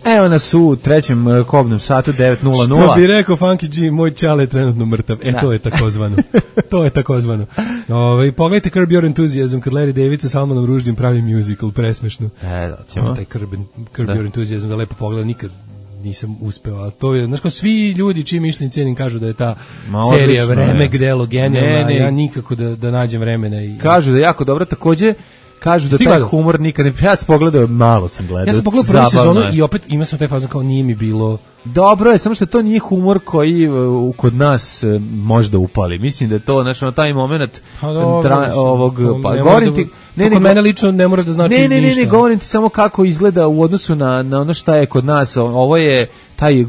Evo nas u trećem uh, kobnom satu devet nula nula. Što bi rekao Funky G, moj čale je trenutno mrtav. E, da. to je takozvano. to je takozvano. Ove, pogledajte Curb Your Enthusiasm, kad Larry David sa Salmanom Ruždim pravi musical, presmešno. E, da, ćemo. Taj Curb, Curb Your Enthusiasm, da lepo pogleda, nikad nisam uspeo, ali to je, znaš kao svi ljudi čiji mišljenje cenim kažu da je ta Ma, serija odlično, Vreme delo genijalna, ne, ne. ja nikako da, da nađem vremena. I, kažu da je jako dobro, takođe kažu da taj humor nikad ne... Ja sam pogledao, malo sam gledao. Ja sam pogledao prvu sezonu i opet ima sam taj fazon kao nije mi bilo... Dobro je, samo što to nije humor koji uh, kod nas uh, možda upali. Mislim da je to, znači, na taj moment pa dobro, tra, mislim, ovog... Pa, ne govorim da, ti... Ne, kod mene lično ne mora da znači ne, ne, ništa. Ne, ne, govorim ti samo kako izgleda u odnosu na, na ono šta je kod nas. Ovo je taj... Uh,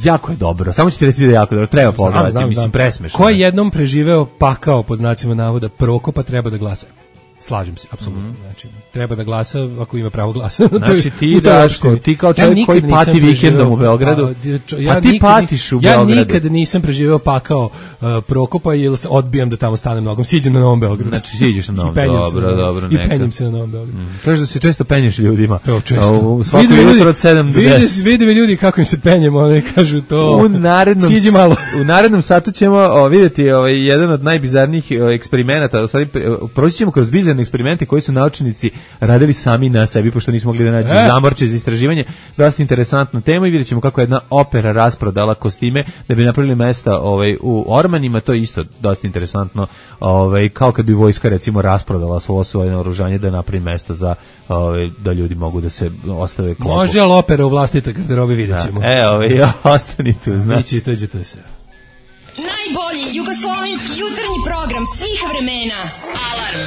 jako je dobro. Samo ću ti reći da je jako dobro. Treba pogledati, mislim, presmešno. Ko je jednom preživeo pakao, pod znacima navoda, Prokopa, treba da glasa. Slažem se, apsolutno. Mm -hmm. Znači, treba da glasa ako ima pravo glasa. Znači ti Daško, ti kao čovjek ja koji pati vikendom u Beogradu, a, ja a ti nikad, patiš u Beogradu. Ja nikad nisam preživeo pakao uh, Prokopa jer se odbijam da tamo stanem nogom. Siđem na Novom Beogradu. Znači siđeš na Novom, dobro, na, dobro, neka. I penjem se na Novom Beogradu. Mm. Kažeš da se često penješ ljudima. Evo, često. U svaku jutro od sedam do deset. Vidi mi ljudi kako im se penjemo, oni kažu to. U narednom, siđi malo. U narednom satu ćemo o, vidjeti ovaj, jedan od najbizarnijih eksperimenata. U stvari, proći ćemo kroz bizarne eksperimente koji su naučnici radili sami na sebi, pošto nismo mogli da nađu e. zamorče za istraživanje. Dosta interesantna tema i vidjet ćemo kako je jedna opera rasprodala kostime da bi napravili mesta ovaj, u ormanima. To je isto dosta interesantno. Ovaj, kao kad bi vojska recimo rasprodala svo svoje naoružanje da napravi mesta za ovaj, da ljudi mogu da se ostave klopu. Može, ali opera u vlastitoj garderobi vidjet ćemo. E, ovaj, ja, ostani tu, znaš. Ići, tođe to se. Najbolji jugoslovenski jutarnji program svih vremena. Alarm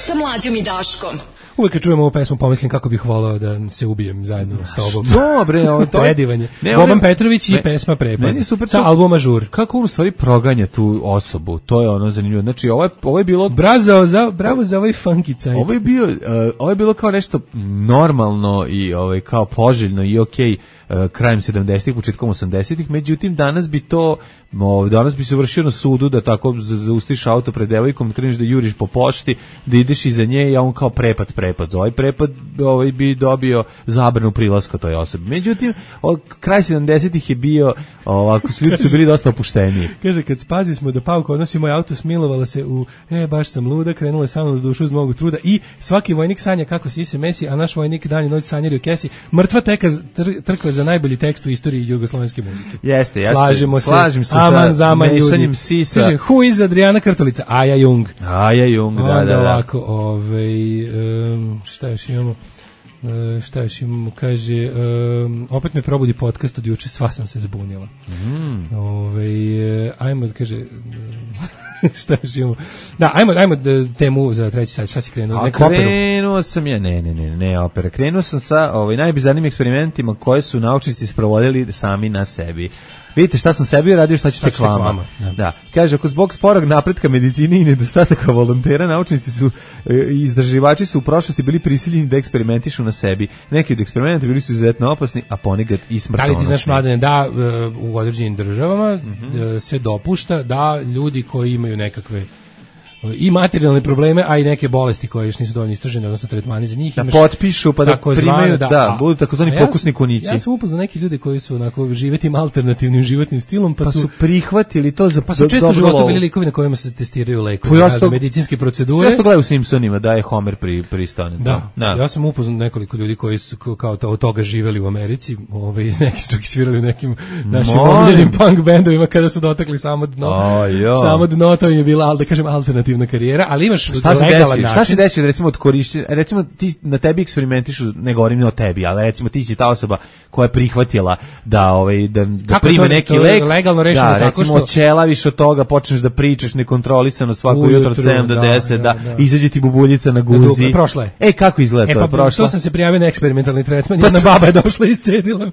sa Mlađom i Daškom. Uvijek kad čujemo ovu pesmu pomislim kako bih volao da se ubijem zajedno s tobom. Dobre, ovo to je predivanje. Boban Petrović i me, pesma Prepad. Super sa albuma Žur. Kako on u stvari proganja tu osobu? To je ono zanimljivo. Znači ovo je ovo je bilo bravo za bravo za ovaj funky cajt. Ovo je bio uh, ovo je bilo kao nešto normalno i ovaj kao poželjno i okej. Okay. uh, krajem sedamdesetih, početkom osamdesetih, međutim danas bi to o, danas bi se vršio na sudu da tako zaustiš auto pred devojkom, kreneš da juriš po pošti, da ideš iza nje i on kao prepad, prepad. Za ovaj prepad ovaj bi dobio zabranu prilaska toj osobi. Međutim, od kraj sedamdesetih je bio ovako, ljudi su bili dosta opušteniji. Kaže, kad spazi smo da Pauka odnosi moj auto, smilovala se u, e, baš sam luda, krenula je samo na dušu uz mnogo truda i svaki vojnik sanja kako si se mesi, a naš vojnik dan i noć sanjari u kesi. Mrtva teka tr, trkva za najbolji tekst u istoriji jugoslovenske muzike. Jeste, jeste. Slažemo se. Slažem se Aman, sa zaman, mešanjem sisa. Kaže, who is Adriana Krtolica? Aja Jung. Aja Jung, da, onda da, da. ovako, ovaj, um, šta još imamo? Uh, šta još imamo, kaže um, opet me probudi podcast od juče, sva sam se zbunila. Mm. Ove, uh, ajmo, kaže šta još imamo, da, ajmo, ajmo temu za treći sat, šta si krenuo? A krenuo sam ja, ne, ne, ne, ne opera, krenuo sam sa ovaj, najbizarnijim eksperimentima koje su naučnici sprovodili sami na sebi. Vidite šta sam sebi uradio, šta ću tek vama. Da. da. Kaže, ako zbog sporog napretka medicine i nedostataka volontera, naučnici su i e, istraživači su u prošlosti bili prisiljeni da eksperimentišu na sebi. Neki od eksperimenta bili su izuzetno opasni, a ponekad i smrtonosni. Da li ti znaš, Mladene, da u određenim državama mm-hmm. se dopušta da ljudi koji imaju nekakve i materijalne probleme, a i neke bolesti koje još nisu dovoljno istražene, odnosno tretmani za njih. Da potpišu, pa da primaju, da, da budu takozvani ja pokusni kunići. Ja sam upoznao neke ljude koji su onako živetim alternativnim životnim stilom, pa, pa su, su prihvatili to za pa su često u životu bili likovi na kojima se testiraju lekovi, ja sto, medicinske procedure. Ja sam gledao u Simpsonima da je Homer pri, pristane. Da, da, ja sam upoznao nekoliko ljudi koji su kao to, od toga živeli u Americi, ovaj, neki su čak i svirali u nekim našim omiljenim punk bendovima kada su dotakli samo dno. Oh, samo dno, to im je bila, da kažem, alternativna karijera, ali imaš šta se desi, šta se desi recimo od korišćenja, recimo ti na tebi eksperimentišu, ne govorim o tebi, ali recimo ti si ta osoba koja je prihvatila da ovaj da, da prime to, neki to lek, legalno rešeno da, tako recimo što ćelaviš od toga, počneš da pričaš nekontrolisano svako ujutro, jutro od sedam do deset, da, da, da. Izađe ti bubuljica na guzi. Da, prošla je. E kako izgleda e, to? Pa, prošla. To sam se prijavio na eksperimentalni tretman, jedna baba je došla i iscedila me.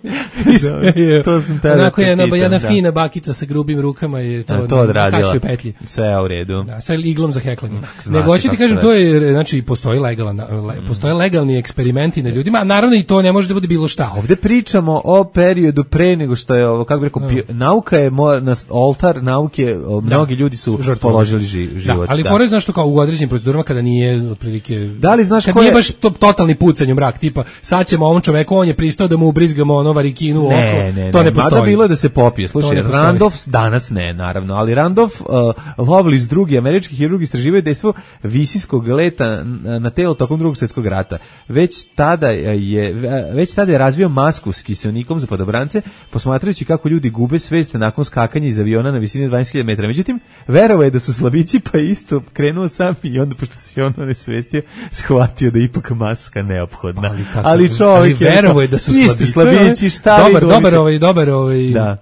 Da, to sam tada. Onako je jedna, jedna fina bakica sa grubim rukama je to, to odradila. Petlji. Sve u redu. Da, sa iglom za heklanje. Nego hoću ti kažem, to je, znači, postoji legalan, le, postoje legalni eksperimenti na ljudima, a naravno i to ne može da bude bilo šta. Ovde pričamo o periodu pre nego što je, kako bih rekao, no. nauka je mo, na oltar nauke, mnogi da, ljudi su žrtvovali. Položili ži, život. Da, ali fore, znaš što, kao u određenim procedurama kada nije otprilike, da li znaš kad nije baš to, totalni pucanj u mrak, tipa sad ćemo ovom čoveku, on je pristao da mu ubrizgamo ono varikinu u oko, ne, ne, to ne, ne postoji. Mada bilo je da se popije, slušaj, Randolph, danas ne, naravno, ali Randolph uh, Lovelace, drugi američki hirurg, istraživaju dejstvo visinskog leta na telo tokom drugog svjetskog rata. Već tada je već tada je razvio masku s kiseonikom za padobrance, posmatrajući kako ljudi gube svest nakon skakanja iz aviona na visini dvanaest hiljada metara. Međutim, verovao je da su slabići, pa isto krenuo sam i onda, pošto se on nesvestio, shvatio da je ipak maska neophodna. Ali, tako, ali čovjek ali verovao je da su slabići, slabići šta dobar, dobar, dobar, ovaj, dobar, ovaj, da.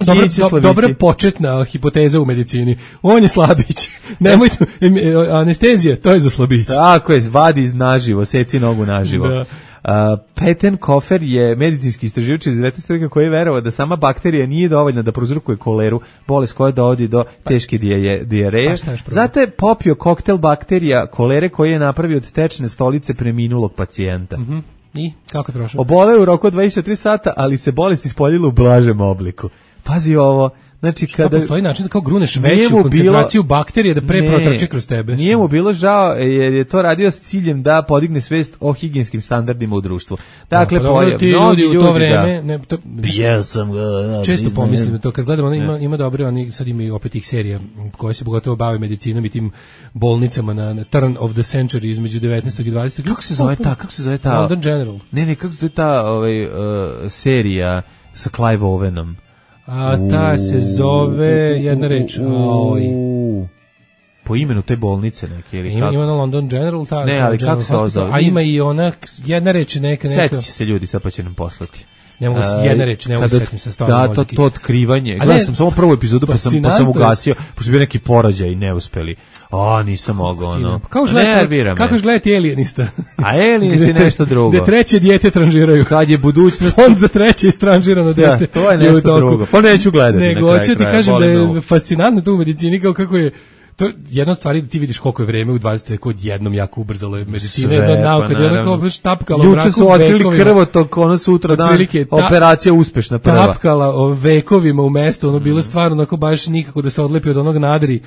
Dobra, do, dobra početna hipoteza u medicini. On je slabić. Nemojte, anestezija, to je za slabić. Tako je, vadi iz naživo, seci nogu naživo. Da. Uh, Peten Kofer je medicinski istraživač iz devetnaestog veka koji je verovao da sama bakterija nije dovoljna da prouzrokuje koleru, bolest koja dovodi do teške dijareje. Zato je popio koktel bakterija kolere koji je napravio od tečne stolice preminulog pacijenta. Mm-hmm. I kako je prošao? Oboleo u roku od dvadeset četiri sata, ali se bolest ispoljila u blažem obliku. Pazi ovo, znači šta kada postoji način da kao gruneš veću koncentraciju bilo, bakterije da pre ne, protrče kroz tebe. Nije mu bilo žao jer je to radio s ciljem da podigne svest o higijenskim standardima u društvu. Dakle, no, pa pojav, ti ljudi u to ljudi, vreme, da. ne, to, ja sam ga, da, često ne, pomislim to kad gledamo, ima ima dobre, oni sad imaju opet ih serija koje se pogotovo bave medicinom i tim bolnicama na, na turn of the century između devetnaestog i dvadesetog Kako se zove ta, kako se zove ta? London General. Ne, ne, kako se zove ta ovaj, uh, serija sa Clive Owenom? A ta se zove jedna reč. Oj. Po imenu te bolnice neke ili ima, kako? Ima na London General, ta. Ne, ali kako se zove? A ima i ona jedna reč neka neka. Setit će se ljudi, sad pa će nam poslati. Ne mogu se jedna reč, ne mogu se setim sa stvarno. Da, to, to otkrivanje. Gledao sam samo prvu epizodu pa sam, pa sam ugasio, pošto je bio neki porađaj i ne uspeli. A, nisam mogao, ono. Kako gledati, kako gledati Alienista? A Alienist je nešto drugo. Gde treće dijete tranžiraju. Kad je budućnost. Fond za treće istranžirano dijete. Da, to je nešto drugo. Pa neću gledati. Nego, hoću ti kažem da je fascinantno to u medicini, kao kako je to je jedna od stvari da ti vidiš koliko je vreme u dvadesetom veku odjednom jako ubrzalo je medicina, jedna od nauka, da je ona kao baš tapkala u mraku vekovima. Juče su otkrili krvotok, ono sutra dan, operacija uspešna prva. Tapkala vekovima u mestu, ono bilo stvarno onako baš nikako da se odlepi od onog nadri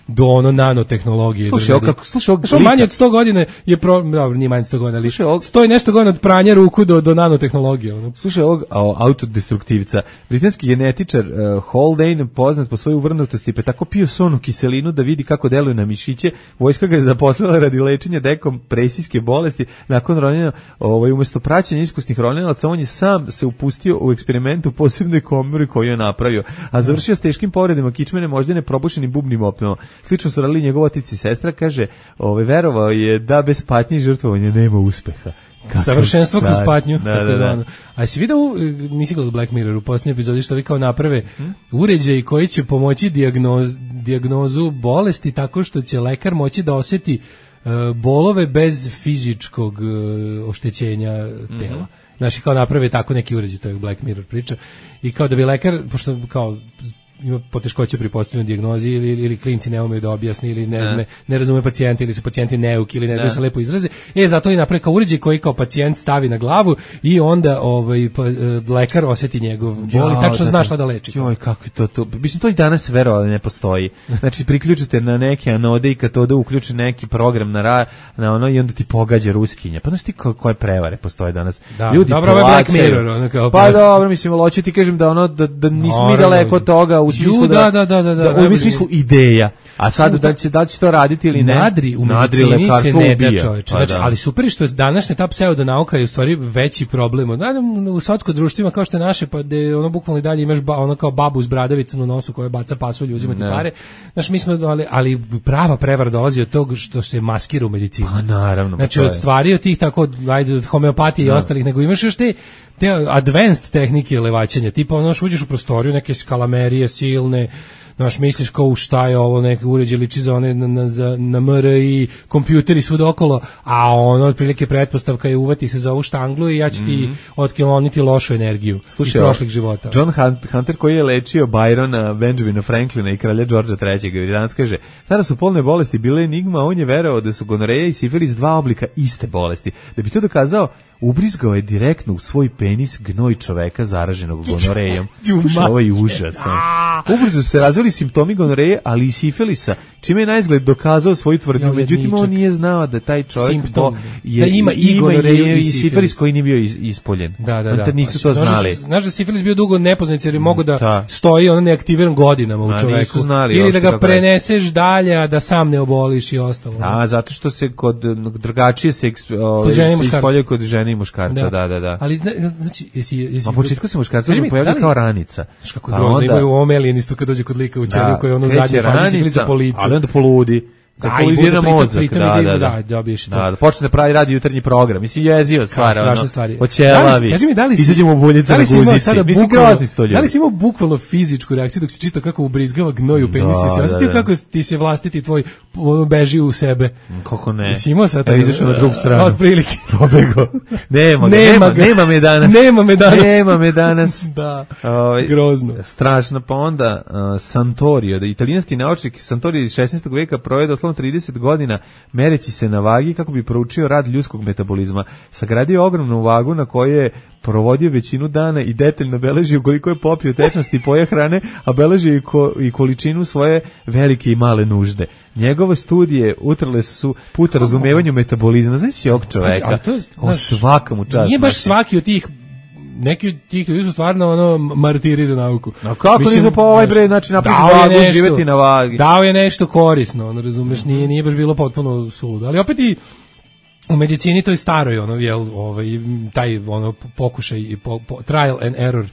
do ono nanotehnologije. Slušaj, kako, slušaj, što manje od sto godina je pro, dobro, nije manje od sto godina, ali stoji nešto godina od pranja ruku do, do nanotehnologije. Ono. Slušaj, ovog autodestruktivca, britanski genetičar uh, Haldane, poznat po svojoj uvrnutosti, pa tako pio sonu kiselinu da vidi kako deluje na mišiće. Vojska ga je zaposlila radi lečenja dekompresijske bolesti. Nakon ronjenja, ovaj, umesto praćenja iskusnih ronjelaca, on je sam se upustio u eksperiment u posebnoj komori koju je napravio, a završio s teškim povredama kičmene, moždane, probušenim bubnim opnama. Slično su radili njegov otac i sestra, kaže, ovaj, verovao je da bez patnje i žrtvovanja nema uspeha. Kakav savršenstvo sad. Kroz patnju. Da, da, da. A si vidio, nisi gledao Black Mirror u posljednjoj epizodi što vi kao naprave hmm? uređaj koji će pomoći dijagnoz, dijagnozu bolesti tako što će lekar moći da osjeti uh, bolove bez fizičkog uh, oštećenja tela. Mm-hmm. Znači kao naprave tako neki uređaj, to je Black Mirror priča. I kao da bi lekar, pošto kao ima poteškoće pri postavljanju dijagnozi ili, ili klinci ne umeju da objasni ili ne, ne. ne, ne razume pacijenta ili su pacijenti neuki ili ne znaju se lepo izraze. E, zato i napravi kao uređaj koji kao pacijent stavi na glavu i onda ovaj, pa, lekar osjeti njegov bol i tačno zna šta da leči. Joj, kako je to to? Mislim, to i danas verovali ne postoji. Znači, priključite na neke anode i katode, uključi neki program na, ra, na ono i onda ti pogađa ruskinja. Pa znaš ti ko, koje prevare postoje danas? Da, ljudi dobro, ovo je Black Mirror. Ono kao pa pre... dobro, mislim, hoću ti kažem da, ono, da, da nismo mi daleko od toga u smislu da, da, da, da, da, da, u smislu ideja. A sad da će da će to raditi ili ne? Nadri u medicini se ne da, čoveče. Znači, ali super što je današnja ta pseudonauka je u stvari veći problem. Naravno u svatskom društvima kao što je naše, pa da ono bukvalno i dalje imaš ba, ono kao babu s bradavicom u nosu koja baca pasulj, uzima ti pare. Znači mi smo ali, ali prava prevara dolazi od toga što se maskira u medicini. Pa naravno. Znači od stvari od tih tako ajde od homeopatije no. i ostalih, nego imaš još te te advanced tehnike levaćenja, tipa ono što uđeš u prostoriju, neke skalamerije silne, znaš, misliš kao u šta je ovo, neke uređe liči za one na, na, za, na M R I, kompjuteri svud okolo, a ono, otprilike pretpostavka je uvati se za ovu štanglu i ja ću ti mm-hmm. otkloniti lošu energiju iz prošlih života. John Hunter koji je lečio Byrona, Benjamina Franklina i kralja Georgea trećeg. I danas kaže, tada su polne bolesti bile enigma, on je verovao da su gonoreja i sifilis dva oblika iste bolesti. Da bi to dokazao, ubrizgao je direktno u svoj penis gnoj čoveka zaraženog gonorejom. Slušaj, ovo je užasan. Ubrzo se razvili simptomi gonoreje, ali i sifilisa, čime je na izgled dokazao svoju tvrdnju. Međutim, on nije znao da taj čovjek Simptom, je, da ima i gonoreju i sifilis koji nije bio is, ispoljen. Da, da, da. On nisu to znali. Znaš da sifilis bio dugo nepoznat jer je mogo da, da stoji ono neaktiviran godinama u a, čoveku. Znali, ili da ga preneseš dalje, a da sam ne oboliš i ostalo. Da, zato što se kod drugačije se, o, se ispoljaju kod žene i muškarca, da, da, da. da. Ali znači, jesi, jesi... Na početku se muškarca pojavlja kao ranica. Znaš kako je grozno, imaju u omelijenistu kad dođe kod lika u ćeliju koji je ono zadnje fazi siklisa po licu. Ali onda poludi. Da, polidira mozak, da, da, da, da, da, da, da, počne da pravi radi jutarnji program, mislim jeziva stvar, strašne stvari. Oćelavi, kaži mi, da li si, izađemo u buljice na guzici, mislim grozni sto ljudi. Da li si imao bukvalno fizičku reakciju dok si čitao kako ubrizgava gnoj u penis, si osjetio kako ti se vlastiti tvoj beži u sebe? Kako ne? Si imao sad? Izašao na drugu stranu. Od prilike. Pobego. Nema ga, nema, nema me danas. Nema me danas. Nema me danas. Da, grozno. Strašno, pa onda Santorio, da italijanski naučnik Santorio iz šesnaestog veka proveo doslovno trideset godina mereći se na vagi kako bi proučio rad ljudskog metabolizma. Sagradio ogromnu vagu na kojoj je provodio većinu dana i detaljno beležio koliko je popio tečnosti i poje hrane, a beležio i, ko, i količinu svoje velike i male nužde. Njegove studije utrle su put razumevanju metabolizma. Znaš si ovog čoveka? To je, o svakamu čast. Nije baš svaki od tih neki od tih ljudi su stvarno ono martiri za nauku. No kako nisu pa ovaj bre, znači napravi vagu, nešto, živeti na vagi. Dao je nešto korisno, ono razumeš, nije nije baš bilo potpuno suludo, ali opet i u medicini to je staroj ono jel, ovaj taj ono pokušaj i po, po, trial and error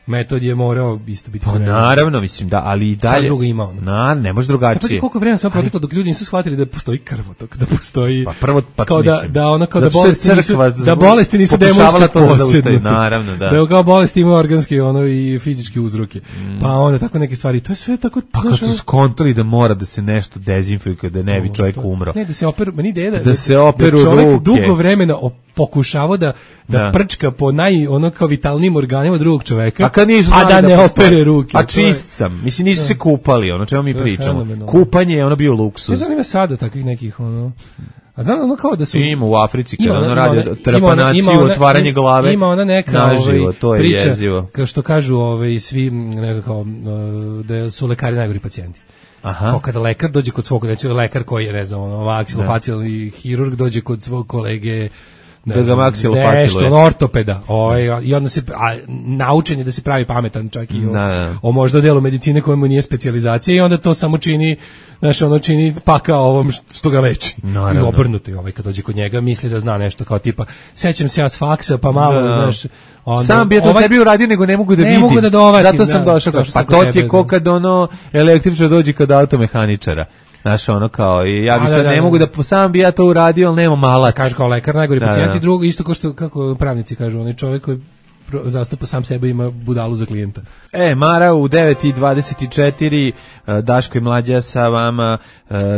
metod je morao isto biti. Pa naravno, mislim da, ali i dalje. Sad drugo ima ono. Na, ne može drugačije. Pa koliko vremena samo proteklo dok ljudi nisu shvatili da postoji krvotok, da postoji. Pa prvo pa kao da da ono kao da bolesti nisu da bolesti nisu demonska posebnost. Naravno, da. Da kao bolesti imaju organske ono i fizičke uzroke. Mm. Pa onda tako neke stvari, to je sve tako. Pa kad su skontali da mora da se nešto dezinfikuje da ne bi čovjek umro. Ne, da se operu, meni ideja da, da se operu da čovjek ruke. dugo vremena pokušavao da, da, da. prčka po naj, ono kao vitalnijim organima drugog čoveka, a, kad nisu a da, da ne postoji. opere ruke. A čist sam. Mislim, nisu da. se kupali, ono čemu mi to pričamo. Kupanje je ono bio luksuz. Ne znam ima sada takvih nekih, ono... A znam ono kao da su... Ima u Africi, kada ono ona, radi ona, trapanaciju, ima ona, otvaranje glave. Ima ona neka naživo, ovaj, to je priča, jezivo. kao što kažu ovaj, svi, ne znam kao, da su lekari najgori pacijenti. Aha. Kao kada lekar dođe kod svog, znači lekar koji je, ne znam, ono, maksilofacijalni hirurg dođe kod svog kolege, da ga maksilofacijaluje. Nešto, ortopeda. Ovaj, I onda se, a, naučen je da se pravi pametan čak i o, da, da. o možda delu medicine kojemu nije specijalizacija i onda to samo čini, znaš, ono čini pakao ovom što ga leči. Naravno. I obrnuto je ovaj kad dođe kod njega misli da zna nešto kao tipa, sećam se ja s faksa pa malo, da. znaš, onda, sam bi je to ovaj, sebi uradio, nego ne mogu da ne vidim. Mogu da dovatim, zato sam da, došao. to Pa to ti je ko kad ono električar dođe kod automehaničara. Znaš, ono kao, i ja bi sad, da, da, ne da, mogu da, sam bi ja to uradio, ali nema malat. Kaže kao lekar, najgori da, pacijent i drugo, isto kao što, kako pravnici kažu, onaj čovjek koji zastupa sam sebe ima budalu za klijenta. E, Mara, u devet i dvadeset četiri, Daško i Mlađa sa vama,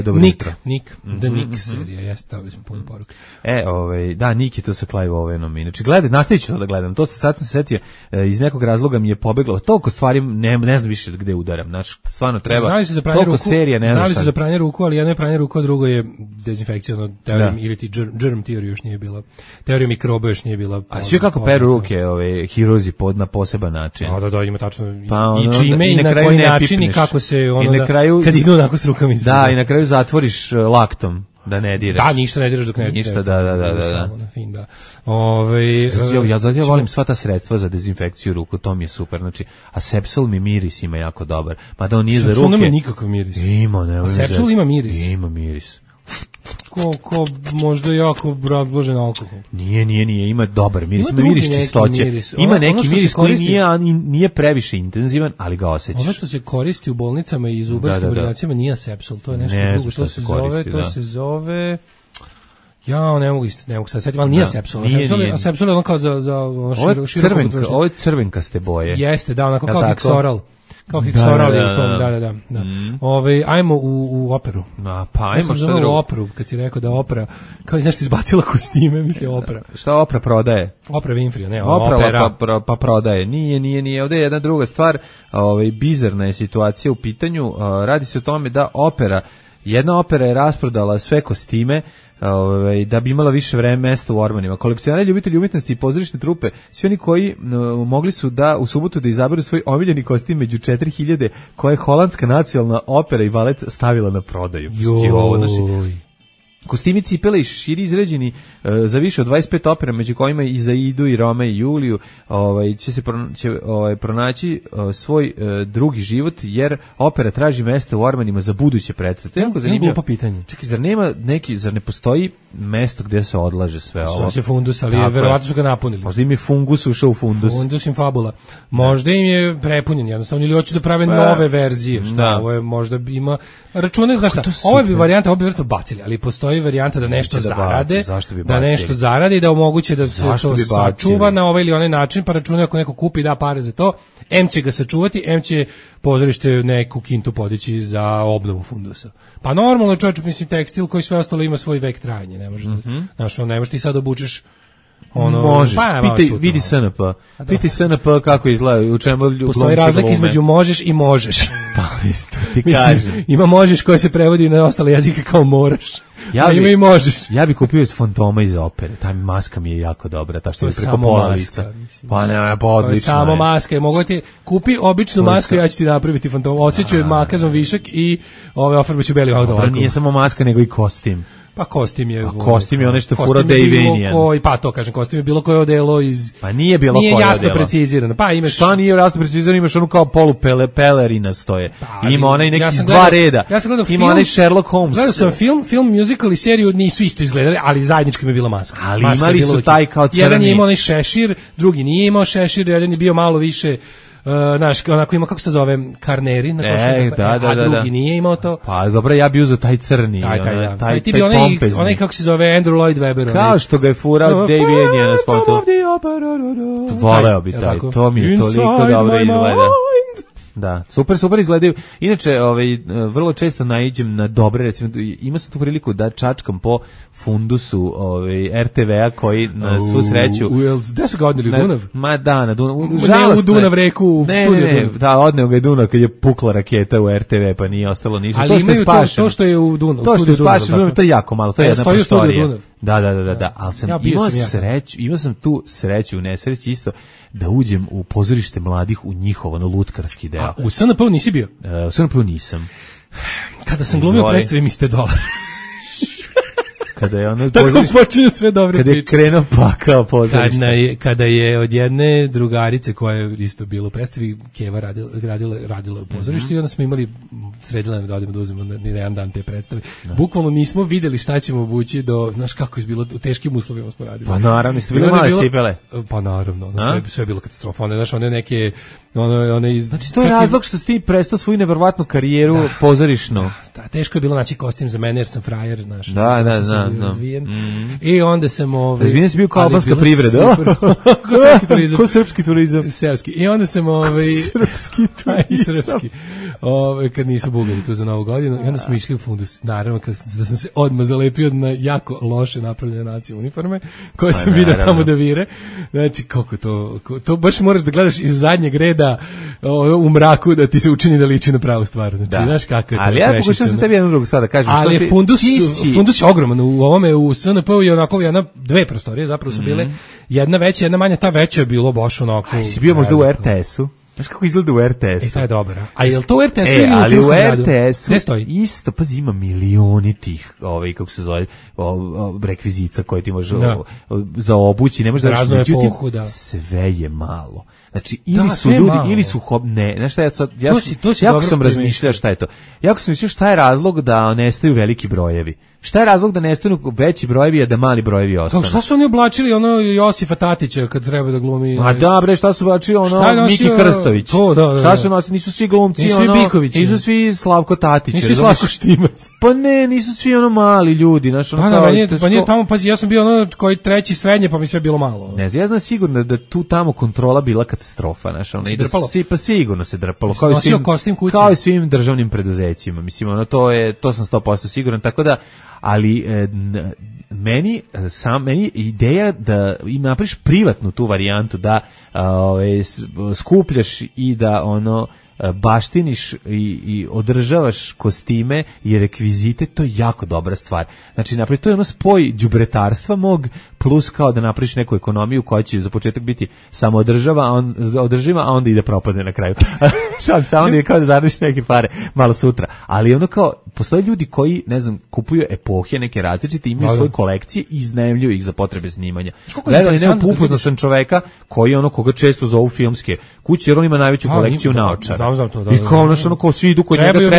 dobro Nik, jutro. Nik, The Nik serija, jeste, stavili smo puno poruke. E, ovaj, da, Nik je to sa Clive Owenom, inače, gledaj, nastavit ću to da gledam, to se, sad sam se setio, iz nekog razloga mi je pobeglo, toliko stvari, ne, ne znam više gde udaram, znači, stvarno treba, toliko ruku, serija, ne znam šta. Znali su za pranje ruku, ali jedno je pranje ruku, a drugo je dezinfekcija, ono, teorijom, ili ti germ theory još nije bila, teorija mikroba još nije bila. A sve kako peru ruke, ove, hiruzi pod na poseban način. Da, da, da, ima tačno pa, ono, i čime i, i na, na koji način i kako se ono i na kraju, da, kad idu onako s rukama izgleda. Da, i na kraju zatvoriš laktom da ne diraš. Da, ništa ne diraš dok ne ništa, da, da, da, da. Samo na fin, da. Ove, ja, ja, ja, ja volim sva ta sredstva za dezinfekciju ruku, to mi je super. Znači, a Sepsol mi miris ima jako dobar. Mada on nije za ruke. Sepsol nema nikakav miris. Ima, ne. A Sepsol ima miris. Ima miris. Ko, ko možda jako razbložen alkohol. Nije, nije, nije, ima dobar miris, ima, ima miris čistoće. Miris. Ima ono, neki ono miris koji nije, nije previše intenzivan, ali ga osjećaš. Ono što se koristi u bolnicama i zubarskim da, da, da. ordinacijama nije Sepsol, to je nešto ne, drugo. Što se koristi, zove, da. to se zove... Ja ne mogu isto, ne mogu sad setiti, ali nije da, Sepsol. Nije, Sepsol, nije. A Sepsol je ono kao za, za ono ovo je crvenka, ovo je crvenkaste boje. Jeste, da, onako kao Hexoral. Kao Hexoral je u tom, da, da, da. da. Mm. Ove, ajmo u, u operu. A, pa ajmo ja sam što drugo. U operu, kad si rekao da opera, kao znaš što izbacila kostime, misli opera. Šta opera prodaje? Opera Winfrey, ne, opera. opera. Pa, pa, pa prodaje. Nije, nije, nije. Ovdje je jedna druga stvar, ovaj, bizarna je situacija u pitanju. Radi se o tome da opera, jedna opera je rasprodala sve kostime, Ove, da bi imala više vreme mesta u ormanima. Kolekcionari, ljubitelji umjetnosti i pozorišne trupe, svi oni koji no, mogli su da u subotu da izaberu svoj omiljeni kostim među četiri hiljade koje je holandska nacionalna opera i balet stavila na prodaju. Joj. Kostimi, cipele i šeširi izrađeni uh, za više od dvadeset pet opera, među kojima i za Idu i Rome i Juliju, ovaj, će se pro, će, ovaj, pronaći uh, svoj uh, drugi život, jer opera traži mesta u ormanima za buduće predstave. To je jako zanimljivo. Glupo pitanje. Čekaj, zar nema neki, zar ne postoji mesto gdje se odlaže sve ovo? Sve se fundus, ali je, verovatno su ga napunili. Možda im je fungus ušao u fundus. Fundus im fabula. Možda im je prepunjen, jednostavno, ili hoće da prave pa, nove verzije. Šta, da. Ovo je možda ima... Računaj, znaš šta, ovo bi varijanta, ovo bi vjerojatno bacili, ali postoji varijanta da nešto da zarade, bi da nešto zarade i da omoguće da se zašto to sačuva na ovaj ili onaj način, pa računaju ako neko kupi da pare za to, em će ga sačuvati, em će pozorište neku kintu podići za obnovu fundusa. Pa normalno čovječ, mislim, tekstil koji sve ostalo ima svoj vek trajanja, ne može, mm-hmm. znaš, ne možeš ti sad obučeš ono, možeš, pa, pitaj, vidi S N P, pitaj S N P kako izgleda, u čemu postoji razlika između možeš i možeš. Pa isto, ti kažem. Ima možeš koje se prevodi na ostale jezike kao moraš. Ja bi, ima i možeš. Ja bi kupio Fantoma iz opere, ta maska mi je jako dobra, ta što je preko pola lica. Pa ne, pa odlično. To je samo maska, mogu ti kupi običnu masku, ja ću ti napraviti Fantoma. Odsjeću je makazom višak i ove ofarbaću beli auto. Dobro, nije samo maska, nego i kostim. Pa kostim je... A kostim je ono što fura Davinian. Pa to kažem, kostim je bilo koje odelo iz... Pa nije bilo nije koje odelo. Nije jasno precizirano. Pa imaš... Šta nije jasno precizirano, imaš onu kao polu pele, pelerina stoje. Pa, ima onaj neki ja iz dva reda. Ja sam gledao ima film, onaj Sherlock Holmes. Gledao sam film, film, musical i seriju, nisu isto izgledali, ali zajednički mi je bila maska. Ali maska imali su taj kao crni. Jedan je imao onaj šešir, drugi nije imao šešir, jedan je bio malo više... Uh, naš, onako ima, kako se to zove, karneri, na e, da, da, a drugi da. nije imao to. Pa dobro, ja bi uzeo taj crni, taj, taj, onaj, da. taj, ti taj, taj onaj, pompezni. Onaj, kako se zove, Andrew Lloyd Webber. Kao onaj. Što ga je furao no, Davy Enijan na spotu. Voleo bi taj, to mi je toliko dobro izgleda. da. Super, super izgledaju. Inače, ovaj, vrlo često naiđem na dobre, recimo, ima sam tu priliku da čačkam po fundusu ovaj, er te vea koji na svu sreću... Gde su ga odneli, u Dunav? Ma da, na Dunav. U, ne u Dunav reku, u ne, studiju ne, ne, Dunav. Da, odneo ga je Dunav kad je pukla raketa u er te ve, pa nije ostalo ništa. Ali to imaju to, to što je u Dunav. To što je spašeno, to je jako malo, to je e, jedna prostorija. Da, da, da, da, da, ali sam ja imao sreću, imao sam tu sreću u nesreći isto da uđem u pozorište mladih u njihov ono lutkarski deo. A u es en pe nisi bio? Uh, u es en pe nisam. Kada sam glumio predstave mi ste dolar. Kada je ono tako počinju sve dobre kada priče. Kada je krenuo pakao pozorište. Kada je, kada je od jedne drugarice koja je isto bila u predstavi, Keva radila, radila, radila u pozorištu mm-hmm. i onda smo imali, sredila da odemo da uzmemo na, na jedan dan te predstave. No. Bukvalno nismo videli šta ćemo obući do, znaš kako je bilo, u teškim uslovima smo radili. Pa naravno, ste bili male cipele. Pa naravno, ono, sve, sve je bilo katastrofa. One, znaš, one neke... Ono, one iz, znači to je razlog što si ti prestao svoju neverovatnu karijeru da, pozorišnu. Da, teško je bilo naći kostim za mene jer sam frajer, znaš. Da, da, da. Razvijen. Mm-hmm. I onda sam ovaj razvijen si bio kao albanska privreda. Ko srpski turizam. Ko srpski turizam. Seoski. I onda sam ovaj srpski turizam. Srpski. Ovaj kad nisu Bugari tu za Novu godinu i onda smo išli u fundus. Naravno kako da sam se odmah zalepio na jako loše napravljene nacionalne uniforme koje sam video tamo da vire. Znači kako to to baš moraš da gledaš iz zadnjeg reda u mraku da ti se učini da liči na pravu stvar. Znači, da. Znaš kako je to. Ali ja pokušam se tebi jednu drugu sada kažem. Ali si, fundus, si... fundus je ogroman. U ovome, u es en pe je onako jedna, dve prostorije zapravo su bile. Mm-hmm. Jedna veća, jedna manja. Ta veća je bilo baš onako... Aj, si bio možda u er te esu? Znaš kako izgleda u er te esu? E, to je dobro. A je li to u er te esu e, ili u ali filmskom u radu? er te esu ne stoji? Isto, pazi, ima milioni tih, ovaj, kako se zove, o, o, rekvizica koje ti može da. o, o, za obući, ne možeš da razno epohu, da. Sve je malo. Znači, ili da, su ljudi, malo. Ili su hob... Ne, znaš šta ja sad... Ja to si, to si jako sam razmišljao šta je to. Jako sam mislio šta je razlog da nestaju veliki brojevi. Šta je razlog da nestanu veći brojevi, a da mali brojevi ostanu? Kao šta su oni oblačili ono Josifa Tatića kad treba da glumi? Ma da bre, šta su oblačili ono Miki Krstović? To, da, da, šta su nosili? Nisu svi glumci, nisu ono... Biković, nisu svi Slavko Tatić. Nisu svi Slavko Štimac. Pa ne, nisu svi ono mali ljudi. Znaš, ono pa, kao, da, nije, pa nije tamo, pazi, ja sam bio ono koji treći srednje, pa mi sve bilo malo. Ne znam, ja znam sigurno da tu tamo kontrola bila katastrofa. Znaš, ono, i da si, pa sigurno se drpalo. Kao i svim, kao i svim državnim preduzećima. Mislim, ono, to, je, to sam sto posto siguran. Tako da, ali e, meni sam meni ideja da im napraviš privatnu tu varijantu da ove, skupljaš i da ono baštiniš i, i održavaš kostime i rekvizite, to je jako dobra stvar. Znači, napravi, to je ono spoj đubretarstva mog plus kao da napraviš neku ekonomiju koja će za početak biti samo održava, a on, održiva, a onda ide propadne na kraju. Šalim se, onda je kao da zaradiš neke pare malo sutra. Ali ono kao, postoje ljudi koji, ne znam, kupuju epohe neke različite, imaju svoje kolekcije i iznajmljuju ih za potrebe snimanja. Gledali, nema upoznao sam čoveka koji ono koga često zovu filmske kuće, jer on ima najveću kolekciju naočara. Znam to, da, I kao ono što ono kao svi idu kod njega treba,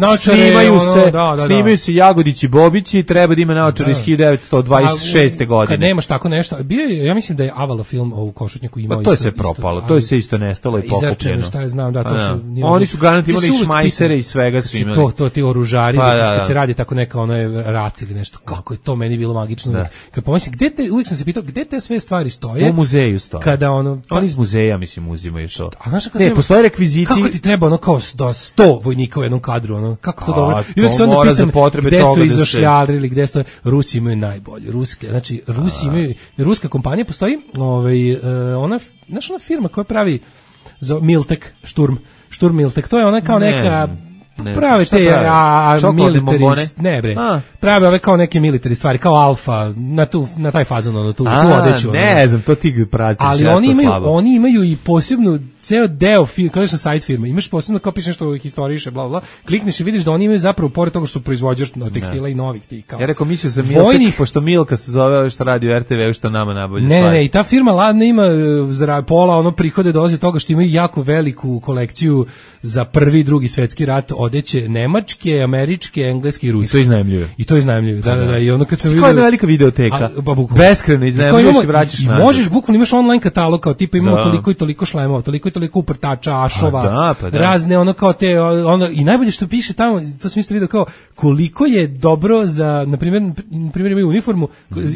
naočare, snimaju ono, se, da, da, snimaju se Jagodić i Bobići, treba da ima naočare iz hiljadu devetsto dvadeset šeste. godine. Kad nemaš tako nešto, bio je, ja mislim da je Avala film o Košutnjaku imao pa to je isto, se propalo, isto, to je se isto nestalo i pokupljeno. Izrečeno, šta je znam, da, to se... Oni su garanti imali šmajsere i svega su imali. To, to ti oružari, pa, da, kad se radi tako neka ono je rat ili nešto, kako je to meni bilo magično. Da. Kad pomislim, gde te, uvijek sam se pitao, gde te sve stvari stoje? U muzeju stoje. Kada ono... Pa, oni iz muzeja, mislim, uzimaju to. A znaš kako ne, treba, postoje rekviziti... Kako ti treba ono kao do sto vojnika u jednom kadru, ono, kako to a, dobro? I uvijek se onda pitam, gde su izošljarili, gde stoje... Rusi imaju najbolje, ruske, znači, Rusi imaju... Ruska kompanija postoji, ovaj, uh, ona, znaš ona firma koja pravi za Miltek, Šturm, Šturm Miltek, to je ona kao ne neka... Ne, prave te prave? a, a military ne bre a. Prave ove kao neke military stvari kao Alfa na tu na taj fazon na tu a, tu odeću ne ono. Znam to ti pratiš ali oni imaju slabo. Oni imaju i posebnu ceo deo firme, kao što sajt firme imaš posebno kao pišeš nešto historiše bla bla klikneš i vidiš da oni imaju zapravo pored toga što su proizvođač tekstila i novih tih kao ja rekao mislio za Miltek pošto Milka se zove što radi u er te ve što nama nabolje ne ne i ta firma ladna ima za pola ono prihode dolaze toga što imaju jako veliku kolekciju za prvi i drugi svetski rat odeće nemačke, američke, engleske i ruske. I to iznajmljuju. I to iznajmljuju. Da, da, da. I ono kad sam vidio. Koja je velika videoteka. Beskrajno iznajmljuješ i vraćaš nazad. Možeš bukvalno imaš online katalog kao tipa imamo da. Toliko i toliko šlemova, toliko toliko uprtača, ašova, pa da, pa da. razne ono kao te, ono, i najbolje što piše tamo, to sam isto vidio kao, koliko je dobro za, na primjer, na primjer imaju uniformu,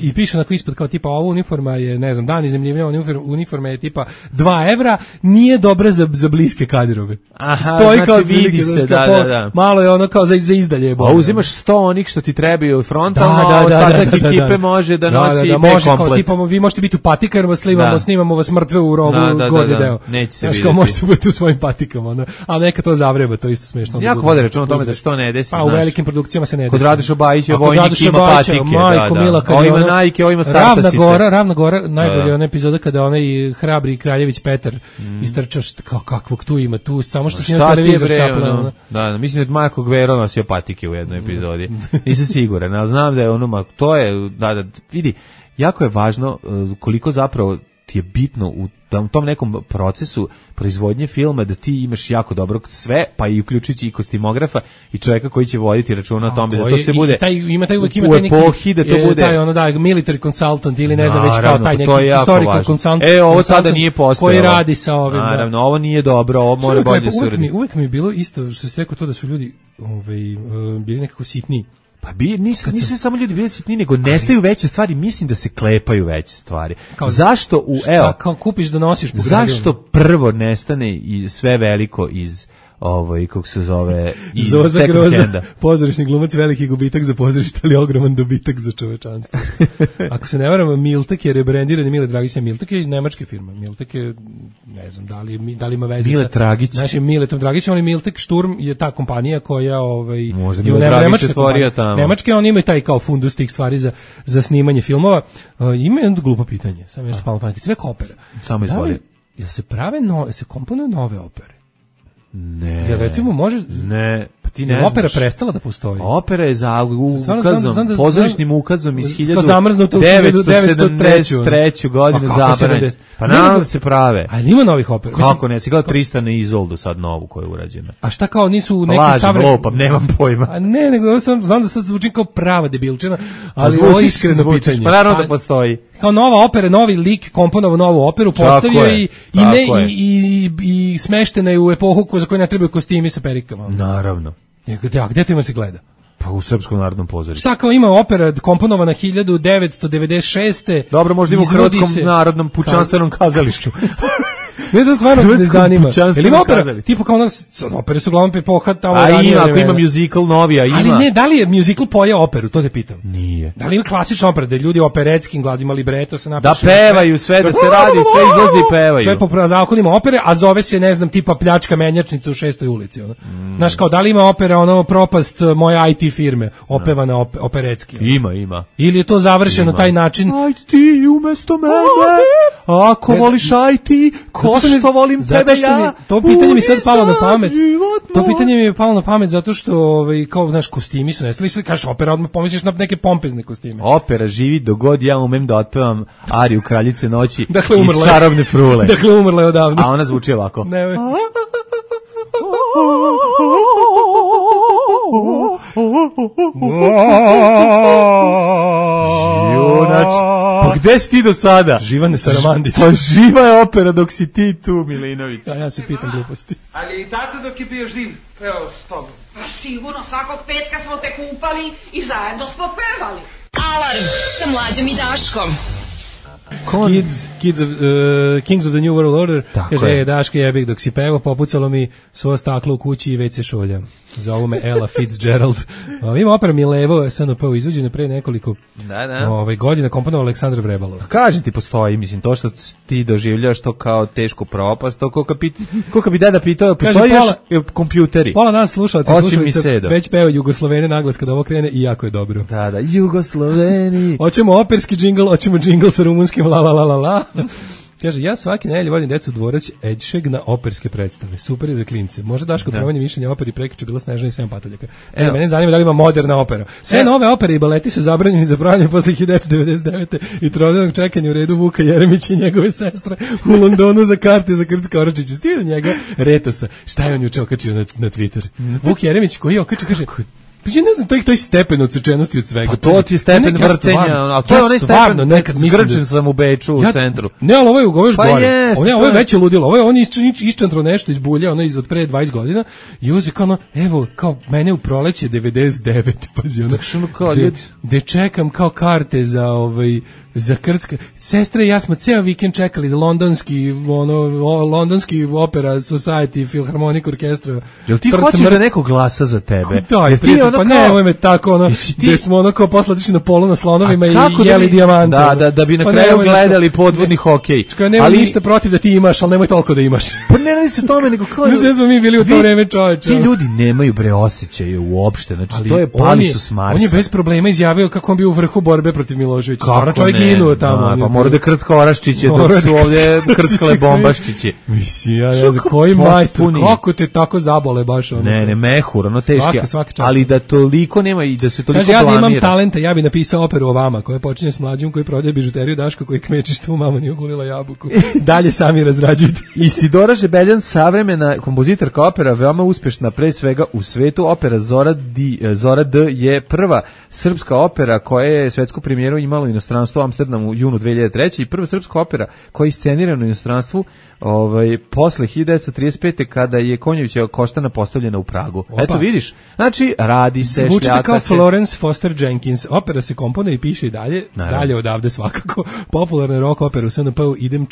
i piše onako ispod kao tipa, ova uniforma je, ne znam, dan izemljivanja, uniforma je tipa dva evra, nije dobra za, za bliske kadirove. Aha, stoji znači kao vidi se, da, da, da. Malo je ono kao za, za izdalje. A uzimaš sto onih što ti trebaju frontalno, a ostatak ekipe može da nosi B-komplet. Tipa, vi možete biti u patikama, snimamo, snimamo vas mrtve u rovu, da, da, gornji da, da. deo. Neće se znaš, vidjeti. kao možete biti u svojim patikama, ono. A neka to zavreba, to je isto smešno. Jako vode račun o tome da se to ne desi. Pa u velikim produkcijama se ne desi. Kod Radoša Bajića vojnik ima patike. Majko Mila, kad je ono Nike, ovo ima Startasice. Ravna Gora, Ravna Gora, najbolje ona epizoda kada onaj hrabri Kraljević Petar istrča, kao kakvog tu ima, tu samo što se na televizor sapleo. Da, mislim da Marko Gvero nosio patike u jednoj epizodi. Nisam siguran, ali znam da je ono, to je, da, da, vidi, jako je važno koliko zapravo ti je bitno u tom nekom procesu proizvodnje filma da ti imaš jako dobro sve, pa i uključujući i kostimografa i čovjeka koji će voditi računa o tome da to se bude taj, ima taj uvek ima u taj neki, epohi da to je, bude taj ono da military consultant ili ne znam naravno, već kao taj neki historical consultant. E, ovo sada nije postojalo. Koji radi sa ovim. Naravno, ovo nije dobro, ovo mora bolje se uraditi. Uvek mi je bilo isto što se rekao to da su ljudi ovaj, uh, bili nekako sitni. Pa bi, nisu, nisu sam... samo ljudi bili sitni, nego nestaju veće stvari, mislim da se klepaju veće stvari. Kao, zašto u, šta, evo, kao kupiš da nosiš po zašto prvo nestane i sve veliko iz ovo i kako se zove iz Zoza Groza, pozorišni glumac, veliki gubitak za pozorište, ali ogroman dobitak za čovečanstvo. Ako se ne varam, Miltek je rebrendiran, Mile Dragić je Miltek je nemačka firma. Miltek je, ne znam, da li, da li ima veze Mile sa Dragić. našim Miletom Dragićem, ali Miltek Sturm je ta kompanija koja ovaj, možda Mile Dragić je tvorio tamo. Nemačke, on ima taj kao fundus tih stvari za, za snimanje filmova. Uh, ima jedno glupo pitanje, sam nešto palo pamet, sve opera. Samo izvoli. Jel se prave, no, se komponuju nove opere? Ne. Jer recimo može ne, pa ti ne znaš. Opera prestala da postoji. Opera je za ukazom, pozorišnim ukazom iz hiljadu devetsto sedamdeset treće godine zabranjena. Pa naravno da se prave. A ima novih opera. Kako ne, si gledao Tristan i Izoldu sad novu koja je urađena. A šta kao nisu neki savremeni? Lopam, nemam pojma. A ne, nego ja sam znam da sad zvučim kao prava debilčina, ali ovo je iskreno pitanje. Pa naravno da postoji. Kao nova opera, novi lik komponovao novu operu, postavio i i ne i i smeštena je u epohu za koju ne trebaju kostimi sa perikama. Naravno. Gde, a gde to ima se gleda? Pa u Srpskom narodnom pozorištu. Šta kao ima opera komponovana hiljadu devetsto devedeset šeste. Dobro, možda ima u Hrvatskom se... narodnom pučanstvenom kazalištu. Ne to stvarno ne zanima. Jel ima opera? Tipa kao ono, opere su uglavnom epoha tamo ranije. A ima, ako ima musical novi, a ima. Ali ne, da li je musical pojeo operu, to te pitam. Nije. Da li ima klasična opera, da ljudi operetskim gladima libreto se napiše. Da pevaju sve, da se radi, sve izlazi i pevaju. Sve po zakonima opere, a zove se, ne znam, tipa pljačka menjačnica u šestoj ulici. Ono. Mm. Znaš, kao, da li ima opera, ono, propast moje I T firme, opevana op operetski? Ono. Ima, ima. Ili je to završeno ima. taj način? Ajde ti umesto mene, ako voliš I T, ko što volim tebe ja. To pitanje mi sad palo na pamet. To pitanje mi je palo na pamet zato što ovaj kao naš kostimi su nestali, sve kažeš opera, odmah pomisliš na neke pompezne kostime. Opera živi dogod ja umem da otpevam ariju Kraljice noći dakle, iz Čarobne frule. Dakle umrla je odavno. A ona zvuči ovako. Ne. Junač, pa gde si ti do sada? Živane Saramandić. Pa živa je opera dok si ti tu, Milinović. A ja se pitam gluposti. Ali i tako dok je bio živ, pevao s tobom. Pa sigurno, svakog petka smo te kupali i zajedno smo pevali. Alarm sa Mlađom i Daškom. Kids, kids of, uh, Kings of the New World Order. Tako kaže, je. Daške jebik, dok si pevao, popucalo mi svo staklo u kući i već se šolja. Zovu me Ella Fitzgerald. Uh, ima opera Milevo, S N P, izvođena pre nekoliko da, da. Ovaj, godina, komponovao Aleksandar Vrebalov. Kažem ti, postoji, mislim, to što ti doživljaš to kao tešku propast, to koliko bi, koliko bi deda pitao, postoji još kompjuteri. Pola nas slušalaca već peva Jugoslovene naglas kada ovo krene i jako je dobro. Da, da, Jugosloveni. Hoćemo operski džingl, hoćemo džingl sa rumunskim la la la la la. Kaže, ja svaki nedelje vodim decu u dvorac Edšeg na operske predstave. Super je za klince. Možda Daško promanje mišljenja operi prekiče bila Snežana i sedam patuljaka. E, mene zanima da li ima moderna opera. Sve e. nove opere i baleti su zabranjeni za branje posle hiljadu devetsto devedeset devete i trodenog čekanja u redu Vuka Jeremića i njegove sestre u Londonu za karte za Krcka Oračića. Stivio njega Retosa. Šta je on juče okačio na, na Twitter? Vuk Jeremić koji je okačio, kaže... Pa ja ne znam, to je, to je stepen odsečenosti od svega. Pa to ti je stepen ne, ja vrtenja, stvarno, a to je ja onaj stvarno stepen, nekad mislim zgrčen da, sam u Beču, u ja, centru. Ne, ali ovo je, ovo je još pa gore. Jest, ovo je, ovo je veće ludilo, ovo je on iščantro nešto iz bulja, ono iz od pre dvadeset godina i uze kao ono, evo, kao mene u proleće devedeset devet pazi ono, gde, gde čekam kao karte za ovaj za Krcka. Sestre i ja smo ceo vikend čekali da londonski ono o, londonski opera society Philharmonic orkestra. Jel ti hoćeš da neko glasa za tebe? Da, ti prijatelj, ono pa kao, ne, ovo me tako ono, ti, gde smo ono kao posle otišli na polu na slonovima i jeli da bi, dijamante. Da, da, da bi na pa kraju ne, gledali podvodni hokej. Nema ali ništa protiv da ti imaš, ali nemoj toliko da imaš. Pa ne radi se tome, nego kao... Znaš, smo mi bili u to vreme, čoveče. Ti ljudi nemaju bre osjećaje uopšte, znači ali to je pali su s Marsa. On je bez problema izjavio kako on bio u vrhu borbe protiv Miloševića. Stvarno čovjek ginuo tamo. Pa mora da krcka oraščiće, dok su ovdje krckale bombaščiće. Mislim, ja ne znam, koji majstor, kako te tako zabole baš ono. Ne, ne, mehur, ono teški, ali da toliko nema i da se toliko blamira. Kaže, ja da imam talenta, ja bi napisao operu o vama, koja počinje s mlađim, koji prodaje bižuteriju, Daško koji kmeči što mu mama nije ogulila jabuku. Dalje sami razrađujte. Isidora Žebeljan, savremena kompozitorka opera, veoma uspešna, pre svega u svetu. Opera Zora, D, Zora D je prva srpska opera koja je svetsku premijeru imala u inostranstvu u Amsterdamu u junu dve hiljade treće i prva srpska opera koja je iscenirana u inostranstvu ovaj, posle hiljadu devetsto trideset pete kada je Konjevića Koštana postavljena u Pragu. Opa. Eto vidiš, znači radi se, zvučite šljaka kao se. Florence Foster Jenkins, opera se komponuje i piše i dalje, naravno. Dalje odavde svakako, popularna rock opera u S N P-u, idem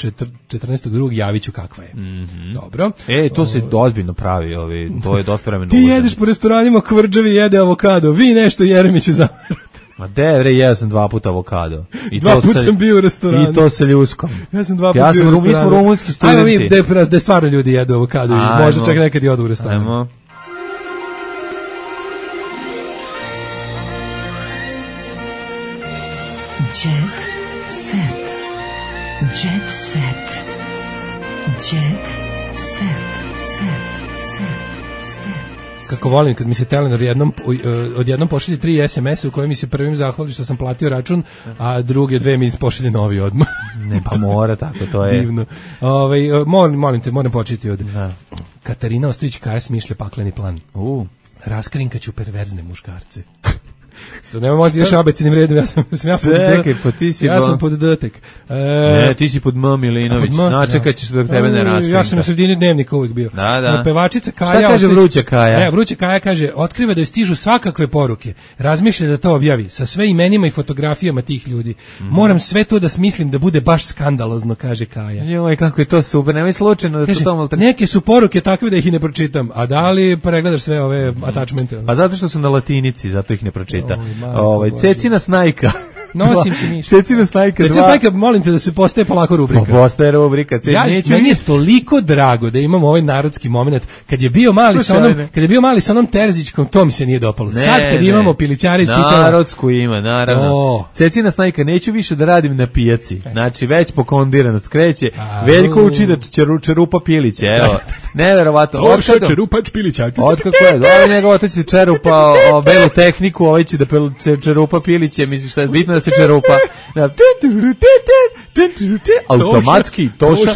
četrnaestog drugog javiću kakva je. Mm-hmm. Dobro. E, to se ozbiljno pravi, ovi, to je dosta vremena. Ti jedeš po restoranima, Kvrđavi jede avokado, vi nešto Jeremiću zamerate. Ma devre, jeo sam dva puta avokado. I dva puta sam bio u restoranu. I to sa ljuskom. Ja sam dva puta ja bio sam, u restoranu. Mi smo rumunski studenti. Ajmo mi, da, da stvarno ljudi jedu avokado i možda čak nekad i odu u restoranu. Ajmo. Jet set. Jet set. Jet set. Kako volim kad mi se Telenor jednom, odjednom pošalje tri es em esa u kojem mi se prvim zahvali što sam platio račun, a druge dve mi pošalje novi odmah. Ne, pa mora tako, to je. Divno. Ove, molim, molim te, moram početi od... Da. Katarina Ostojić-Kaja smišlja pakleni plan. Uh. Raskrinkaću perverzne muškarce. So, nema možda još abecinim redom, ja sam, sam ja Čekaj, pod pa ti si ja sam pod D-tek. E, ne, ti si pod M. Milinović, načekat ćeš dok tebe ne raskrinka. Ja sam na sredini dnevnika uvijek bio. Da, da. Pevačica Kaja... Šta kaže Vruća Kaja? Ne, Vruća Kaja kaže, otkriva da joj stižu svakakve poruke, razmišlja da to objavi, sa sve imenima i fotografijama tih ljudi. Mm. Moram sve to da smislim da bude baš skandalozno, kaže Kaja. Joj, kako je to super, nemoj slučajno da kaže, to tamo... Neke su poruke takve da ih i ne pročitam, a da li pregledaš sve ove attachmente? Pa zato što su na latinici, zato ih ne pročita. Ovaj Cecina Snajka. Nosim se ništa. Cecina Snajka. Cecina Snajka, molim te da se postaje polako rubrika. Pa postaje rubrika. Ja, meni je toliko drago da imamo ovaj narodski moment. Kad je bio mali sa onom, kad je bio mali sa onom Terzićkom, to mi se nije dopalo. Ne, Sad kad ne. imamo pilićare iz Titela. Narodsku ima, naravno. Oh. Cecina Snajka, neću više da radim na pijaci. Znači, već pokondiranost kreće. A, Veljko uči da čeru, čerupa piliće, evo. Neverovatno. Orša čerupač pilića. Otkako je? Ovaj njegov otac je čerupa o belu tehniku, ovaj će da čerupa piliće. Misliš šta je bitno da se čerupa? Automatski toša,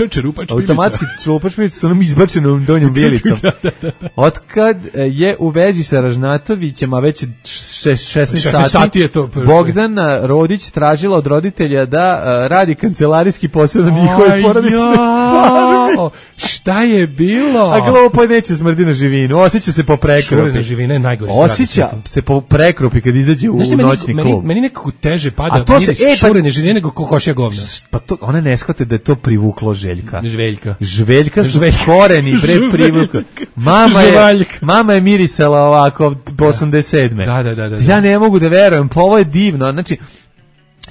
automatski čerupač pilića sa onom izbačenom donjom bijelicom. Otkad je u vezi sa Ražnatovićem, a već šesnaest sati, Bogdana Rodić tražila od roditelja da radi kancelarijski posao na njihovoj porodičnoj farmi. Šta je bilo? A glupo neće smrdi na živinu, osjeća se po prekropi. Šurena živina je najgori strah. Osjeća se po prekropi kad izađe u noćni klub. Meni, meni nekako teže pada a to se, e, pa, šurene živine nego kokošja govna. Pa to, ona ne shvate da je to privuklo Željka. Žveljka. Žveljka su Žveljka. Koreni, bre, privuklo. Mama je, mama je mirisala ovako po osamdeset sedme. Da, da, da, da. Ja ne mogu da verujem, pa ovo je divno, znači,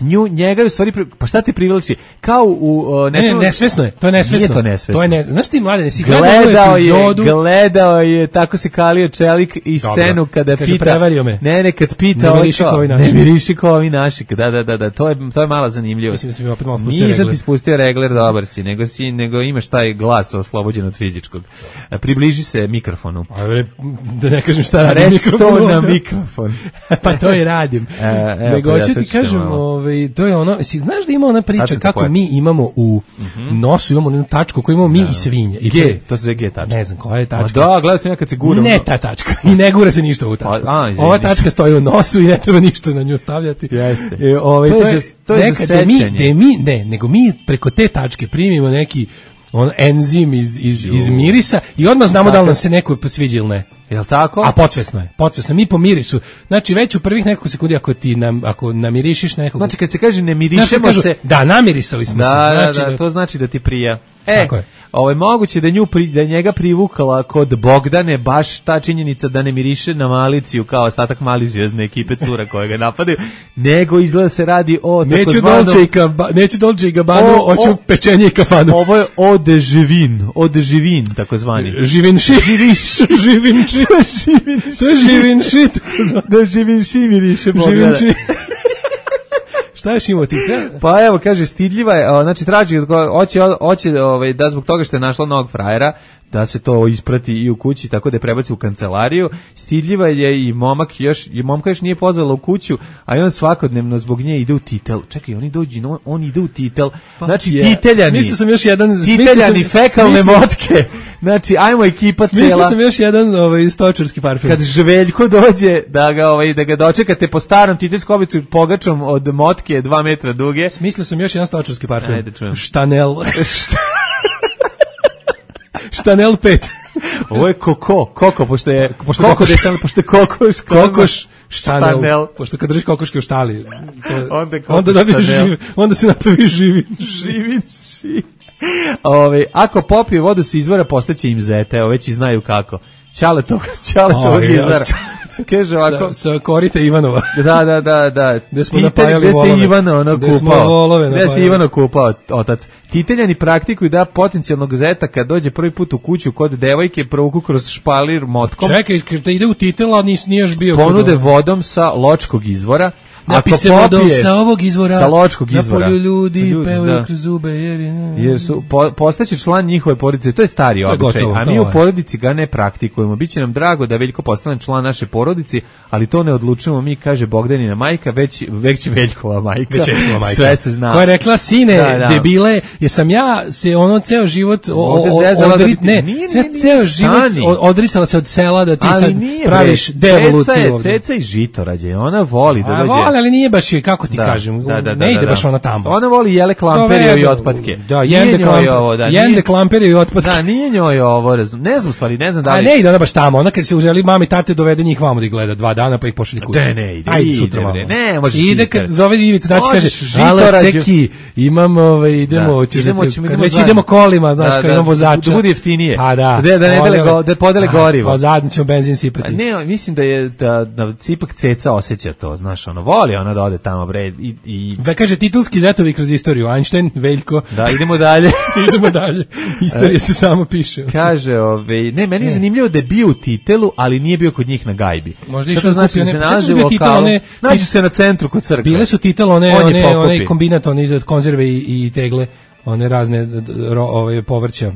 nju, njega je u stvari, pa šta ti privlači? Kao u... Uh, ne, ne, nesvesno je, to je nesvesno. Nije to nesvesno. To je ne, znaš ti, mlade, nesi gledao epizodu... je, gledao je, tako se kalio Čelik i scenu dobro. Kada kaže, pita... prevario me. Ne, ne, kad pita... Ne miriši kao ovi naši. Ne miriši kao ovi naši, da, da, da, da, to je, to je mala zanimljivost. Mislim da si mi opet malo spustio regler. Nisam ti spustio regler, dobar si, nego, si, nego imaš taj glas oslobođen od fizičkog. Približi se mikrofonu. A, da ne kažem šta radim mikrofonu. Reci to na mikrofon. Pa to i radim. E, nego hoću ti kažem, ovaj, to je ono, si znaš da ima ona priča kako mi imamo u mm-hmm. nosu, imamo jednu tačku koju imamo mi da. I svinje. I G, to se zove G tačka. Ne znam koja je tačka. A da, gledao sam ja kad se gura. Ne ta tačka. I ne gura se ništa u tačku. A, a, ova tačka stoji u nosu i ne treba ništa na nju stavljati. Jeste. E, ovaj, to, to je, za, to je neka, za da mi, da mi, ne, nego mi preko te tačke primimo neki on enzim iz, iz, iz mirisa i odmah znamo da li nam se neko sviđa ili ne. Jel tako? A podsvesno je, podsvesno. Mi po mirisu, znači već u prvih nekoliko sekundi ako ti nam, ako namirišiš nekog... Znači kad se kaže ne mirišemo kažu, se... Da, namirisali smo da, se. Znači, da, da, to znači da ti prija. E, ovo je moguće da, nju pri, da njega privukala kod Bogdane baš ta činjenica da ne miriše na Maliciju kao ostatak Mali zvijezdne ekipe cura koje ga napadaju, nego izgleda se radi o... Neću Dolce i, kaba, neću Dolce i Gabbanu, hoću pečenje i kafanu. Ovo je eau de živin, eau de živin, takozvani. Živinši. Živinši. Živinši. To je živinši. Da živinši miriše Bogdana. Živinši. Šta još imao ti? Pa evo, kaže, stidljiva je, znači traži, hoće, hoće ovaj, da zbog toga što je našla novog frajera, da se to isprati i u kući, tako da je prebaci u kancelariju. Stidljiva je i momak, još, i momka još nije pozvala u kuću, a on svakodnevno zbog nje ide u titel. Čekaj, oni dođu, on, on ide u titel. Znači, yeah. titeljani. Mislio sam još jedan... Titeljani, sam, fekalne smislio, motke. Znači, ajmo ekipa cela. Mislio sam još jedan ovaj, stočarski parfum. Kad Žveljko dođe da ga, ovaj, da ga dočekate po starom titelskom obicu pogačom od motke dva metra duge. Mislio sam još jedan stočarski parfum. Ajde, čujem. Chanel. Chanel pet. Ovo je koko, koko, pošto je pošto koko, pošto je, pošto je kokoš, kokoš, Chanel, Chanel. Pošto kad držiš kokoške u štali, to, onda, onda, dobiješ živ, onda se napravi živi. Živi, živi. Ove, ako popije vodu se izvora, postaće im zete, evo već i znaju kako. Ćale tog, ćale tog izvora. Kaže ovako, sa, sa korita Ivanova. Da, da, da, da. Gde smo napajali volove. Gde se Ivano ono Gde kupao. Gde se Ivano kupao, otac. Titeljani praktikuju da potencijalnog zeta kad dođe prvi put u kuću kod devojke provuku kroz špalir motkom. Čekaj, da ide u titel, a nis, nije još bio. Ponude vodom sa ločkog izvora. Napise vodom sa ovog izvora. Sa ločkog izvora. Na polju ljudi, ljudi pevaju da. Kroz zube. Jer, jer su, po, postaće član njihove porodice. To je stari običaj. A mi u porodici ga ne praktikujemo. Biće nam drago da Veljko postane član naše porodici, ali to ne odlučujemo mi, kaže Bogdanina majka, već, već Veljkova majka. Već Veljkova majka. Sve se zna. Koja je rekla, sine, da, da. Debile, jer sam ja se ono ceo život o, o, odrit, ne, nije, nije, nije, ceo život odricala se od sela da ti ali sad nije, praviš devoluciju. Ceca i žitorađe, ona voli da dođe. Ali nije baš, kako ti da, kažem, da, da, da, ne ide da, da. baš ona tamo. Ona voli jele klamperiju i otpadke. Da, jende, klamper, ovo, da, jende klamperiju i otpadke. Da, nije njoj ovo, ne znam stvari, ne znam da li... A ne ide ona baš tamo, ona kad se uželi mami tate dovede njih vamo da ih gleda dva dana pa ih pošalje kući. Ne, ne, ide, ajde, ide, sutra ide, ne, možeš ide kad zove Ivica, znači kaže, ale ceki, imam, ove, idemo, kad već idemo kolima, znaš, kad imamo vozača. Da bude jeftinije, pa da, da podele gorivo. Pa zadnji ćemo benzin sipati. Ne, mislim da je, da ipak Ceca osjeća to, znaš, ono, voli ona da ode tamo, bre, i, i... Ve kaže titulski zetovi kroz istoriju, Einstein, Veljko. Da, idemo dalje. idemo dalje. Istorija se samo piše. Kaže, ove, ne, meni je zanimljivo da je bio u titelu, ali nije bio kod njih na gajbi. Možda što to znači da se nalazi u lokalu, nađu se na centru kod crkve. Bile su titel, one, On one, one kombinat, one konzerve i, i tegle, one razne ro, ove, povrća.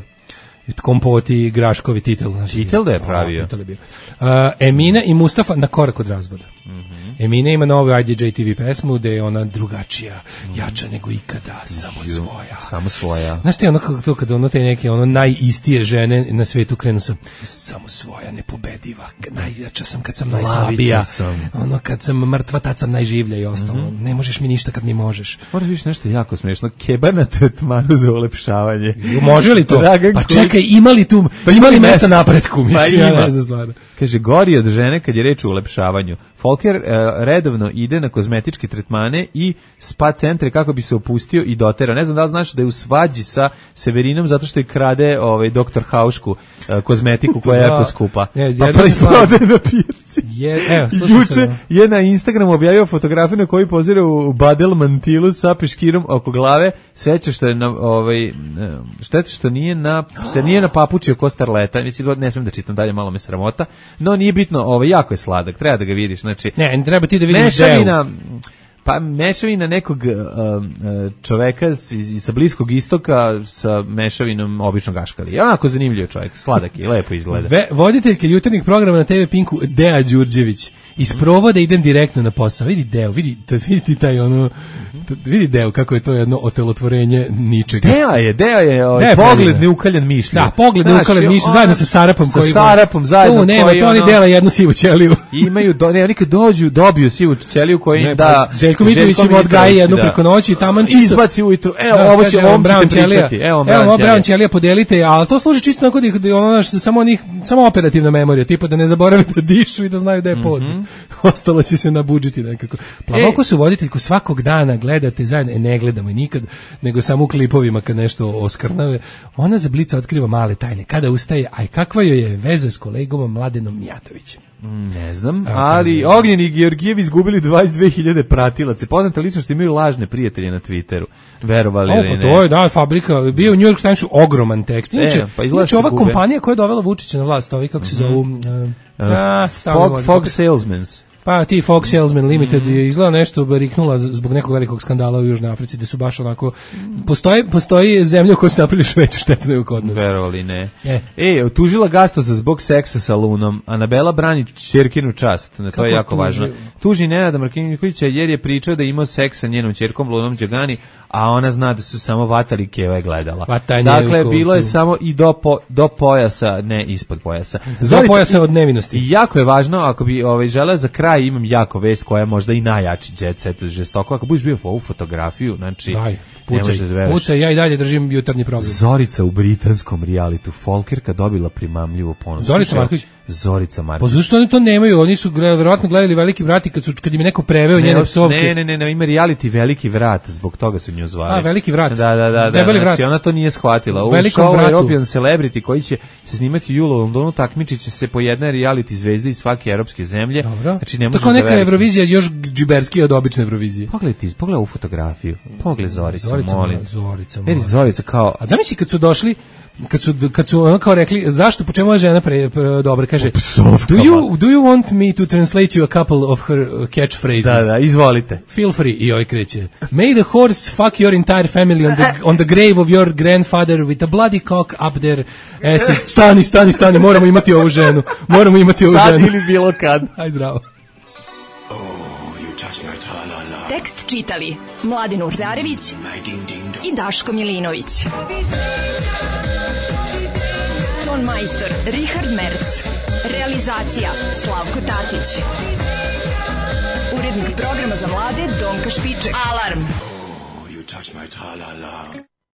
Kompoti, graškovi, titel. Znači, titel da je pravio. O, je bio. Uh, Emina i Mustafa na korak od razvoda. Mm-hmm. Emina ima novu I D J T V pesmu gde je ona drugačija, mm-hmm. jača nego ikada, samo Ju, svoja. Samo svoja. Znaš ti ono kako to kada ono te neke ono najistije žene na svetu krenu sam samo svoja, nepobediva, najjača sam kad sam najslabija. Sam. Ono kad sam mrtva, tad sam najživlja i ostalo. Mm-hmm. Ne možeš mi ništa kad mi možeš. Moraš viš nešto jako smiješno. Keba na tretmanu za ulepšavanje. Može li to? Dragan pa čekaj, imali tu, pa imali mesta napretku, mislim, pa ja ne znam stvarno. Kaže, gori od žene kad je reč o ulepšavanju. Folker uh, redovno ide na kozmetičke tretmane i spa centre kako bi se opustio i dotera. Ne znam da li znaš da je u svađi sa Severinom zato što je krade ovaj, doktor Haušku uh, kozmetiku koja je jako skupa. Je, pa proizvode na pijaci. Je, evo, Juče se, je na Instagramu objavio fotografiju na kojoj pozira u badel mantilu sa peškirom oko glave. Sveće što je na, ovaj, šteta što nije na, se nije na papučio ko starleta. Mislim, ne smijem da čitam dalje, malo me sramota. No nije bitno, ovaj, jako je sladak, treba da ga vidiš. Znači, ne, treba ti da vidiš mešavina, Pa mešavina nekog uh, čoveka sa Bliskog istoka sa mešavinom običnog aškalija. Onako zanimljiv čovjek, sladak je, lepo izgleda. Ve, voditeljke jutarnjih programa na te ve Pinku Dea Đurđević. Iz provoda idem direktno na posao. Vidi Deo, vidi, vidi taj ono, vidi Deo kako je to jedno otelotvorenje ničega. Deo je, Deo je ovaj, Deo pogled neukaljan mišlju. Da, pogled neukaljan mišlju, zajedno sa Sarapom. Sa Sarapom zajedno. Tu nema, to oni ono, dela jednu sivu ćeliju. Imaju, do, ne, oni kad dođu, dobiju sivu ćeliju koja im ne, da... Željko Mitrović im odgaji jednu da. Preko noći, taman čisto... Izbaci ujutru, evo, da, ovo će, ovom ćete pričati. Evo, ovo Brown ćelija podelite, ali to služi čisto onako da ono, samo onih, samo operativna memorija, tipa da ne zaborave da dišu i da znaju da je pod. Mm-hmm. Ostalo će se nabudžiti nekako. Plavoko su voditeljku svakog dana gledate zajedno, e, ne gledamo je nikad, nego samo u klipovima kad nešto oskrnave. Ona za Blica otkriva male tajne. Kada ustaje, aj kakva joj je veza s kolegom Mladenom Mijatovićem? Ne znam, ali Ognjen i Georgijev izgubili dvadeset dve hiljade pratilaca. Poznate ličnosti imaju lažne prijatelje na Twitteru. Verovali ili ne? To je, da, fabrika. Bio u New York Timesu ogroman tekst. Inače, e, pa inače ova gube. Kompanija koja je dovela Vučića na vlast, ovi kako se zovu... Uh, uh, uh, Fog, Fog Salesmans. Pa ti Fox Salesman Limited je izgleda nešto bariknula zbog nekog velikog skandala u Južnoj Africi, gde su baš onako postoji postoji zemlja u kojoj se napravili veću štetu nego kod nas. Verovali ne. E, e tužila Gastosa zbog seksa sa Lunom. Anabela brani ćerkinu čast. Na to kako je jako tuži? Važno. Tuži Nenada Markovića jer je pričao da je imao seks sa njenom ćerkom Lunom Đagani, a ona zna da su samo vatali keva gledala. Vatanje dakle, bilo je samo i do, po, do pojasa, ne ispod pojasa. Do pojasa od nevinosti. I jako je važno, ako bi ovaj, želeo za kraj, imam jako vest koja je možda i najjači jet set žestoko. Ako budeš bio ovu fotografiju, znači... Daj. Pucaj, pucaj, ja i dalje držim jutarnji program. Zorica u britanskom realitu Folkerka dobila primamljivu ponudu. Zorica Marković? Zorica Marković. Pa zašto oni to nemaju? Oni su verovatno gledali Veliki vrat i kad, su, kad im je neko preveo ne, njene psovke. Ne, ne, ne, ne, ima reality Veliki vrat, zbog toga su nju zvali. A, Veliki vrat. Da, da, da, da, znači ona to nije shvatila. U show European Celebrity koji će se snimati u julu u Londonu, takmičit će se po jednoj reality zvezdi iz svake evropske zemlje. Dobro. Znači, ne tako neka Eurovizija još džiberskija od obične Eurovizije. Pogledaj ti, pogledaj ovu fotografiju. Pogledaj Zoricu, Zorica, molim. Zorica, molim. Zorica kao... A zamisli kad su došli, kad su kad su ono kao rekli zašto po čemu je žena pre, pre dobro kaže do you do you want me to translate you a couple of her catchphrases? Da, da, izvolite. Feel free i oj kreće. May the horse fuck your entire family on the on the grave of your grandfather with a bloody cock up there. Ass. Stani, stani, stani, moramo imati ovu ženu. Moramo imati ovu ženu. Sad ili bilo kad. Aj zdravo. Tekst čitali Mladen Urdarević i Daško Milinović. Ton majstor Richard Merc. Realizacija Slavko Tatić. Urednik programa za mlade Donka Špiček. Alarm! Oh, you touch my tra-la-la.